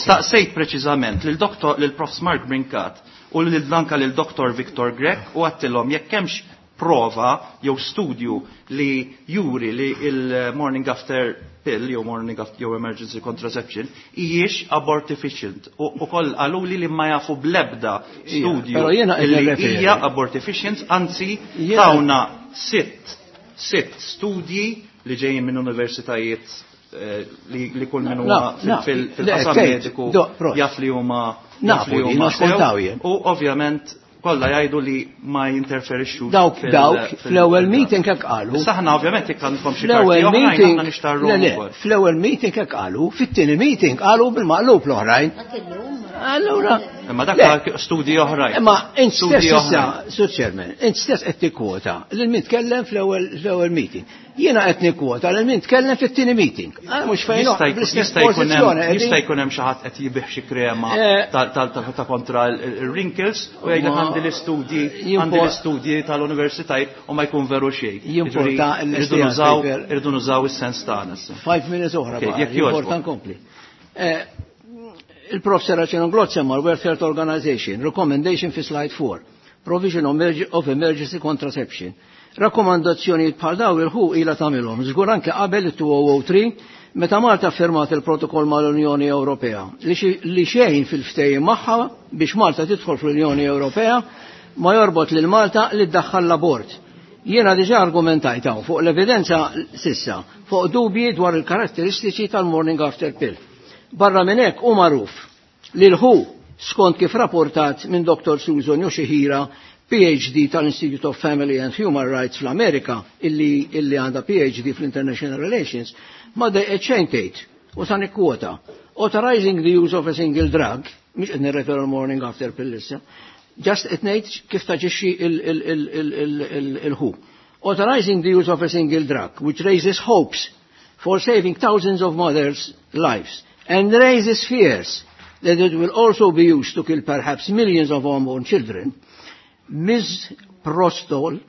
staqsejt preċiżament lil doktor lil Prof Mark Brincat u lil anka lil Dr. Victor Grech u għedtilhom jekk hemmx prova jew studju li juri li il-morning after pill jew morning after jew emergency contraception hijiex abortifacient. U koll qaluli li ma jafu blebda studju li hija abortifacient, anzi tawna sitt studji li ġejjin minn universitajiet li kull minn huma fil-qasam mediku jaf li huma jaf li huma. U ovvjament Kollha jgħidu li ma jinterferixxux. Dawk dawk fl-ewwel meeting hekk qalu. Issa aħna ovvjament jekk għandkom xi karti oħrajn aħna nixtarru ukoll. Fl-ewwel meeting hekk qalu, fit-tieni meeting qalu bil-maqlub l-oħrajn. Allura. Imma dak studji oħrajn. Imma int stess issa, Sur Chairman, int stess qed tikkwota lil min tkellem fl-ewwel meeting. Jiena qed nikkwota lil min tkellem fit-tieni meeting. Ah, mhux fejn Jista' jkun hemm xi ħadd qed jibih xi krema eh. ta' kontra l-wrinkles u jgħidlek għandi l-istudji għandi l-istudji tal-universitajt u ma jkun veru xejn. Jimporta irridu nużaw is-sens tagħna. Five minutes oħra. Jekk jimporta nkompli. Eh, Il-Prof Serracino Glot semma l-World Health Organization, recommendation fi slide 4, provision of emergency contraception. Rakkomandazzjonijiet bħal daw il-ħu ila tagħmilhom, żgur anke qabel it-2003 meta Malta firmat il-protokoll mal-Unjoni Ewropea li xejn fil-ftehim magħha biex Malta tidħol fl-Unjoni Ewropea ma jorbot lil Malta li ddaħħal l-abort. Jiena diġà argumentajt hawn fuq l-evidenza sissa fuq dubji dwar il-karatteristiċi tal-morning after pill. Barra minn hekk hu magħruf li l-ħu skont kif rapportat minn Dr. Susan Yoshihira PhD tal-Institute of Family and Human Rights fl-Amerika illi, illi għandha PhD fl-International Relations, ma dejqet xejn tgħid u sa nikkwota. Authorizing the use of a single drug, mhux qed nirreferu morning after pill issa, just qed ngħid kif taġixxi il-ħu. Authorizing the use of a single drug, which raises hopes for saving thousands of mothers' lives and raises fears that it will also be used to kill perhaps millions of unborn children, Ms. Prostol,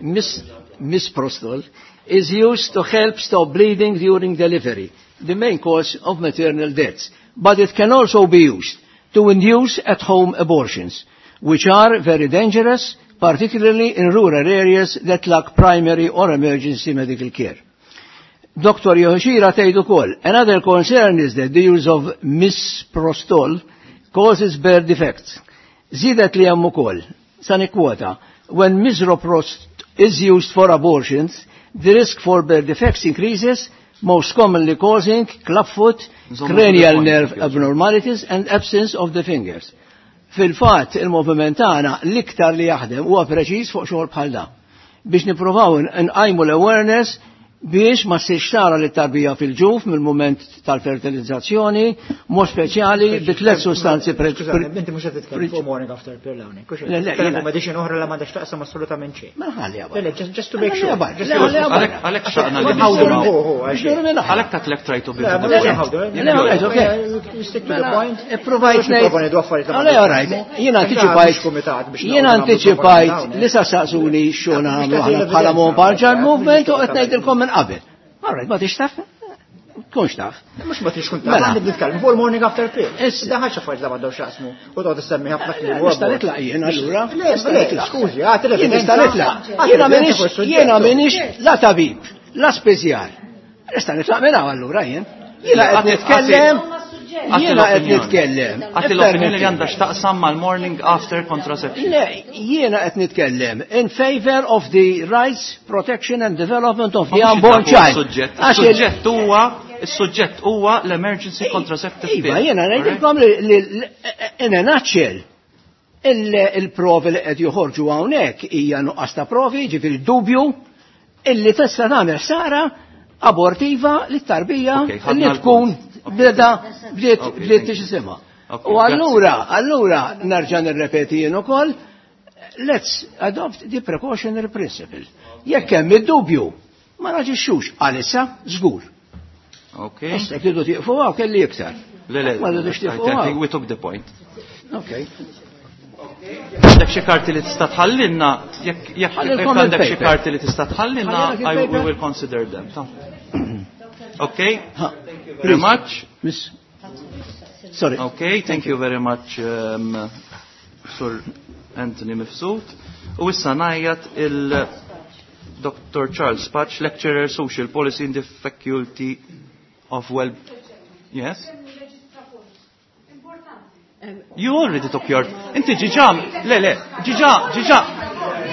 Ms. Ms. Prostol, is used to help stop bleeding during delivery, the main cause of maternal deaths. But it can also be used to induce at-home abortions, which are very dangerous, particularly in rural areas that lack primary or emergency medical care. Dr. Yoshira tgħid ukoll, another concern is that the use of misprostol causes birth defects. Zidet li hemm ukoll, sa nikkwota, when misroprost is used for abortions, the risk for birth defects increases, most commonly causing clubfoot, cranial nerve abnormalities and absence of the fingers. Fil-fatt, il-moviment tagħna l-iktar li jaħdem huwa preċiż fuq xogħol bħal da. Biex nippruvaw nqajmu l-awareness biex ma ssirx tara li tarbija fil-ġuf mill-moment tal-fertilizzazzjoni, mod speċjali bi tliet sustanzi Inti mhux qed titkellem fuq morning after pill hawnhekk. Le, le, fuq medicine oħra li m'għandekx taqsam assolutament xejn. Ma ħalli Le, le, just to make sure. Għalhekk xaqna li Għalhekk tatlek try to be. Stick to the point. Ipprovajt ngħid. Għale, all right. Jiena antiċipajt. Jiena antiċipajt li sa saqsuni xogħol nagħmlu aħna bħala Mobile Movement u qed ngħidilkom minn qabel. All right, ma tix taf? Tkunx taf. Mhux ma tix tkun taf, mela. nitkellem fuq il-morning after pill. Da ħaġa affarijiet li m'għandhom x'jaqsmu u toqgħod issemmi ħafna kliem. Nista' nitlaq jien allura. Le, skużi, għati l Nista' nitlaq. Jiena m'iniex jiena m'iniex la tabib, la speżjar. Nista' nitlaq minn hawn allura jien. Jiena qed nitkellem Jiena qed nitkellem. Għati l-opinjoni li għandha x'taqsam mal-morning after contraception. Le, jiena qed nitkellem in favor of the rights, protection and development of the unborn child. Suġġett huwa Is-suġġett huwa l-emergency contraceptive pill. Iva, jiena ngħidilkom li in a nutshell il-provi li qed joħorġu hawnhekk hija nuqqas ta' provi, ġifieri dubju illi tista' tagħmel ħsara abortiva lit-tarbija li tkun beda bdiet bdiet tixisima. U allura, allura nerġa' nirrepeti jien ukoll, let's adopt the precautionary principle. Jekk hemm id-dubju, ma naġixxux għalissa żgur. Okay. Issa tridu tieqfu hawn kelli iktar. Le, le, Ma rridux tieqfu hawn. we took the point. Okay. Għandek xi karti li tista' tħallinna, jekk jekk għandek xi karti li tista' tħallinna, I we will consider them. Okay? Thank you very much. Miss. Sorry. Okay, thank you very much, um, Sir Anthony Mifsud. U issa ngħajjat il Dr. Charles Patch, lecturer social policy in the Faculty of Well. Yes? You already took your... Inti ġiġa, le, le, ġiġa, ġiġa,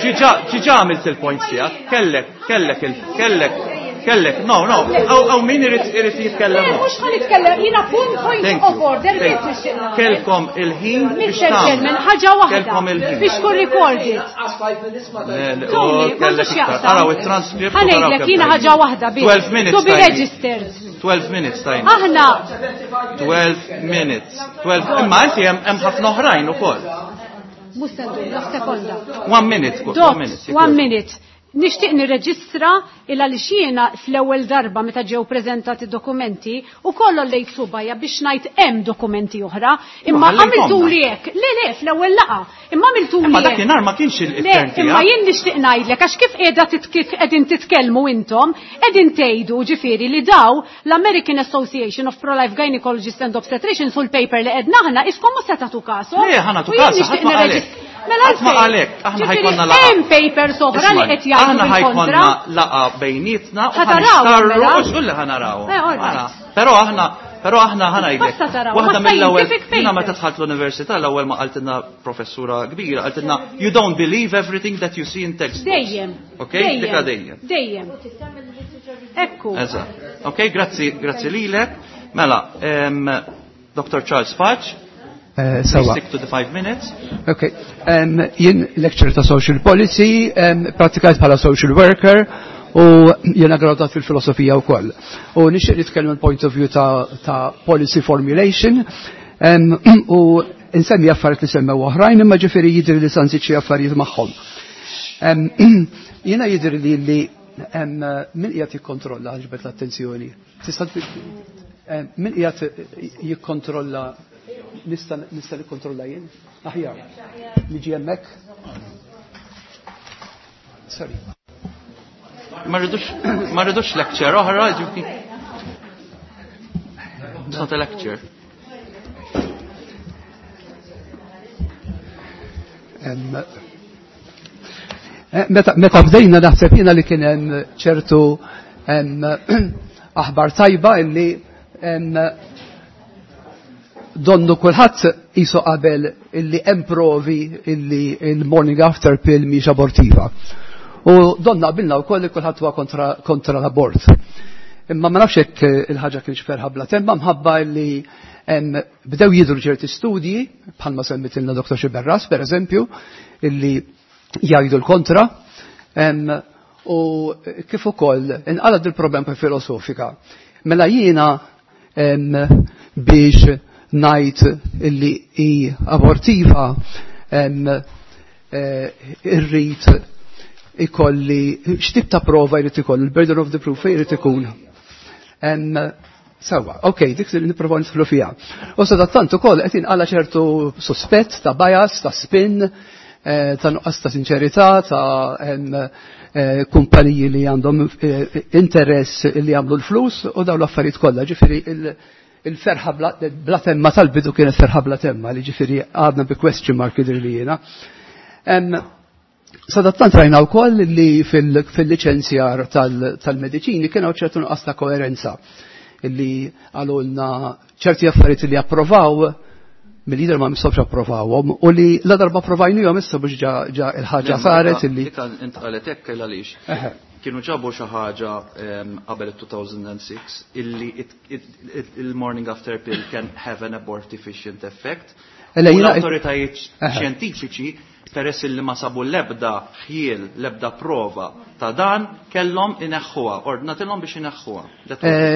ġiġa, ġiġa għamilt il-point tiegħek, kellek, kellek, kellek. Kellek, no, no, hawn min irid jitkellem. Le, mhux ħa nitkellem, jiena point of order biss nixtieq nagħmel. Kelkom il-ħin biex Mr. Chairman, ħaġa waħda biex tkun recorded. Tony, m'għandux x'jaqsam. Araw it-transcript. Ħa ngħidlek jiena ħaġa waħda biss. 12 minutes. To be registered. 12 minutes tajn. Aħna 12 minutes. 12 imma inti hemm ħafna oħrajn ukoll. Mhux se ndum, sekonda. One minute, one minute. One minute. Nixtieq nirreġistra il għaliex jiena fl-ewwel darba meta ġew preżentati dokumenti u kollu lejt subajja biex ngħid hemm dokumenti oħra, imma għamiltuli hekk. Le le fl-ewwel laqgħa, imma għamiltuli Imma dakinhar ma kienx il-turn tiegħek. Imma jien nixtieq ngħidlek għax kif qiegħda kif qegħdin titkellmu intom, qegħdin tgħidu ġifieri li daw l-American Association of Pro-Life Gynecologists and Obstetricians u l-paper li qegħdna aħna iskom mhux se tagħtu kasu. Le ħa nagħtu kasu, ħadd ma qalek. Mela Ma għalek, aħna ħajkonna laqa. Hemm papers oħra li qed jgħidu Aħna ħajkonna laqa bejnietna u ħanistarru u xulli ħanaraw. Però aħna Però aħna ħanajdlek. Waħda mill-ewwel jiena meta dħalt l-università l-ewwel ma qaltilna professura kbira qaltilna you don't believe everything that you see in textbooks. Dejjem. Okay? Dika dejjem. Dejjem. Ekku. Eżatt. Okay, grazzi, grazzi lilek. Mela, Dr. Charles Patch. Sawa. Stick to the 5 minutes. Ok. Jien lecturer ta' social policy, pratikajt bħala social worker u jiena graduat fil-filosofija wkoll. U nixtieq nitkellem il-point of view ta' policy formulation u nsemmi affarijiet li semmew oħrajn imma ġifieri jidhri li sa nżid xi affarijiet magħhom. Jiena jidhri li min qiegħed jikkontrolla ġbet l-attenzjoni. Tista' min qiegħed jikkontrolla nista' nikkontrolla jien? Aħjar. Niġi hemmhekk? Sorry. Ma rridux lecture oħra, ġifieri. It's not a lecture. Meta bdejna naħseb jiena li kien hemm ċertu aħbar tajba illi donnu kulħadd qisu qabel illi hemm provi illi il-morning after pill mhix abortiva. U donna qabilna wkoll li kulħadd huwa kontra l-abort. Imma ma nafx hekk il-ħaġa kienx ferħa bla temma mħabba illi bdew jidhru ċerti studji bħalma semmitilna Dr. Xiberras pereżempju illi jgħidu l-kontra u kif ukoll inqalad il-problema filosofika. Mela jiena biex ngħid illi hi abortiva irrid ikolli x'tip ta' prova jrid ikollu, il-burden of the proof jrid ikun. Sawa, ok, dik li nipprova nidħlu fiha. U sadattant ukoll qed inqala ċertu suspett ta' bias, ta' spin, ta' nuqqas ta' sinċerità, ta' kumpaniji li għandhom interess li jagħmlu l-flus u dawn l-affarijiet kollha. Ġifieri il-ferħa bla temma tal-bidu kienet ferħa bla temma li ġifieri għadna bi question mark jidher li jiena. Sadattant rajna wkoll li fil-liċenzjar tal-mediċini kien hawn ċertu nuqqas ta' koerenza illi għalulna ċerti affarijiet li approvaw mill-lider ma mistgħux approvawhom u li la darba approvajnihom issa biex ġa il-ħaġa saret illi. Dik intqalet hekk għaliex. Kienu ġabu xi ħaġa qabel 2006 illi il-morning after pill can have an abortifacient effect. U l-awtoritajiet xjentifiċi peress illi ma sabu l-ebda ħjiel, l-ebda prova ta' dan, kellhom ineħħuha, ordnatilhom biex ineħħuha.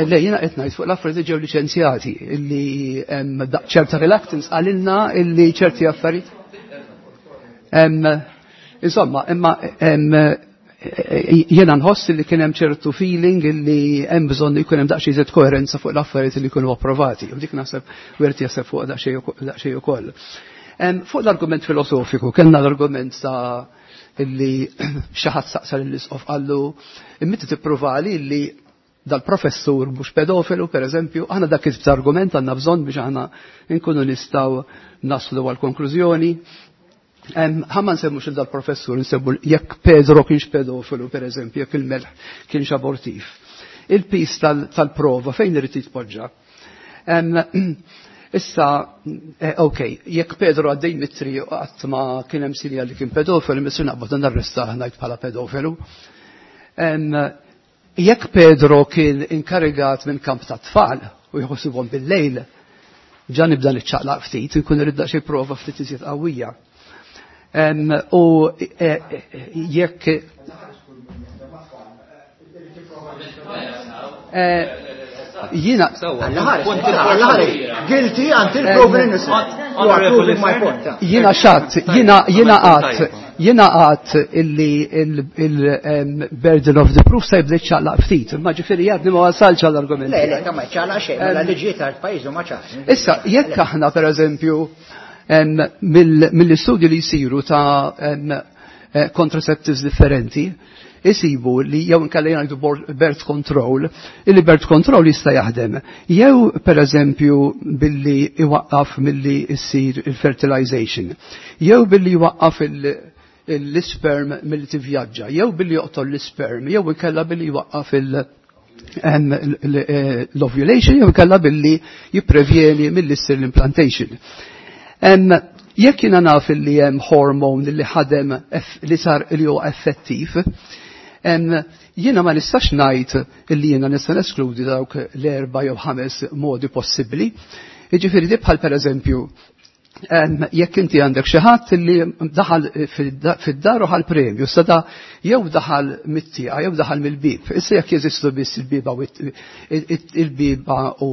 Le, jiena qed ngħid fuq l-affarijiet ġew liċenzjati illi ċerta reluctance qalilna illi ċerti affarijiet. Insomma, imma jiena nħoss li kien hemm ċertu feeling illi hemm bżonn jkun hemm daqsxejn iżjed koerenza fuq l-affarijiet li jkunu approvati. U dik naħseb wieħed jaħseb fuq daqsxejn ukoll. Fuq l-argument filosofiku, kellna l-argument ta' illi xi ħadd saqsa lill-isqof qallu imma tippruvali illi dal-professur mhux pedofilu, per eżempju, aħna dak it argument għandna bżonn biex aħna nkunu nistgħu naslu għal konklużjoni. Ħa ma nsemmux il dal-professur, nsemmu jekk Pedro kienx pedofilu, per eżempju, jekk il-melħ kienx abortiv. Il-pis tal-prova fejn irid jitpoġġa? Issa, ok, jekk Pedro għaddej mitri u qatt ma kien hemm sinjal li kien pedofilu, missu naqbad narrestah ngħid bħala pedofilu. Jekk Pedro kien inkarigat minn kamp ta' tfal u jħossibhom bil-lejl, ġa nibda niċċaqlaq ftit, nkun irrid xi prova ftit iżjed qawwija. U jekk jiena Guilty until proven innocent. You are proving my point. Jiena xatt, jiena għat illi il-burden of the proof se jibda ċaqlaq ftit, imma ġifieri għadni ma wasalx għall-argument. Le, le, ma ċaqlaq xejn, mela liġi tal-pajjiż ma ċaqlaq. Issa, jekk aħna pereżempju mill-istudji li jsiru ta' contraceptives differenti, isibu li jew inkella jgħidu birth control, illi birth control jista' jaħdem. Jew pereżempju billi iwaqqaf milli issir il-fertilization, jew billi jwaqqaf l-isperm milli tivvjaġġa, jew billi joqtol l-isperm, jew inkella billi jwaqqaf l-ovulation, jew inkella billi jipprevjeni milli ssir l-implantation. Jekk jiena naf li hemm hormone li ħadem li sar li huwa effettiv, jiena ma nistax ngħid li jiena nista' neskludi dawk l-4 jew 5 modi possibbli. Jiġifieri di bħal pereżempju jekk inti għandek xi ħadd li daħal fid-dar u ħal premju, sada jew daħal mit-tieqa jew daħal mill-bieb. Issa jekk jeżistu biss il-bieba u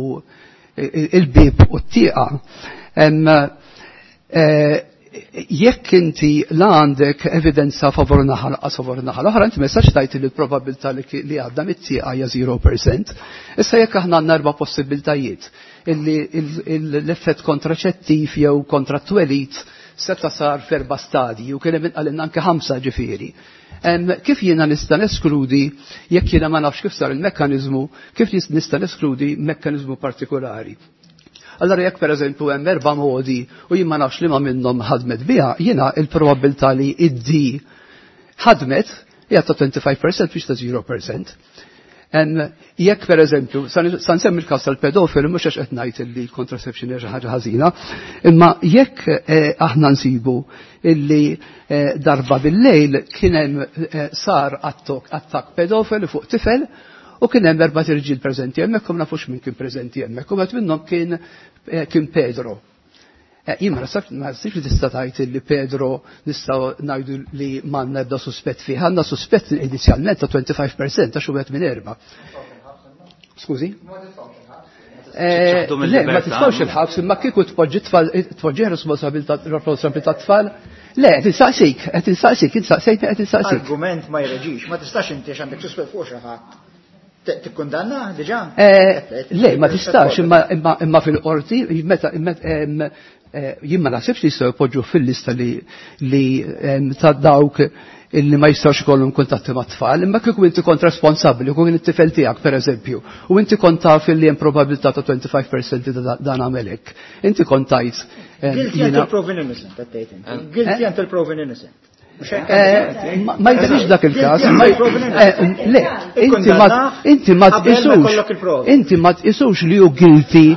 il-bieb u t-tieqa. Jekk inti la għandek evidenza favur naħa lanqas favur naħa l-oħra, inti ma jistax tgħid li l-probabilità li għadda mit-tieqa hija 0%. Issa jekk aħna għandna 4 possibiltajiet illi l-effett kontraċettiv jew kontra t-twelid seta sar f'erba' stadji u kien hemm inqalilna anke 5 ġifieri. Kif jiena nista' neskludi jekk jiena ma nafx kif sar il-mekkaniżmu, kif nista' neskludi mekkaniżmu partikolari? Allora jekk pereżempju hemm 4 modi u jien ma nafx li ma minnhom ħadmet biha, jiena il-probabilità li id-D ħadmet hija ta' 25% biex ta' 0%. Jekk pereżempju, sa nsemmi l-każ tal-pedofil mhux għax qed ngħid li l-contraception hija xi ħaġa ħażina, imma jekk aħna nsibu illi darba bil-lejl kien hemm sar attakk pedofil fuq tifel u kien hemm 4 irġiel preżenti hemmhekk u ma nafux min kien preżenti hemmhekk u wieħed minnhom kien Pedro. Jien ma naħsibx li tista' tgħid li Pedro nistgħu ngħidu li m'għandna ebda suspett fih. Għandna suspett inizjalment ta' 25% għax wieħed minn 4. Skużi? Le, ma tistgħux il-ħabs, imma kieku tpoġġi responsabilità tfal. Le, qed insaqsik, insaqsejtni qed insaqsik. Argument ma jreġix, ma tistax inti għandek suspett fuq xi ħadd. Tikkundanna diġà? Le, ma tistax, imma fil-qorti, meta jien ma naħsibx li jistgħu jpoġġu fil-lista li ta' dawk illi ma jistgħux ikollhom kuntatti ma' tfal, imma kieku inti kont responsabbli, kieku kien it-tifel tiegħek pereżempju, u inti kont taf li hemm probabilità ta' 25% ta' dan għamel hekk. Inti kont tgħid. Guilty until proven innocent, qed tgħid inti. Guilty until proven innocent. Ma jidhirx dak il-każ. Le, inti ma tqisux. Inti ma tqisux li hu guilty,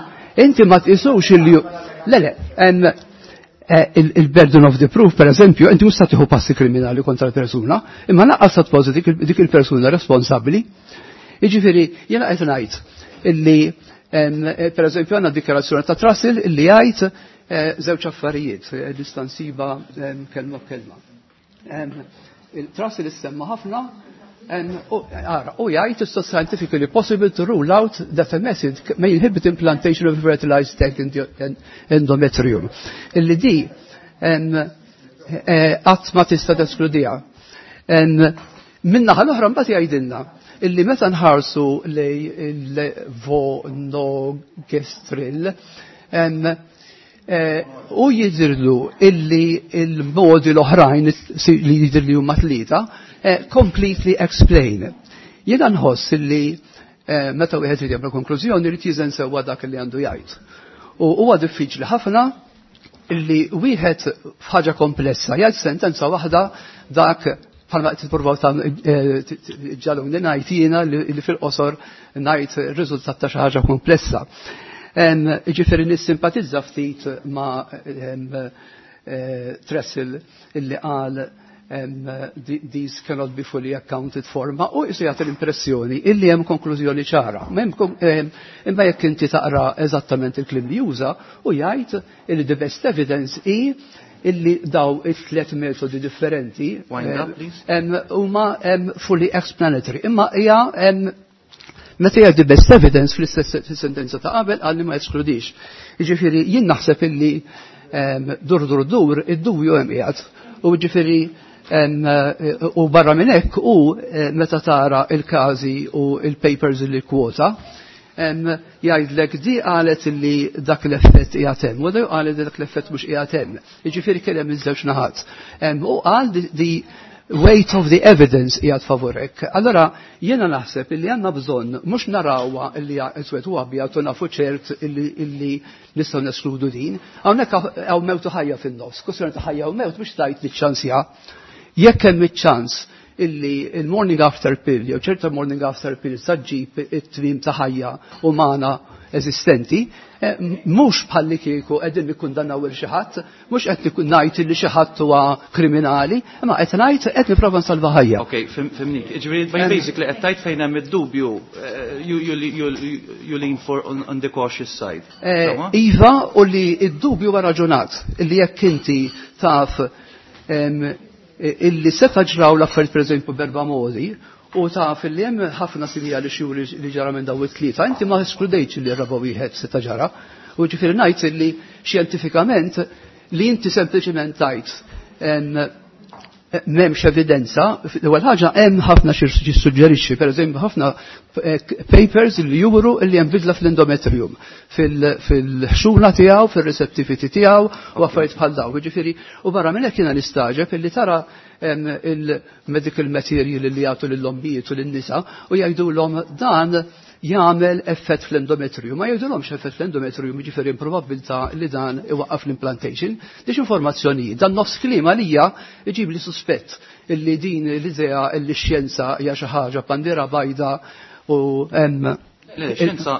inti ma tqisux li hu. Le, il-burden of the proof, per eżempju, inti mhux tieħu passi kriminali kontra l-persuna, imma naqqas ta' tpoġġi dik il-persuna responsabbli. Jiġifieri, jiena qed ngħid illi per eżempju għandna dikjarazzjoni ta' Trussell illi jgħid żewġ affarijiet, nista' nsiba kelma b'kelma. Il-Trussell issemma ħafna, u jgħid it's not scientifically possible to rule out that a method may inhibit implantation of fertilized egg endometrium. Illi di qatt ma tista' teskludiha. Min-naħa l-oħra mbagħad jgħidilna illi meta nħarsu lej il-levonorgestrel u jidhirlu illi il-modi l-oħrajn li jidhirli huma 3 completely explain. Jiena nħoss illi meta wieħed irid jagħmel konklużjoni irid jiżen sewwa dak li għandu jgħid. U huwa diffiċli ħafna illi wieħed f'ħaġa komplessa jgħid sentenza waħda dak bħalma qed tippruvaw ġaluni ngħid jiena li fil-qosor ngħid ir-riżultat ta' xi ħaġa komplessa. Ġifieri nissimpatizza ftit ma' Tressel illi qal These cannot be fully accounted for, ma u jisu jagħti l-impressjoni illi hemm konklużjoni ċara. Imma jekk inti taqra eżattament il-kliem li juża u jgħid illi the best evidence hi illi daw it-tlet metodi differenti huma fully explanatory. Imma hija meta jgħid the best evidence fl-istess sentenza ta' qabel qal li ma jeskludix. Jiġifieri jien naħseb illi dur dur dur id-dubju hemm qiegħed. U ġifieri u barra minn hekk u meta tara il-każi u il-papers li kwota, jgħidlek di qalet li dak l-effett qiegħed hemm, u qalet li dak l-effett mhux qiegħed hemm. Jiġifieri kien hemm iż-żewġ naħat. U qal the weight of the evidence qiegħed favorek. Allora jiena naħseb illi għandna bżonn mhux narawha illi iswed u abjad u nafu ċert illi nistgħu neskludu din. Hawnhekk hawn mewt u ħajja fin-nofs, kwestjoni ta' ħajja u mewt mhux tgħid li ċ-ċansja. Jekk hemm iċ-ċans illi il-morning after pill jew ċerta morning after pill sa ġġib it-tmiem ta' ħajja umana eżistenti, mhux bħalli kieku qegħdin nikkundannaw il xi ħadd, mhux qed ngħid li xi ħadd huwa kriminali, imma qed ngħid qed nipprova nsalva ħajja. Ok, fhimnik. Ġifieri basically qed tgħid fejn hemm id-dubju you lean for on the cautious side. Iva, u li id-dubju huwa raġunat, illi jekk inti taf illi seta' ġraw l-affarijiet pereżempju b'erba' modi, u taf illi hemm ħafna sinjali xjuri li ġara minn daw it-tlieta, inti ma eskludejtx li r-raba' wieħed seta' ġara. U ġifieri ngħid illi xjentifikament li inti sempliċement tgħid m'hemmx evidenza, l-ewwel ħaġa hemm ħafna xi jissuġġerixxi, pereżempju ħafna papers li juru li hemm bidla fl-endometrium, fil-ħxuna tiegħu, fir-receptivity tiegħu u affarijiet bħal dawn. Jiġifieri, u barra minn hekk jiena nistaġeb illi tara il-medical material li jagħtu lill-ommijiet u lin-nisa u jgħidulhom dan jagħmel effett fl-endometrium. Ma jgħidulhomx effett fl-endometrium, jiġifieri probabbiltà li dan iwaqqaf l-implantation. Dix informazzjonijiet, dan nofs kliem għalija iġib li suspett illi din l-idea illi x-xjenza hija xi ħaġa bandiera bajda u hemm. Le, xjenza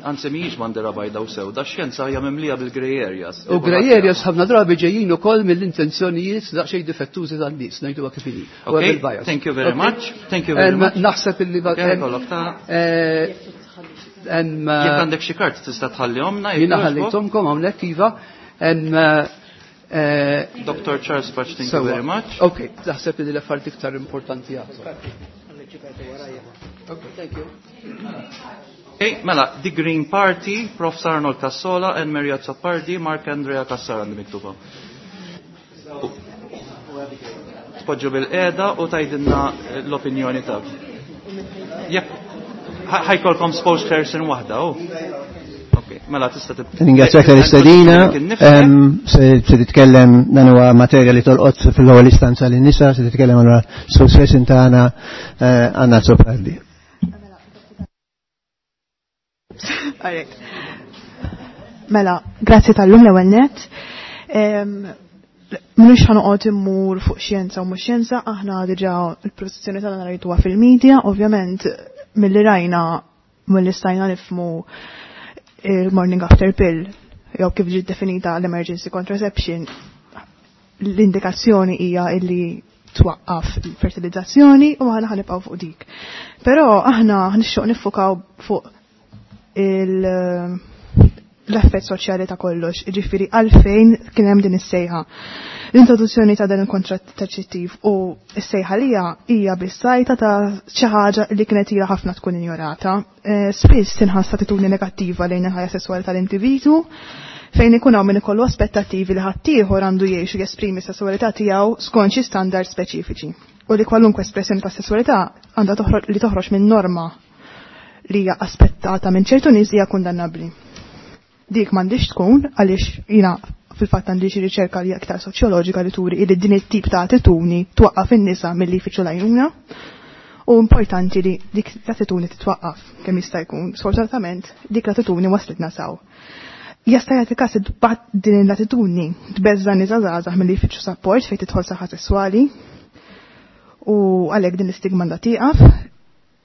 anzi mhijiex bandiera bajda u sewda, xjenza hija mimlija bil-grey areas. U grey areas ħafna drabi ġejjin ukoll mill-intenzjonijiet daqsxejn difettużi tan-nies, ngħiduha kif inhi. U Okay, hemm il-bias. thank you very Okay. much. Thank you very much. Naħseb illi Okay, kollok ta' Jekk għandek xi kart tista' tħallihomna, jekk Jiena jogħġbok. ħallejthomkom hawnhekk iva. Dr. Charles Pace, thank you Sewwa. very much. Ok, naħseb li l-affarijiet iktar importanti għadu. Okay, thank you. Okay, mela, The Green Party, Prof. Arnold Cassola and Maria Azzopardi, Mark Andrea Cassar għandi miktuba. Tpoġġu bil-qeda u tgħidilna l-opinjoni tagħek. Jekk ħa jkollkom spokesperson waħda, oh. Ok, mela tista' tib. Ringrazzjak tal-istedina, se titkellem dan huwa materja li tolqot fil-ewwel istanza lin-nisa, se titkellem allura spokesperson tagħna Anna Azzopardi. Alright. Mela, grazzi tal-lum l-ewwel net. Mhux ħa noqgħod immur fuq xjenza u mhux xjenza, aħna diġà il-produzzjoni tagħna rajtuha fil-medja, ovvjament milli rajna milli stajna nifhmu il-morning after pill jew kif ġiet definita l-emergency contraception, l-indikazzjoni hija illi twaqqaf il-fertilizzazzjoni u aħna ħanibqgħu fuq dik. Però aħna nixtieq niffukaw fuq l-effett soċjali ta' kollox, jiġifieri għalfejn kien hemm din is-sejħa. L-introduzzjoni ta' dan il-kontraċettiv u s-sejħa li hija bis-sajta ta' xi ħaġa li kienet ilha ħafna tkun injorata. Spiss tinħass attitudni negattiva lejn il-ħajja sesswali tal-individwu, fejn ikun hawn min ikollu aspettattivi li ħaddieħor għandu jgħix u jesprimi s-sesswalità tiegħu skont xi standard speċifiċi. U li kwalunkwe espressjoni ta' sesswalità għandha li toħroġ minn norma li hija aspettata minn ċertu nies hija kundannabbli. Dik m'għandix tkun għaliex jiena fil-fatt għandi xi riċerka li aktar soċjoloġika li turi li din it-tip ta' attitudni twaqqaf in-nisa milli jfittxu l-għajnuna u importanti li dik l-attitudni titwaqqaf kemm jista' jkun. Sfortunatament dik l-attitudni waslitna saw. Jista' jagħti każ din l-attitudni tbeżża' nisa żgħażagħ milli jfittxu sapport fejn tidħol saħħa sesswali u għalhekk din l-istigma għandha tieqaf.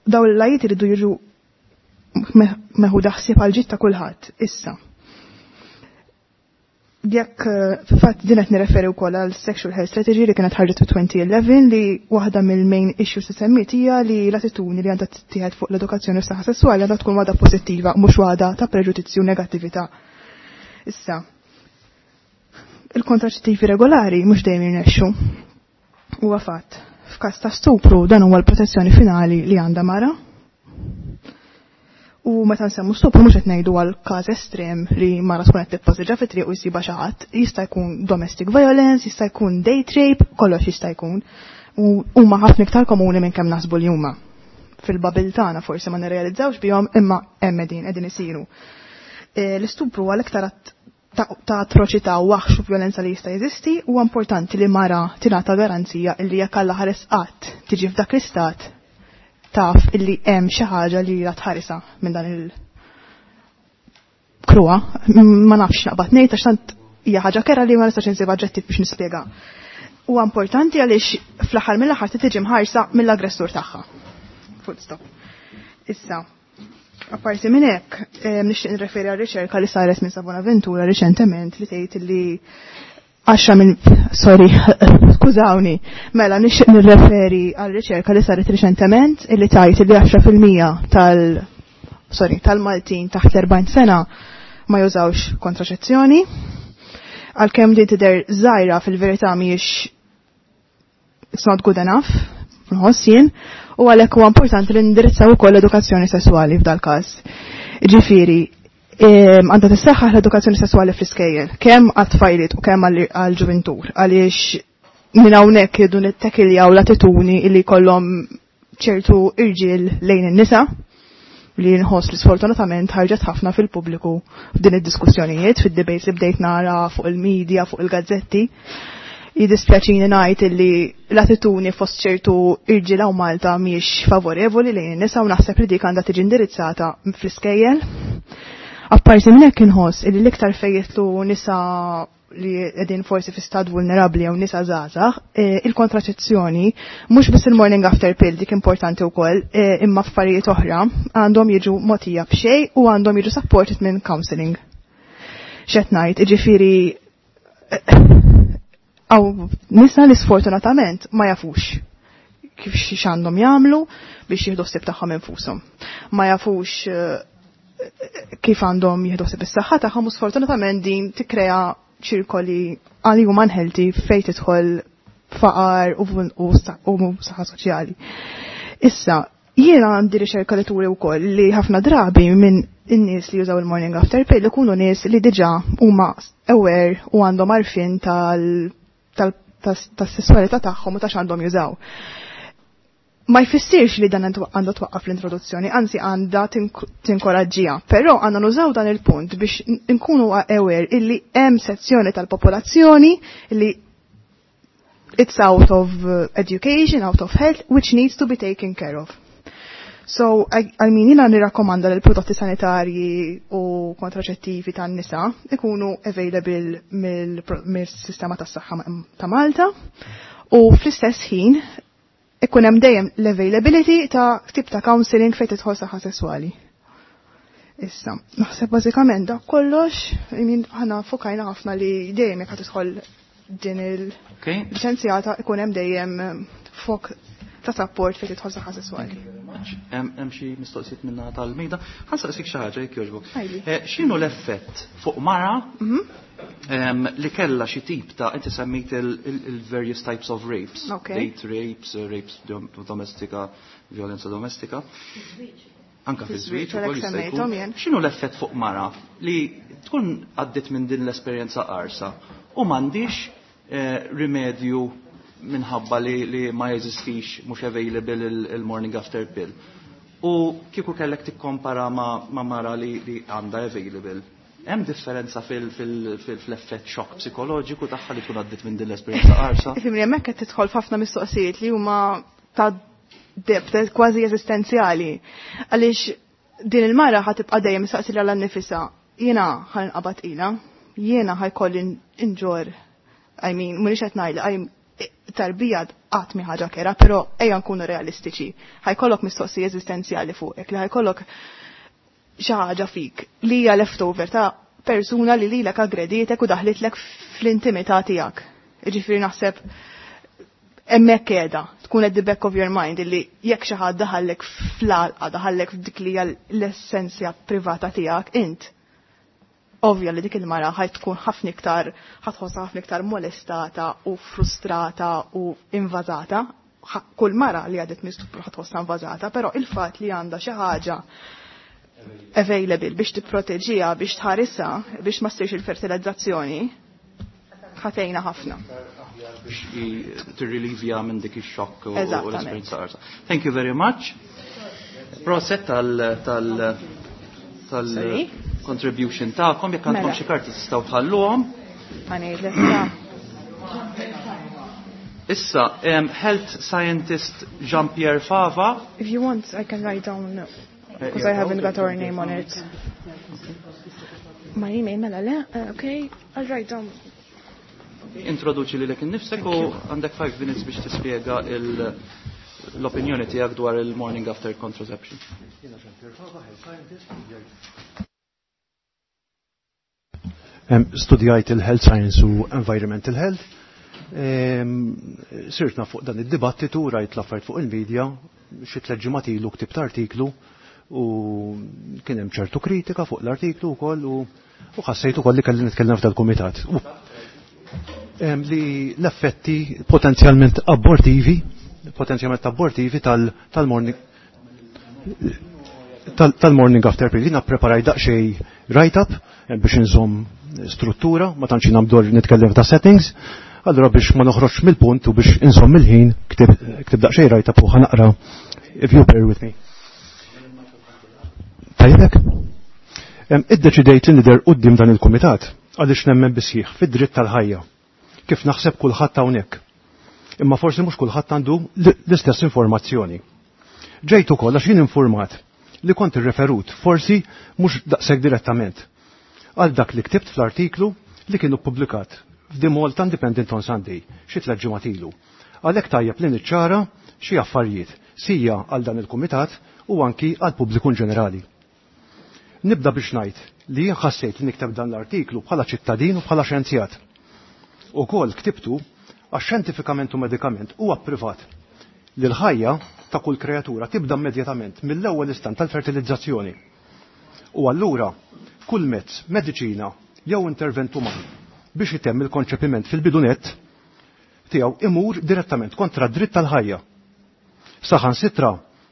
Dawn l-lajiet iridu jiġu meħuda ħsieb għal ġid ta' kulħadd issa. Jekk fil-fatt din qed nirreferi wkoll għal Sexual Health Strategy li kienet ħarġet fi 2011, li waħda mill-main issues li semmiet hija li l-attitudni li għandha tittieħed fuq l-edukazzjoni u s-saħħa sesswali għandha tkun waħda pożittiva, mhux waħda ta' preġudizzju u negattività. Issa, il-kontraċettivi regolari mhux dejjem jirnexxu. Huwa fatt. F'każ ta' stupru, dan huwa l-protezzjoni finali li għandha mara. U meta nsemmu stupru, mhux qed ngħidu għal każ estrem li mara tkun qed tippassiġġa fit-triq u jsibha xi ħadd. Jista' jkun domestic violence, jista' jkun date rape, kollox jista' jkun. U huma ħafna iktar komuni minn kemm naħsbu li huma. Fil-bubble tagħna forsi ma nirrealizzawx bihom, imma hemm qegħdin isiru. L-istupru għal iktar ta' atroċità u waħx u violenza li jista' jeżisti. Huwa importanti li mara tingħata garanzija illi jekk Alla ħares qatt tiġi f'dak l-istat, taf illi hemm xi ħaġa li la tħarisa minn dan il-kruha. Ma nafx naqbad ngħid, għax tant hija ħaġa kerha li ma nistax insib aġġettiv biex nispjega. Huwa importanti għaliex fl-aħħar mill-aħħar tiġi mħarsa mill-aggressur tagħha. Full stop. Issa, apparti minn hekk, nixtieq nirreferi għal riċerka li saret minn Sa Bonaventura riċentement li tgħid li 10 minn, sorry, skużawni, mela nixtieq nirreferi għal riċerka li saret riċentement illi tgħid li 10% tal, sorry, tal-Maltin taħt l-40 sena ma jużawx kontraċezzjoni. Għalkemm din tidher żgħira, fil-verità mhijiex, it's not good enough, nħoss jien, u għalhekk huwa importanti li nindirizzaw ukoll l-edukazzjoni sesswali f'dal każ. Ġifieri, għandha tissaħħaħ l-edukazzjoni sesswali fl-iskejjel, kemm għat-tfajliet u kemm għall-ġuventur, għaliex minn hawnhekk jridu nittekiljaw l-attitudni li kollhom ċertu irġiel lejn in-nisa, li nħoss li sfortunatament ħarġet ħafna fil-pubbliku f'din id-diskussjonijiet, fid-debates li bdejt nara fuq il-medja, fuq il-gazzetti. Jidispjaċini ngħid illi l-attitudni fost ċertu irġiel hawn Malta mhijiex favorevoli lejn in-nisa, u naħseb li dik għandha tiġi indirizzata fl-iskejjel. Apparti minn hekk, inħoss illi l-iktar fejn jidħlu nisa li qegħdin forsi fi stat vulnerabbli jew nisa żgħażagħ, il-kontraċezzjoni, mhux biss il-morning after pill, dik importanti wkoll, imma affarijiet oħra għandhom jiġu mogħtija b'xejn u għandhom jiġu supported minn counseling. X'qed ngħid, jiġifieri hawn nisa li sfortunatament ma jafux kif x'għandhom jagħmlu biex jieħdu ħsieb tagħhom infushom. Ma jafux kif għandhom jieħdu ħsieb is-saħħa tagħhom, u sfortunatament din tikkrea ċirkoli għal huma unhealthy fejn tidħol faqar u saħħa soċjali. Issa, jiena għandi riċerka li turi wkoll li ħafna drabi minn in-nies li jużaw il-morning after pill ikunu nies li diġà huma aware u għandhom għarfien tas-sessualità tagħhom u ta' x'għandhom jużaw. Ma jfissirx li dan għandha twaqqaf l-introduzzjoni, anzi għandha tinkoraġġiha, però għandna nużaw dan il-punt biex nkunu aware illi hemm sezzjoni tal-popolazzjoni li it's out of education, out of health, which needs to be taken care of. So, I mean, jiena nirrakkomanda li l-prodotti sanitarji u kontraċettivi tan-nisa ikunu available mill-sistema tas-saħħa ta' Malta u fl-istess ħin ikun hemm dejjem l-availability ta' tip ta' counseling fejn tidħol saħħa sesswali. Issa, naħseb bażikament dak kollox, I mean, aħna fokajna ħafna li dejjem jekk tidħol din il-liċenzjata ikun hemm dejjem fok ta' support fejn tidħol saħħa sesswali. Hemm xi mistoqsijiet minna tal-mejda. Ħa nsaqsik xi ħaġa, jekk jogħġbok. Għidli. X'inhu l-effett fuq mara li kellha xi tip ta', inti semmejt il-various types of rapes, date rapes, rapes domestika, violenza domestika. Anka fi żwieġ ukoll jista' jkun. Semmejthom jien. X'inhu l-effett fuq mara li tkun għaddiet minn din l-esperjenza qarsa u m'għandix rimedju minħabba li ma jeżistix, mhux available il-morning after pill? U kieku kellek tikkompara ma mara li għandha available, hemm differenza fl-effett xokk psikoloġiku tagħha li tkun għaddiet minn din l-esperjenza qarsa? Ifhimni, hemmhekk qed tidħol f'ħafna mistoqsijiet li huma ta' depth kważi eżistenzjali. Għaliex din il-mara ħa tibqa' dejjem saqsi lilha nnifisha: jiena ħa nqabad ilha, jiena ħa jkolli inġorr, I mean, mhux qed ngħid tarbija qatt mi ħaġa kerha, però ejja nkunu realistiċi. Ħa jkollok mistoqsija eżistenzjali fuqek, li ħa jkollok xi ħaġa fik li hija leftover ta' persuna li lilek aggredietek u daħlitlek fl-intimità tiegħek. Jiġifieri naħseb hemmhekk qiegħda tkun at the back of your mind illi jekk xi ħadd daħallek fl-għalqa, daħallek f'dik li hija l-essenzja privata tiegħek int. Ovvja li dik il-mara ħaj tkun ħafna iktar ħatħossha ħafna iktar molestata u frustrata u invażata. Kull mara li għadet minn stupru ħatħossha invażata, però il-fatt li għandha xi ħaġa available biex tipproteġiha, biex tħarisha, biex ma ssirx il-fertilizzazzjoni, ħatejna ħafna. Biex tirrilivja minn dik ix-xokk u l-esperjenza qarsa. Thank you very much. Proset tal contribution tagħkom, jekk għandkom xi karti tistgħu tħalluhom. Issa, health scientist Jean-Pierre Fava. If you want, I can write down, because I haven't got our name on it. My email, mela le, okay, I'll write down. Introduċi li lek innifsek u għandek 5 minutes biex tispjega l-opinjoni tiegħek dwar il-morning after contraception. Studjajt il-Health Science u Environmental Health. Sirtna fuq dan id-dibattitu, rajt l-affarijiet fuq il-medja, xi tliet ġimgħat ilu ktibt artiklu u kien hemm ċertu kritika fuq l-artiklu wkoll u ħassejt ukoll li kelli nitkellem f'dal-kumitat. Li l-effetti potenzjalment abortivi, potenzjalment abortivi tal-morning tal-morning after pill. Jiena ppreparaj daqsxejn write-up biex inżomm struttura, ma tantx jiena mdorr nitkellem ta' settings, allura biex ma noħroġx mill-punt u biex inżomm il-ħin ktib daqsxejn write-up u ħanaqra if you bear with me. Tajjeb? Iddeċidejt li nidher quddiem dan il-kumitat għaliex nemmen bisħiħ fid-dritt tal-ħajja, kif naħseb kulħadd hawnhekk. Imma forsi mhux kulħadd għandu l-istess informazzjoni. Ġejt ukoll għax jien informat li kont irreferut, forsi mhux daqshekk direttament, għal dak li ktibt fl-artiklu li kienu ppubblikat f'The Malta Independent on Sunday xi tliet ġimgħat ilu. Għalhekk tajjeb li niċċara xi affarijiet sija għal dan il-kumitat u anki għal pubbliku ġenerali. Nibda biex ngħid li jien ħassejt li nikteb dan l-artiklu bħala ċittadin u bħala xjenzjat. Ukoll ktibtu għax xjentifikament u medikament huwa privat li l-ħajja ta' kull kreatura tibda immedjatament mill-ewwel istant tal-fertilizzazzjoni. U allura kull mezz, mediċina jew intervent uman biex itemm il-konċepiment fil-bidunet tiegħu imur direttament kontra d-dritt tal-ħajja. Saħansitra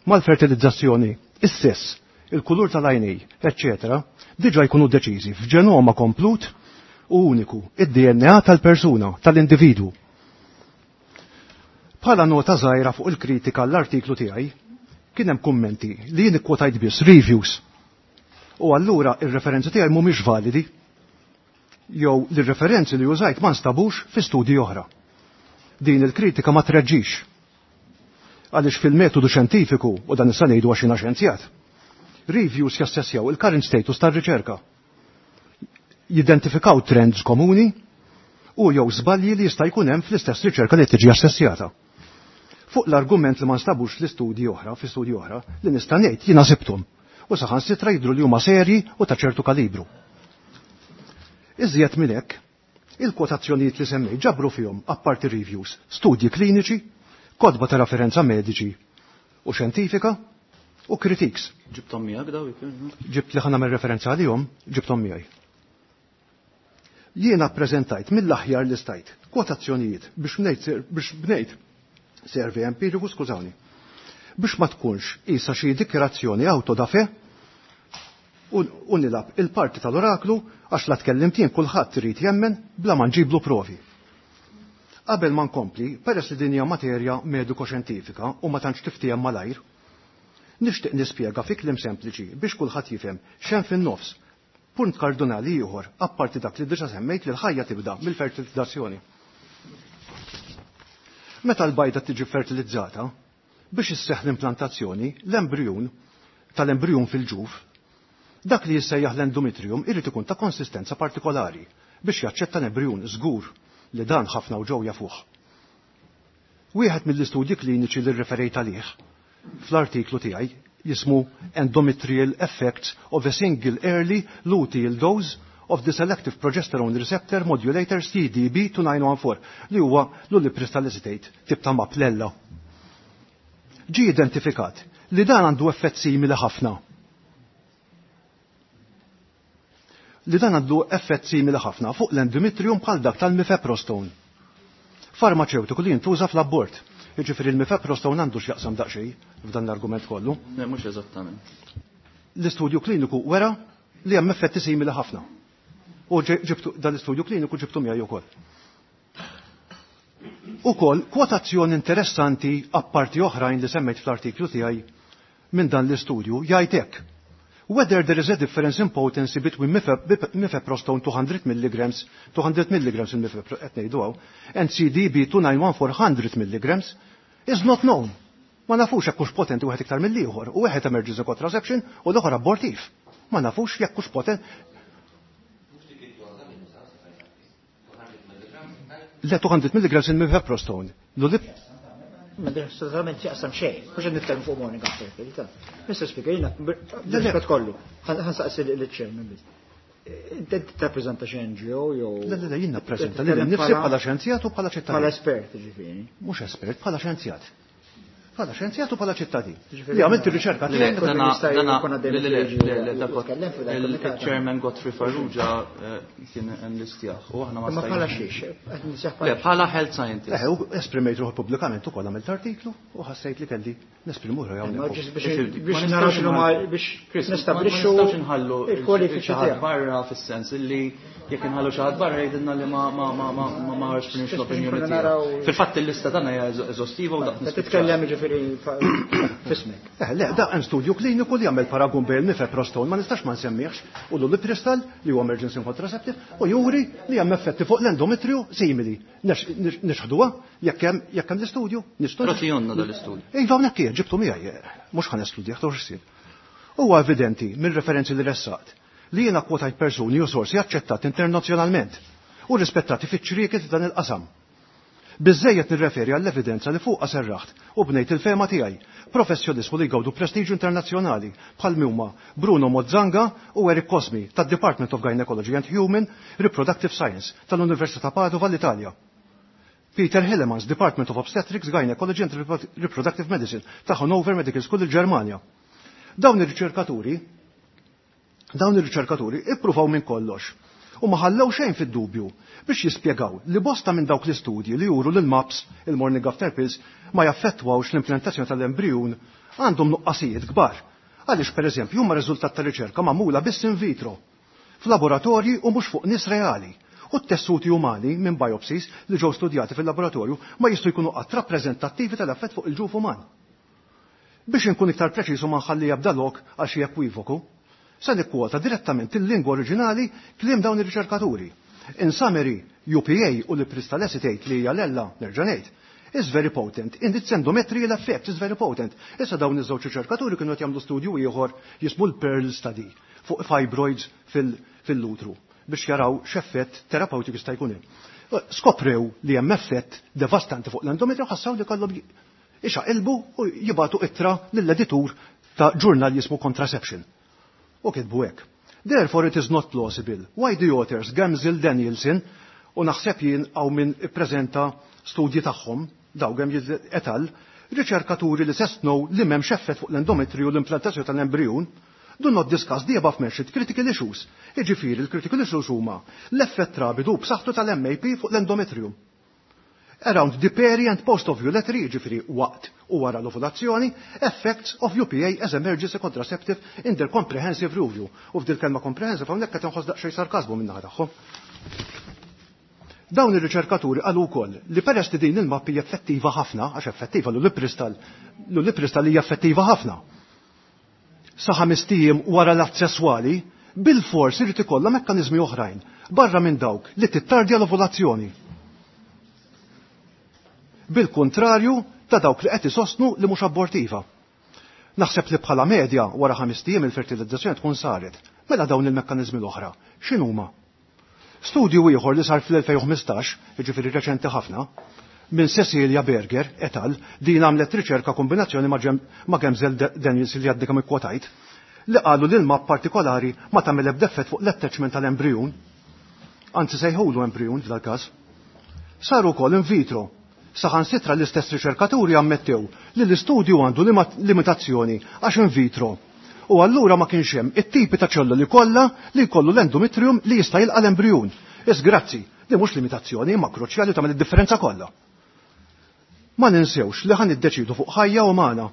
mal-fertilizzazzjoni, is-sess, il-kulur tal-għajnej, eccetera, diġa jkunu deċiżi f'ġenoma komplut u uniku, id-DNA tal-persuna, tal-individwu. Bħala nota żgħira fuq il-kritika l-artiklu tiegħi, kien hemm kummenti li jien ikkwotajt biss reviews. U allura ir-referenzi tiegħi mhumiex validi jew li referenzi li użajt ma nstabux fi studji oħra. Din il-kritika ma treġġix. Għaliex fil-metodu xjentifiku, u dan issa ngħidu għax jiena xjenzjat, reviews jassessjaw il-current status tar-riċerka. Jidentifikaw trends komuni u jew żbalji li jista' jkun hemm fl-istess riċerka li tiġi assessjata. Fuq l-argument li ma nstabux l-istudji oħra, fi studji oħra, li nista' ngħid jiena sibthom u saħansitra jidhru li huma serji u ta' ċertu kalibru. Iżjed minn hekk, il-kwotazzjonijiet li semmej ġabru fihom apparti reviews, studji kliniċi, kotba ta' referenza mediċi u xjentifika u critiques. Ġibtom miegħek daw ikun? Ġibt li ħa nagħmel referenza għalihom, ġibtom miegħi. Jiena ppreżentajt mill-aħjar li stajt kwotazzjonijiet biex bnejt survey empiriku, skużawni, biex ma tkunx isa xi dikjarazzjoni auto da fe u nilab il-parti tal-oraklu għax la tkellimt jien kulħadd irid jemmen bla ma nġiblu provi. Qabel ma nkompli, peress li din hija materja mediko-xjentifika u ma tantx tiftiehem malajr, nixtieq nispjega fi kliem sempliċi biex kulħadd jifhem x'hemm fin-nofs. Punt kardinali ieħor, apparti dak li diġà semmejt li l-ħajja tibda mill-fertilizzazzjoni. Meta l-bajda tiġi fertilizzata, biex isseħħ l-implantazzjoni, l-embrijun tal-embrijun fil-ġuf, dak li jissejjaħ l-endometrium irid ikun ta' konsistenza partikolari biex jaċċetta l-embrijun żgur li dan ħafna u ġew jafuh. Wieħed mill-istudji kliniċi li rreferejt għalih fl-artiklu tiegħi jismu Endometrial Effects of a Single Early Luteal Dose of the selective progesterone receptor modulator CDB2914 li huwa l-ulipristal acetate tip ta' maplella. Ġie identifikat li dan għandu effett simili ħafna. Li dan għandu effett simili ħafna fuq l-endometrium bħal dak tal-mifeprostone. Farmaceutiku li jintuża fl-abort. Jiġifieri l-mifeprostone għandu x'jaqsam daqsxejn f'dan l-argument kollu. Le, mhux eżattament. L-istudju kliniku wera li hemm effetti simili ħafna. U ġibtu dan l-istudju kliniku ġibtu miegħi wkoll. Ukoll kwotazzjoni interessanti apparti oħrajn li semmejt fl-artiklu tiegħi minn dan l-istudju jgħid hekk. Whether there is a difference in potency between mifeprostone 200 mg, 200 mg il-mifeprostone qed ngħidu hawn, and CDB 291400 mg is not known. Ma nafux jekk hux potenti wieħed iktar mill-ieħor, u wieħed emergency contraception u l-oħra abortiv. Ma nafux jekk hux potent. Le 200 mg il-mifeprostone. L-ulip Ma assolutament jaqsam xejn, mhux qed nitkellem fuq morning after pill. Mr. Speaker, jiena bil kollu, ħansaqsi lill-chairman biss. Inti tirrappreżenta xi NGO jew. Le, le, le, jien nappreżenta lili nnifsi bħala xjenzjat u bħala ċittadin. Bħala espert, ġifieri. Mhux espert, bħala xjenzjat. Bħala xjenzjat u bħala ċittadin. Li għamilt ir-riċerka Il-chairman Godfrey Farrugia kien enlistjah u aħna ma Ma bħala xiex, Le, bħala health scientist. Eh, u esprimejt ruħi pubblikament ukoll għamilt artiklu u ħassejt li kelli nesprimu ruħi hawnhekk. Biex naraw x'inhu biex nistabbilixxu Ma nistgħux inħallu il-kwalifiċi xi ħadd tiegħek. barra fis-sens illi jekk inħallu xi ħadd barra jgħidilna li ma ma ma ma ma ma esprimx l-opinjoni Nkunu tiegħu. naraw- Fil-fatt il-lista tagħna hija eżostiva u daqs Qed titkellem ġifieri f'ismek. Eh, le, da hemm studju kliniku li jagħmel paragun bejn il-mifeprostone ma nistax ma nsemmihx u l-ulipristal li huwa emergency contraceptive u juri li hemm effetti fuq l-endometriju simili. Nixħduha jekk hemm jekk hemm l-istudju, nistudju. Rotijonna dal-istudju. Iva hawnhekk hija ġibtu miegħi, mhux ħa nestudjah tawx issir. Huwa evidenti minn referenzi li ressaqt li jiena kwotajt persuni u sorsi aċċettati internazzjonalment u rispettati fiċ-ċrieket dan il-qasam. Biżżejjed nirreferi għall-evidenza li fuqha serraħt u bnejt il-fehma tiegħi, professjonismu li jgawdu prestiġju internazzjonali bħal huma Bruno Mozzanga u Eric Cosmi tad-Department of Gynecology and Human Reproductive Science tal-Università Padova l-Italja. Peter Hillemans, Department of Obstetrics, Gynecology and Reproductive Medicine ta' Hannover Medical School il-Ġermanja. Dawn ir-riċerkaturi dawn ir-riċerkaturi ippruvaw minn kollox u ma ħallew xejn fid-dubju biex jispjegaw li bosta minn dawk l-istudji li juru l MAPS, il-Morning After Pills, ma jaffettwawx l-implantazzjoni tal-embrijun għandhom nuqqasijiet kbar. Għaliex pereżempju huma riżultat ta' riċerka magħmula biss in vitro, f'laboratorji u mhux fuq nies reali. U t-tessuti umani minn biopsies li ġew studjati fil-laboratorju ma jistgħu jkunu qatt rappreżentattivi tal-effett fuq il-ġuf uman. Biex inkun iktar preċiż u ma nħalli jabda lok għal xi ekwivoku, se nikkwota direttament il-lingwa oriġinali kliem dawn ir-riċerkaturi. In summary, UPA u l-ulipristal acetate li hija l-ella, nerġa' ngħid, is very potent. In its endometrial effect is very potent. Issa dawn iż-żewġ riċerkaturi kienu qed jagħmlu studju ieħor jismu l-Pearl Study fuq fibroids fil-utru biex jaraw x'effett terapeutiku jista' jkun hemm. Skoprew li hemm effett devastanti fuq l-endometriju ħassaw li kellhom ixaqilbu u jibatu ittra lill-editur ta' ġurnal jismu Contraception. U kitbu hekk. Therefore it is not plausible why the authors Gemzell Danielson u naħseb jien għaw min ippreżenta studji tagħhom daw Gemzell et al. Riċerkaturi li sostnew li m'hemmx effett fuq l-endometriju u l-implantazzjoni tal-embrijun do not discuss the above mentioned critical issues. Iġifieri l-critical issues huma l-effett rapidu b'saħħtu tal-MAP fuq l-endometrium. Around the peri and post-ovulatory, ġifieri waqt u wara l-ovulazzjoni, effects of UPA as emergency contraceptive in their comprehensive review. U f'dil kelma comprehensive hawnhekk qed inħoss daqsxejn sarkasmu min-naħa tagħhom. Dawn ir-riċerkaturi qalu wkoll li peress li din il-MAP hija effettiva ħafna, għax effettiva l-ulipristal, l-ulipristal hija effettiva ħafna. Sa ħames ijiem wara l-att sesswali, bil-fors irid ikollha mekkaniżmi oħrajn barra minn dawk li tittardja l-ovulazzjoni. Bil-kontrarju ta' dawk li qed isostnu li mhux abortiva. Naħseb li bħala medja wara 5 ijiem il-fertilizzazzjoni tkun saret. Mela dawn il-mekkaniżmi l-oħra, x'inhuma? Studju ieħor li sar fl-2015, jiġifieri reċenti ħafna, minn Cecilia Berger et al. Din għamlet riċerka kombinazzjoni ma' Gemzell Daniels li għaddi kemm ikkwotajt, li qalu li l-MAP partikolari ma tagħmel ebda effett fuq l-attachment tal-embrijun. Anzi sejħulu embrijun f'dal-każ. Saru wkoll in vitro. Saħansitra l-istess riċerkaturi ammettew li l-istudju għandu limitazzjoni għax in vitro. U allura ma kienx hemm it-tipi ta' ċelluli kollha li jkollu l-endometrium li jista' jilqa' l-embrijun. Is grazzi, li mhux limitazzjoni imma kruċjali tagħmel id-differenza kollha. Ma ninsewx li ħa niddeċidu fuq ħajja umana.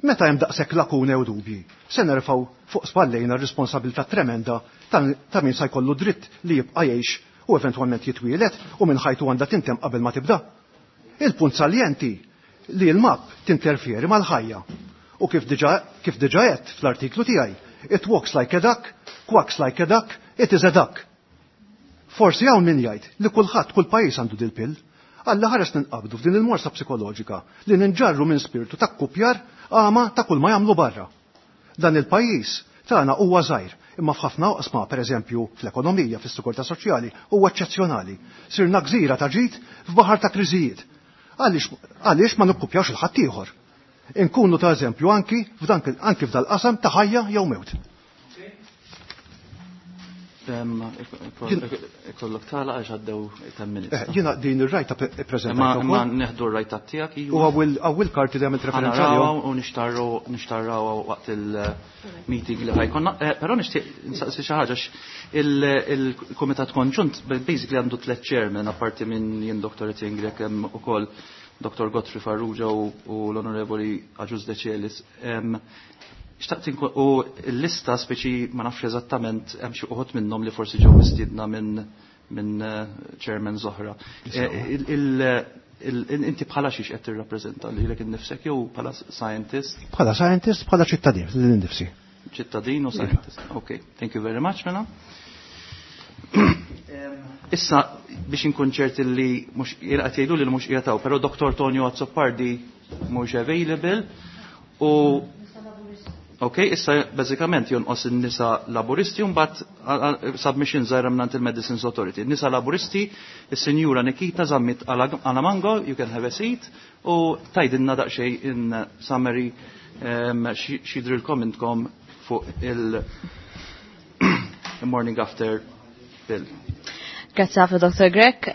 Meta hemm daqshekk lakune u dubji, se nerfgħu fuq spallejna r-responsabilità tremenda ta' min sa jkollu dritt li jibqa' jgħix u eventwalment jitwielet u minn ħajtu għandha tintemm qabel ma tibda. Il-punt saljenti li l-MAP tinterfieri mal-ħajja. U kif diġa għedt fl-artiklu tiegħi, it walks like a duck, quacks like a duck, it is a duck. Forsi hawn min jgħid li kulħadd kull pajjiż għandu dil-pill. Alla ħares ninqabdu f'din il-morsa psikoloġika li ninġarru minn spiritu ta' kupjar għama ta' kull ma jagħmlu barra. Dan il-pajjiż tagħna huwa żgħir, imma f'ħafna oqsma, pereżempju fl-ekonomija, fis-sigurtà soċjali, huwa eċċezzjonali. Sirna gżira ta' ġid f'baħar ta' kriżijiet. Għaliex ma nikkupjawx il-ħaddieħor? Inkunu ta' eżempju anki f'dal-qasam ta' ħajja jew mewt. Ikollok tala għax għaddew 10 minutes. Jiena din ir-rajta ippreżentajt ukoll. Ma neħdu r-rajta tiegħek, iva. U għawil karti li għamilt referenza għalihom. U nixtarraw waqt il-meeting li ħajkonna. Però nixtieq nsaqsi xi ħaġa il-Kumitat Konġunt basically għandu tliet chairman apparti minn jien Dr. Etienne Grech hemm ukoll Dr. Godfrey Farrugia u l-Onorevoli Agius Decelis. Xtaqt u l-lista speċi ma nafx eżattament hemm xi uħud minnhom li forsi ġew mistiedna minn chairman oħra. Inti bħala xiex qed tirrappreżenta lilek innifsek jew bħala scientist? Bħala scientist, bħala ċittadin lil innifsi. Ċittadin u scientist. Okay, thank you very much mela. Issa biex inkun ċert li mhux qed jgħidu li mhux qiegħed hawn, però Dr. Tonio Azzopardi mhux available u Ok, issa bażikament jonqos in-nisa laburisti u mbagħad submission żgħira mingħand il-Medicines Authority. Nisa laburisti, is-Sinjura Nikita Zammit Alamango, you can have a seat, u tajdinna daqsxejn in summary x'jidrilkom intkom fuq il morning after bill. Grazie ħafna Dr. Grech.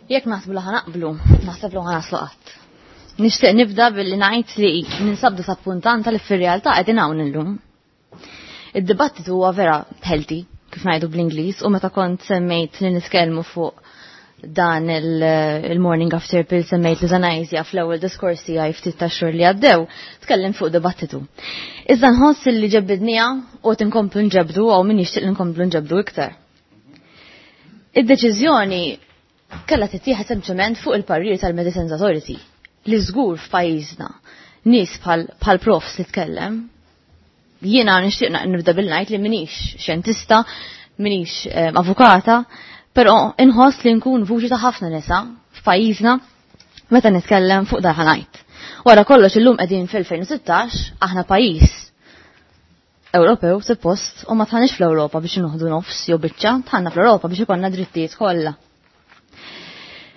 Jekk naħsbu li ħanaqblu, naħseb li ħanaslu qatt. Nixtieq nibda billi ngħid li ninsab disappuntanta li fir-realtà qegħdin hawn illum. Id-dibattitu huwa vera healthy, kif ngħidu bl-Ingliż, u meta kont semmejt li nitkellmu fuq dan il-morning after pill semmejt l-euthanasia fl-ewwel diskors tiegħi ftit ta' xhur li għaddew, tkellim fuq dibattitu. Iżda nħoss li ġebbidnija u qed inkomplu nġebdu għaw min jixtieq li nkomplu nġebdu iktar. Id-deċiżjoni kellha tittieħed sempliċement fuq il-parir tal-Medicines Authority li żgur f'pajjiżna nies bħal profs li tkellem. Jiena nixtieq nibda bil-ngħid li minix xjentista, minix avukata, però inħoss li nkun vuċi ta' ħafna nisa f'pajjiżna meta nitkellem fuq dan ħanajt. Wara kollox illum qegħdin fil-2016 aħna pajjiż Ewropew suppost u ma tħanix fl-Ewropa biex noħdu nofs jew biċċa, tħanna fl-Ewropa biex ikollna drittijiet kollha.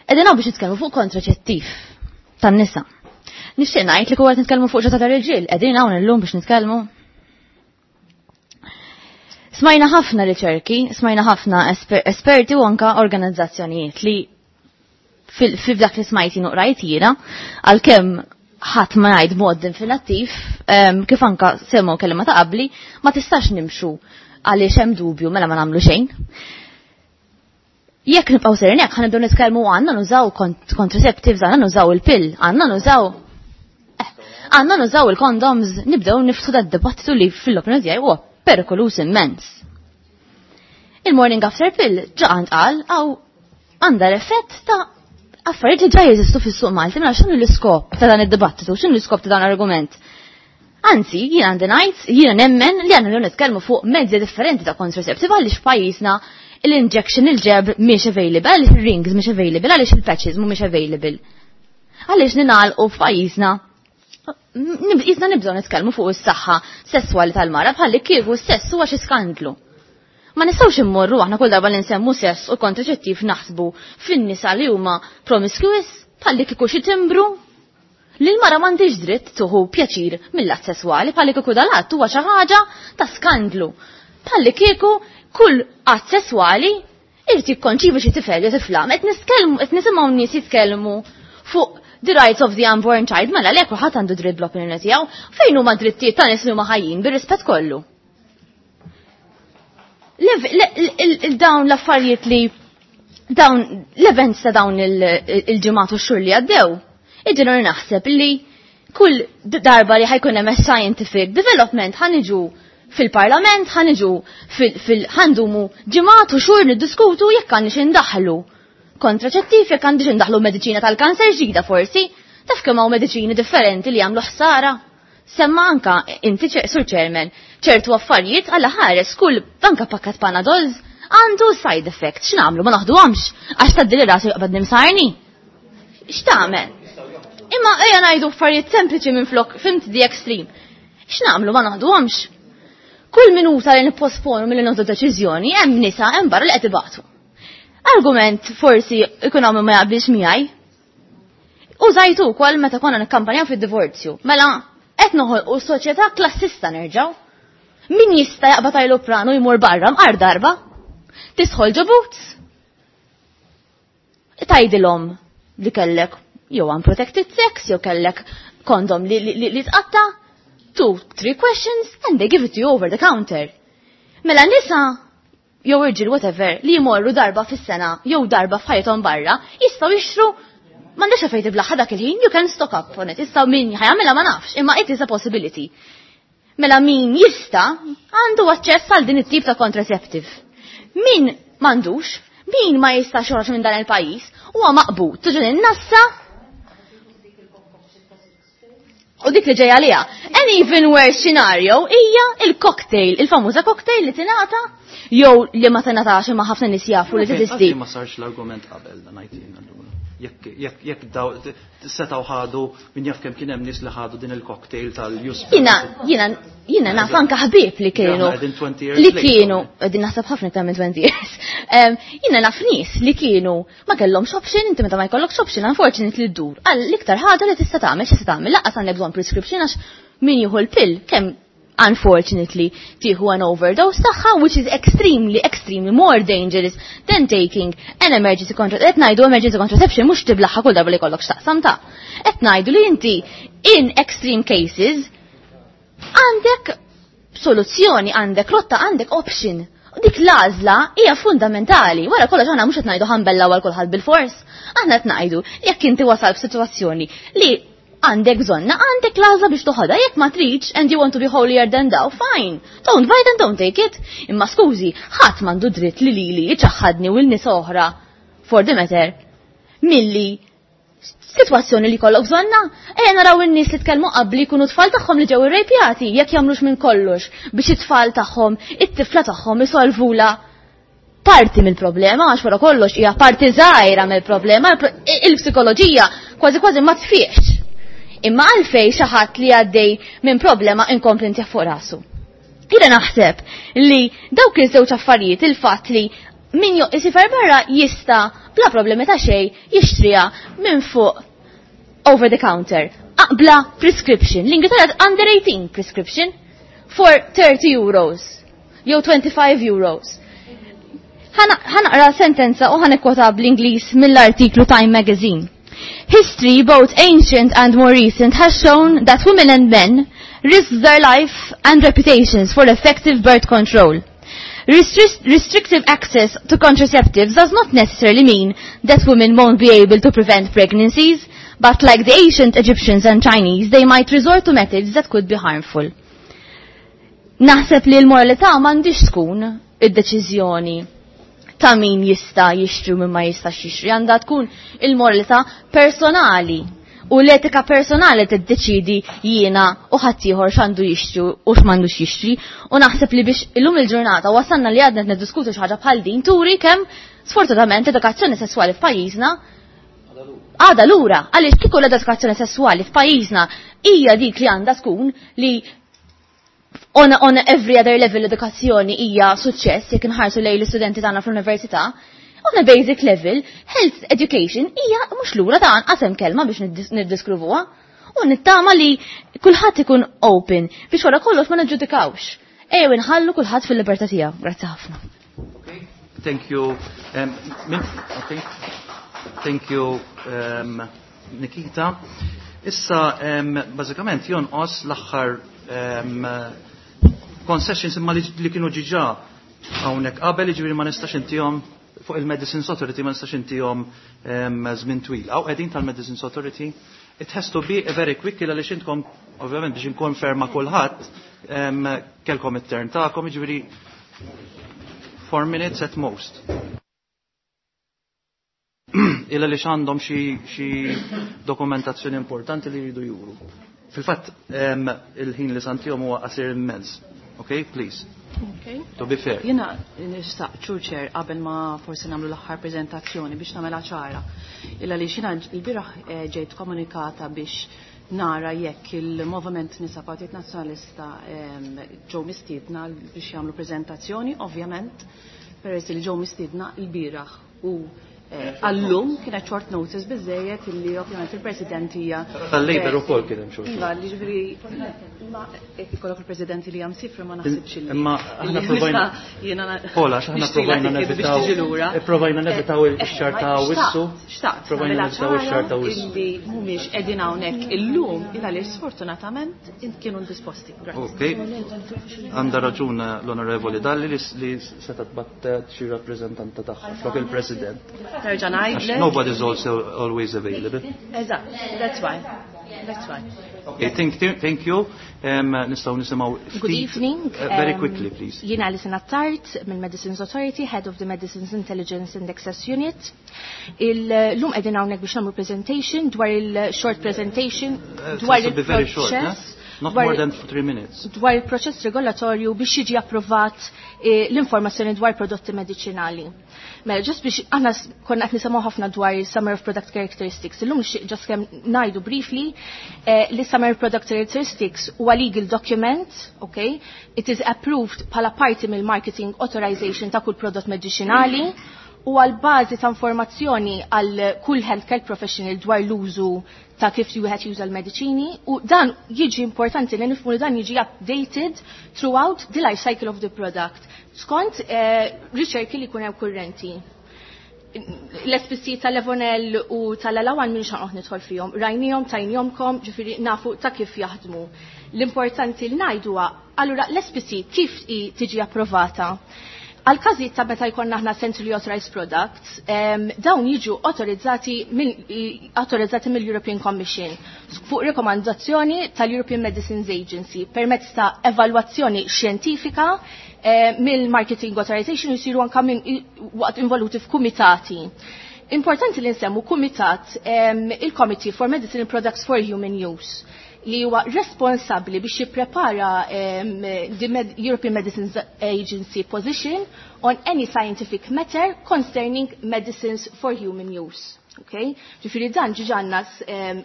Qegħdin hawn biex nitkellmu fuq kontraċettiv tan-nisa. Nixtieq ngħid li kieku qed nitkellmu fuq ġata tal-irġiel, qegħdin hawn illum biex nitkellmu. Smajna ħafna riċerki, smajna ħafna esperti u anka organizzazzjonijiet li fil dak li smajti nuqrajt jiena, għalkemm ħadd ma ngħid mod definittiv, kif anka semgħu kelma ta' qabli, ma tistax nimxu għaliex hemm dubju mela ma nagħmlu xejn. Jekk nibqgħu serin hekk ħanibdew nitkellmu għandna nużaw contraceptives, għandna nużaw il-pill, għandna nużaw il-condoms, nibdew niftu dat dibattitu li fil-opinjoni tiegħi huwa perikolus immens. Il-morning after pill ġa għand qal għaw għandha l-effett ta' affarijiet li ġa jeżistu fis-suq Malti, mela x'inhu l-iskop ta' dan id-dibattitu, x'inhu l-iskop ta' dan l-argument? Anzi, jiena għandi ngħid, jiena nemmen li għandna nitkellmu fuq mezzi differenti ta' contraceptive għaliex pajjiżna l-injection, il-ġeb mhix available, għaliex il-rings mhix available, għaliex il-patches mhumiex available. Għaliex ningħalqu f'pajjiżna jisna nibżgħu nitkellmu fuq is-saħħa sesswali tal-mara bħalli kieku s-sess huwa xi skandlu. Ma nistgħux immorru aħna kull darba li nsemmu sess u kontraċettiv naħsbu fin-nisa li huma promiscuous bħalli kieku xi timbru Li l-mara m'għandix dritt tuħu pjaċir mill-att sesswali bħalli kieku dal-att huwa xi ħaġa ta' skandlu. Bħalli kieku kull att sesswali irid jikkonċivi xi tifel jew tifla. Qed nitkellmu qed nisimgħu nies jitkellmu fuq the rights of the unborn child, mela le kulħadd għandu dritt bl-opinjoni tiegħu, fejn huma drittijiet ta' nies li huma ħajjin bir-rispett kollu. Dawn l-affarijiet li dawn l-events ta' dawn il-ġimgħat u x-xhur li għaddew, iġenur naħseb li kull darba li ħajkun hemm scientific development ħaniġu fil-parlament, ħaniġu fil-ħandumu ġimgħat u xhur niddiskutu jekk għandix indaħlu kontraċettiv, jekk għandix indaħlu mediċina tal-kanser ġdida forsi, taf kemm hawn mediċini differenti li jagħmlu ħsara. Semma anka inti sur chairman ċertu affarijiet għalla ħares kull anka pakkat Panadols għandu side effect. X'nagħmlu ma naħduhomx għax tgħaddili rasi jaqbad nimsarni. X'tagħmel? Imma ejja ngħidu affarijiet sempliċi minn flok fimt the extreme. X'nagħmlu ma naħduhomx? Kull minuta li nipposponu milli nieħdu deċiżjoni hemm nisa hemm barra li qed ibatu. Argument forsi ikun hawn ma jaqbilx miegħi. Użajtu wkoll meta konna nikkampanjaw fid-divorzju. Mela qed noħolqu soċjetà klassista nerġgħu. Min jista' jaqbad ajruplanu jmur barra mqar darba? Tisħol ġo boots? Tgħidilhom li kellek jew unprotected sex, jew kellek kondom li, li, li tqatta, two, three questions, and they give it to you over the counter. Mela nisa jew irġiel whatever li jmorru darba fis-sena jew darba f'ħajjithom barra, jistgħu jixtru m'għandekx fejn tiblaħħa dak il-ħin, you can stock up on it. Issa min ħa jagħmilha ma nafx, imma it is a possibility. Mela min jista' għandu aċċess għal din it-tip ta' contraceptive. Min m'għandux, min ma jistax joħroġ minn dan il-pajjiż, huwa maqbud tuġun in-nassa U dik li ġejja għaliha. An even worse scenario hija il-cocktail, il-famuża cocktail li tingħata jew li ma tingħatax imma ħafna nies jafu li teżisti. Ma sarx l-argument qabel dan ngħid allura. Jekk daw setgħu ħadu min jaf kemm kien hemm nies li ħadu din il-cocktail tal-Yuzpe. Jiena naf anka ħbieb li kienu li kienu qegħdin naħseb ħafna iktar minn 20 years. Jiena naf nies li kienu ma kellhomx option, inti meta ma jkollokx option, unfortunately ddur. Għal l-iktar ħaġa li tista' tagħmel, x'tista' tagħmel, lanqas għandek bżonn prescription għax min jieħu l-pill kemm unfortunately tieħu an overdose tagħha which is extremely extremely more dangerous than taking an emergency contraception. Qed ngħidu emergency contraception mhux tiblaħħa kull darba li jkollok x'taqsam ta'. Qed ngħidu li inti in extreme cases għandek soluzzjoni, għandek rotta, għandek option. U dik l-għażla hija fundamentali. Wara kollox aħna mhux qed ngħidu ħa nbellaw għal kulħadd bil-fors. Aħna qed ngħidu jekk inti wasal f'sitwazzjoni li għandek bżonna, għandek l-għażla biex toħodha, jekk ma tridx and you want to be holier than thou, fine. Don't buy it and don't take it. Imma skużi, ħadd m'għandu dritt li lili iċaħħadni u l-nies oħra for the matter milli situazzjoni li kollok bżonna, ejja naraw in-nies li tkellmu qabli jkunu tfal tagħhom li ġew irrejpjati, jekk jagħmlux minn kollox biex it-tfal tagħhom, it-tifla tagħhom isolvula parti mill-problema, għax wara kollox hija parti żgħira mill-problema, il-psikoloġija kważi kważi ma tfiex. Imma għalfej xi ħadd li għaddej minn problema inkompli ntih fuq rasu. Jiena naħseb li dawk iż-żewġ affarijiet, il-fatt li min isifer barra jista' bla problemi ta' xejn jixtriha minn fuq over the counter. Bla prescription. L-Ingilterra under 18 prescription for 30 euros jew 25 euros. Ħa naqra sentenza u ħa nikkwota bl-Ingliż mill-artiklu Time Magazine. History, both ancient and more recent, has shown that women and men risk their life and reputations for effective birth control. Restrictive access to contraceptives does not necessarily mean that women won't be able to prevent pregnancies, but like the ancient Egyptians and Chinese, they might resort to methods that could be harmful. Naħseb li l-moralità m'għandix tkun id-deċiżjoni ta' min jista' jixtri u min ma jistax jixtri, għandha tkun il-moralità personali u l-etika personali tiddeċidi jiena u ħaddieħor x'għandu jixtri u x'm'għandux jixtri. U naħseb li biex illum il-ġurnata wasalna li għadna qed niddiskutu xi ħaġa bħal din turi kemm sfortunatament edukazzjoni sesswali f'pajjiżna għadha lura, għaliex kieku l-edukazzjoni sesswali f'pajjiżna hija dik li għandha tkun li on every other level l-edukazzjoni hija suċċess jekk inħarsu lejn l-istudenti tagħna fl-università, on a basic level, health education hija mhux lura ta' anqas hemm kelma biex niddiskrivuha. U nittama li kulħadd ikun open biex wara kollox ma niġġudikawx. Ejjew inħallu kulħadd fil-libertà tiegħu. Grazzi ħafna. Thank you. Okay. Thank you, Nikita. Issa, bażikament jonqos l-aħħar concessions imma li kienu ġiġa hawnhekk qabel, jiġifieri ma nistax intihom fuq il-Medicines Authority, ma nistax intihom żmien twil. Hawn qegħdin tal-Medicines Authority. It has to be a very quick, għaliex intkom ovvjament biex inkonferma kulħadd kelkom it-turn tagħkom, jiġifieri 4 minutes at most. Illa li għandhom xi dokumentazzjoni importanti li jridu juru. Fil-fatt, il-ħin li santihom huwa qasir immens. Okay, please. Okay. To be fair. Jiena nixtaq, Chair, qabel ma forsi nagħmlu l-aħħar preżentazzjoni biex nagħmilha ċara. Illa li xina l-bieraħ ġejt komunikata biex nara jekk il-Movement Nisa Partit Nazzjonalista ġew mistiedna biex jagħmlu preżentazzjoni, ovvjament, peress li ġew mistiedna l-bieraħ u għallum kienet short notice biżejjed illi ovvjament il-President hija Tal-Labor ukoll kien hemm short. Iva, li ġifieri ma jekk ikollok il-President li hemm sifra ma naħsibx illi. Imma aħna provajna jiena Pola, aħna provajna nevitaw provajna nevitaw ix-xahar ta' Awwissu. Xtaqt, Provajna nevitaw ix-xahar ta' Awwissu. Illi mhumiex qegħdin hawnhekk illum il għaliex sfortunatament kienu indisposti. Ok. Għandha raġun l-Onorevoli Dalli li setgħet battet xi rappreżentanta tagħha flok il-President. Terġa' ngħidlek. Nobody's also always available. Eżatt, that's why. That's why. Okay, thank you. Nistgħu nisimgħu Good evening. Very quickly, please. Jiena Alison Attard mill-Medicines Authority, Head of the Medicines Intelligence and Access Unit. Illum qegħdin hawnhekk biex nagħmlu presentation dwar il-short presentation dwar il-proċess. Not more than 3 minutes. Dwar il-proċess regolatorju biex jiġi approvat l-informazzjoni dwar prodotti medicinali. Mela, just biex aħna konna qed nisimgħu ħafna dwar Summary of Product Characteristics. Illum just kemm ngħidu briefly li Summary of Product Characteristics huwa legal document, okay? It is approved bħala parti mill-marketing authorization ta' kull prodott medicinali u għal bażi ta' informazzjoni għal kull healthcare professional dwar l-użu ta' kif wieħed juża l-mediċini, u dan jiġi importanti li nifhmu li dan jiġi updated throughout the life cycle of the product skont riċerki li jkun hemm kurrenti. L-SPC tal-Levonel u tal-Alawan minn xanqoħ nidħol fihom, rajnihom, tajnihomkom, ġifieri nafu ta' kif jaħdmu. L-importanti li ngħidu huwa, allura l-SPC kif tiġi approvata? Għal każijiet ta' meta jkollna aħna centrally authorized products, dawn jiġu autorizzati mill-European Commission fuq rekomandazzjoni tal-European Medicines Agency permezz ta' evalwazzjoni xjentifika mill-Marketing Authorization jisiru anka minn waqt involuti f'kumitati. Importanti li nsemmu kumitat, il-Committee for Medicinal Products for Human Use, li huwa responsabbli biex jipprepara the European Medicines Agency position on any scientific matter concerning medicines for human use. Okay? Ġifieri dan ġiġa għandna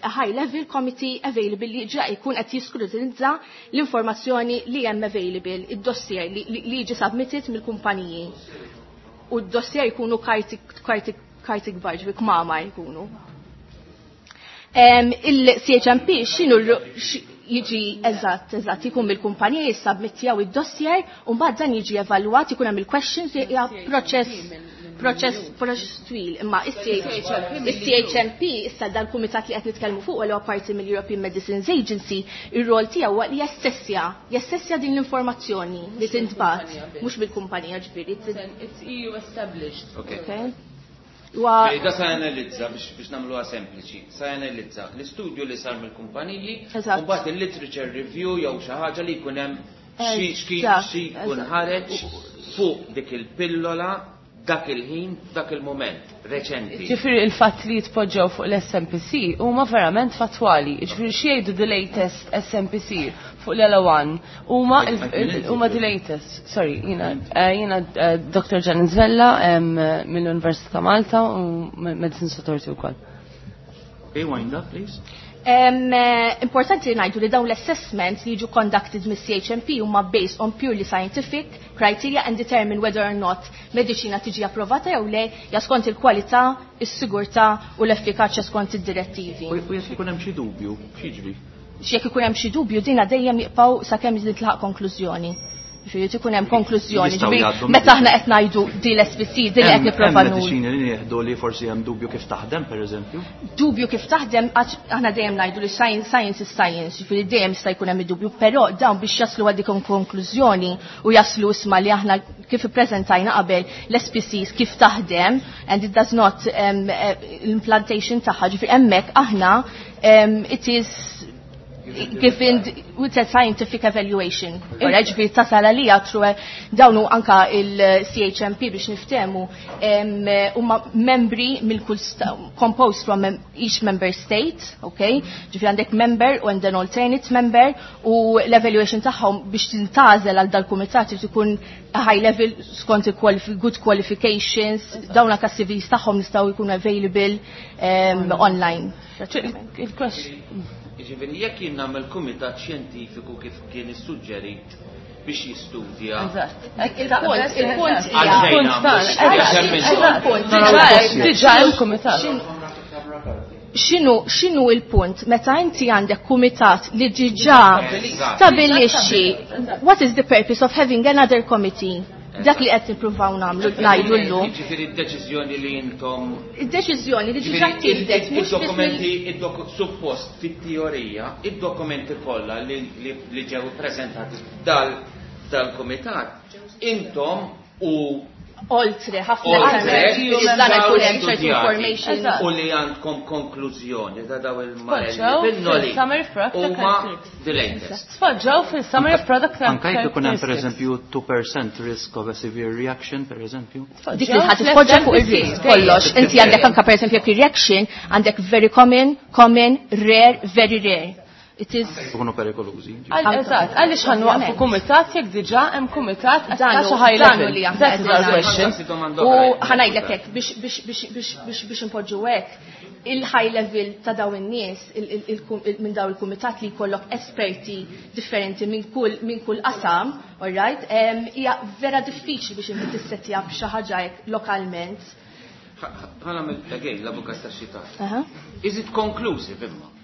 a high level committee available li ġa jkun qed jiskrutinizza l-informazzjoni li hemm available, id-dossier li jiġi submitted mill-kumpaniji. U d-dossier jkunu karti kbar, ġifieri kmama jkunu. Il-CHMP x'inhu jiġi eżatt, jkun mill-kumpanija jissubmittjaw id-dossier u mbagħad dan jiġi evalwat, ikun hemm il-questions, hija proċess twil. Imma is-CHMP issa dal-kumitat li qed nitkellmu fuq huwa parti mill-European Medicines Agency, ir-rol tiegħu huwa li jassessja din l-informazzjoni li tintbagħat, mhux mill-kumpanija ġifieri. It's EU established. Okay. Da sa analizza biex nagħmluha sempliċi, sa analizza l-istudju li sar mill-kumpaniji, u mbagħad il-literature review jew xi ħaġa li jkun hemm xi jkun ħareġ fuq dik il-pillola dak il-ħin, dak il-moment, reċenti. Ġifieri il-fatt li jitpoġġew fuq l-SMPC huma verament fattwali. Ġifieri xi jgħidu the latest SMPC fuq l-L1 huma the latest. Sorry, jiena Dr. Janet Vella mill-Università ta' Malta u Medicine Authority wkoll. Okay, wind up, please. Importanti li ngħidu li dawn l-assessments li jiġu conducted mis-CHMP huma based on purely scientific criteria and determine whether or not mediċina tiġi approvata jew le ja skont il-kwalità, is-sigurtà u l-effikaċja skont id-direttivi. U jekk ikun hemm xi dubju, x'jiġri? Jekk ikun hemm xi dubju dina dejjem jibqgħu sakemm jitlaq konklużjoni. Ġifieri ikun hemm konklużjoni. Ġifieri meta aħna qed ngħidu di l-SPC, di li qed nipprova nuru. Mediċini li nieħdu li forsi hemm dubju kif taħdem pereżempju? Dubju kif taħdem aħna dejjem ngħidu li science, science is science, ġifieri dejjem jista' jkun hemm dubju, però dawn biex jaslu għal dik konklużjoni u jaslu isma' li aħna kif ippreżentajna qabel l-SPCs kif taħdem and it does not l-implantation tagħha, ġifieri hemmhekk aħna it is given with a scientific evaluation. Ora ġifieri tasal għalija through dawnu anka il-CHMP biex niftehmu huma membri mill kull composed from each member state, okay? Ġifieri għandek member u and an alternate member u l-evaluation tagħhom biex tintażel għal dal-kumitat irid ikun high level skont good qualifications, dawn anka CVs tagħhom nistgħu jkunu available online. Il-question. Jiġifieri jekk jien nagħmel kumitat xjentifiku kif kien issuġġerit biex jistudja. Il-punt, il-punt Għalfejn Diġà hemm kumitat. X'inhu x'inhu il-punt meta inti għandek kumitat li diġà stabilixxi what is the purpose of having another committee? Dak li qed nippruvaw nagħmlu ngħidu llum. Ġifieri d-deċiżjoni li intom Id-deċiżjoni li diġà ttieħdet mhux biss id-dokumenti suppost fit-teorija, id-dokumenti kollha li ġew ippreżentati dal-kumitat, intom u oltre ħafna dan ikun hemm ċertu information. U li għandkom konklużjoni ta' daw il-marelli Tpoġġew bil-noli fil-Summer of Product huma Characteristics. the latest. Tpoġġew fil-Summary of Product Anka jekk ikun hemm Characteristics. pereżempju 2% risk of a severe reaction, pereżempju. Dik li ħadd tpoġġa fuq ir-risk kollox. Inti għandek anka pereżempju jekk reaction għandek very common, common, rare, very rare. It is Ikunu perikolużi. Eżatt, għaliex ħa nwaqqfu kumitat jekk diġà hemm kumitat Dan ta' xi high dan level. li aħna That is our qegħdin question. U ħa ngħidlek hekk biex inpoġġu hekk il-high level ta' daw in-nies minn daw il-kumitat li jkollok esperti differenti minn kull qasam, all right, hija vera diffiċli biex inti tissettja b'xi ħaġa hekk lokalment. Ħa nagħmel again l-avukat tax-xitan. Is it conclusive imma?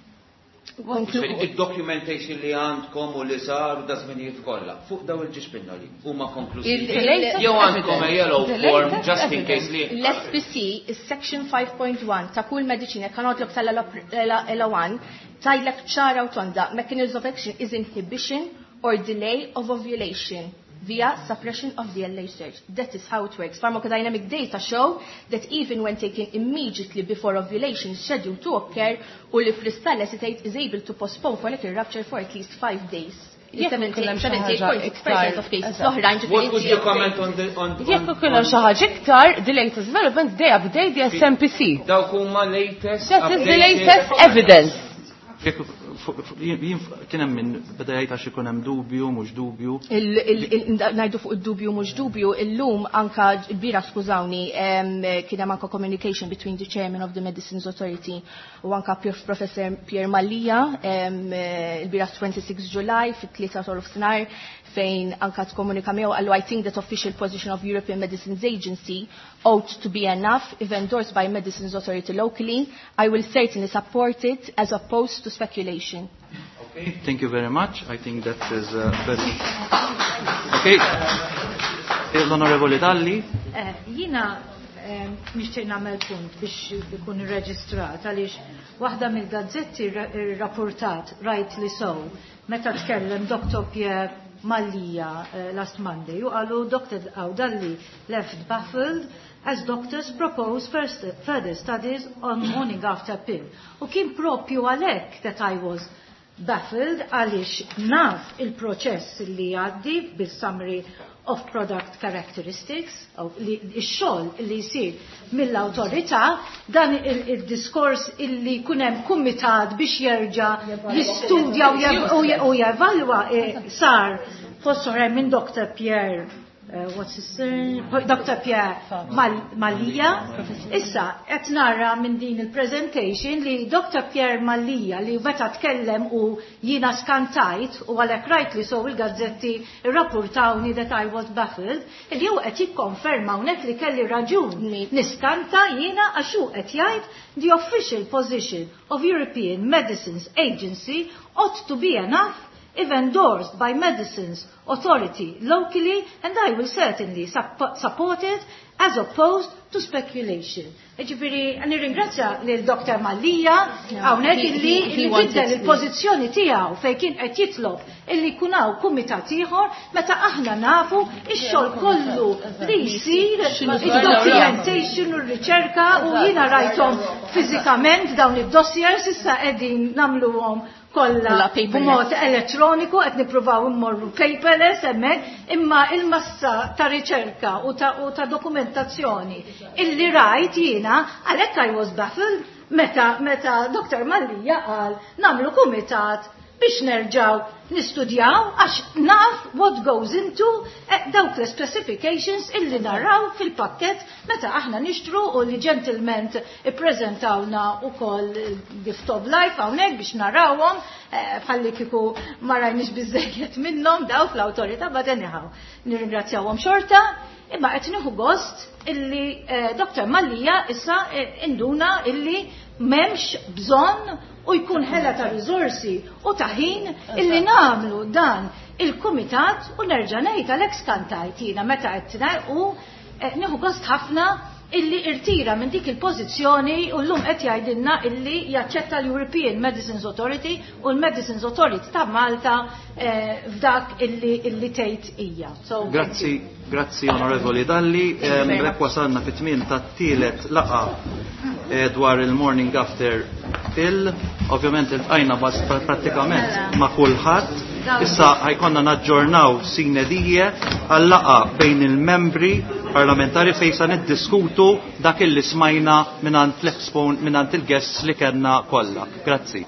Id-documentation li għandkom u li sar u da żminijiet kollha fuq daw il-ġiex pinnoli huma konklusivi. Jew għandkom a yellow form just in case li. L-SPC is section 5.1 ta' kull mediċina kanodlok tal-LA1 tgħidlek ċara u tonda mechanism of action is inhibition or delay of ovulation via suppression of the LH surge. That is how it works. Pharmacodynamic data show that even when taken immediately before ovulation is scheduled to occur, ulipristal acetate is able to postpone follicle rupture for at least 5 days. Jekk ikun hemm xi ħaġa 78.6% of cases. iktar, L-oħrajn ġifieri What would you comment on the on Jekk ikun hemm xi ħaġa iktar, the latest development they update the SMPC. Dawk huma latest That is the updated- latest evidence. Jekk jien kien hemm min beda jgħid għax ikun hemm dubju, mhux dubju. Ngħidu fuq id-dubju mhux dubju, illum anka l-bira skużawni, kien hemm anka communication between the chairman of the Medicines Authority u anka Professor Pierre Mallia, il-bira 26 July fit-3 ta' nofsinhar fejn anka tkomunika miegħu qallu I think that official position of European Medicines Agency ought to be enough if endorsed by Medicines Authority locally. I will certainly support it as opposed to speculation. Okay, thank you very much. I think that is very... Okay. L-Onorevoli Dalli. Jina nixtieq nagħmel punt biex ikun irreġistrat għaliex waħda mill-gazzetti rrapportat rightly so meta tkellem Dr. Pierre Mallia last Monday u qalu Dr. Dalli left baffled as doctors propose further studies on morning after pill. U kien propju għalhekk that I was baffled għaliex naf il-proċess li għaddi bil-summary of product characteristics, li x-xogħol li jsir mill-awtorità, dan il-diskors illi jkun hemm kumitat biex jerġa' jistudja u jevalwa sar fost oħrajn minn Dr. Pierre What's his surname? Dr. Pierre Mallia. Issa, qed nara minn din il-presentation li Dr. Pierre Mallia li meta tkellem u jiena skantajt u għalhekk rajt li so il-gazzetti rrappurtawni that I was baffled, li hu qed jikkonferma hawnhekk li kelli raġun niskanta jiena għax hu qed jgħid the official position of European Medicines Agency ought to be enough if endorsed by Medicines Authority locally, and I will certainly support it as opposed to speculation. Ġifiri, nirringrazzja lil Dr. Mallia hawnhekk illi biddel il-pożizzjoni tiegħu fejn kien qed jitlob illi jkun hawn kumitat ieħor meta aħna nafu ix-xogħol kollu li jsir id-documentation u r-riċerka u jiena rajthom fiżikament dawn id-dossiers issa qegħdin nagħmluhom kollha b'mod elettroniku qed nippruvaw immorru paperless hemmhekk, imma il-massa ta' riċerka u ta', u ta' dokumentazzjoni illi rajt jiena għalhekk I was baffled meta meta Dr. Mallia qal nagħmlu kumitat biex nerġaw nistudjaw għax naf what goes into dawk l-specifications illi naraw fil-pakket meta aħna nixtru u li ġentilment ippreżentawna ukoll gift of life hawnhekk biex narawhom bħalli kieku ma rajniex biżejjed minnhom daw fl-awtorità, but anyhow nirringrazzjawhom xorta, imma qed nieħu gost illi Dr. Mallia issa induna illi m'hemmx bżonn u jkun ħela ta' riżorsi u ta' ħin illi nagħmlu dan il-kumitat. U nerġa' ngħid għalhekk skantajt jiena meta qed u nieħu gost ħafna illi irtira minn dik il-pożizzjoni u llum qed jgħidilna illi jaċċetta l-European Medicines Authority u l-Medicines Authority ta' Malta f'dak illi illi tgħid hija. So, Grazzi, grazzi, Onorevoli Dalli. B'hekk wasalna fit-tmien tat-tielet laqgħa dwar il-morning after pill. Ovvjament iltqajna bas prattikament ma' kulħadd. Issa ħa jkollna naġġornaw sine die għal-laqgħa bejn il-membri parlamentari fejn sa niddiskutu dak illi smajna mingħand l-expon mingħand il-guests li kellna kollha. Grazzi.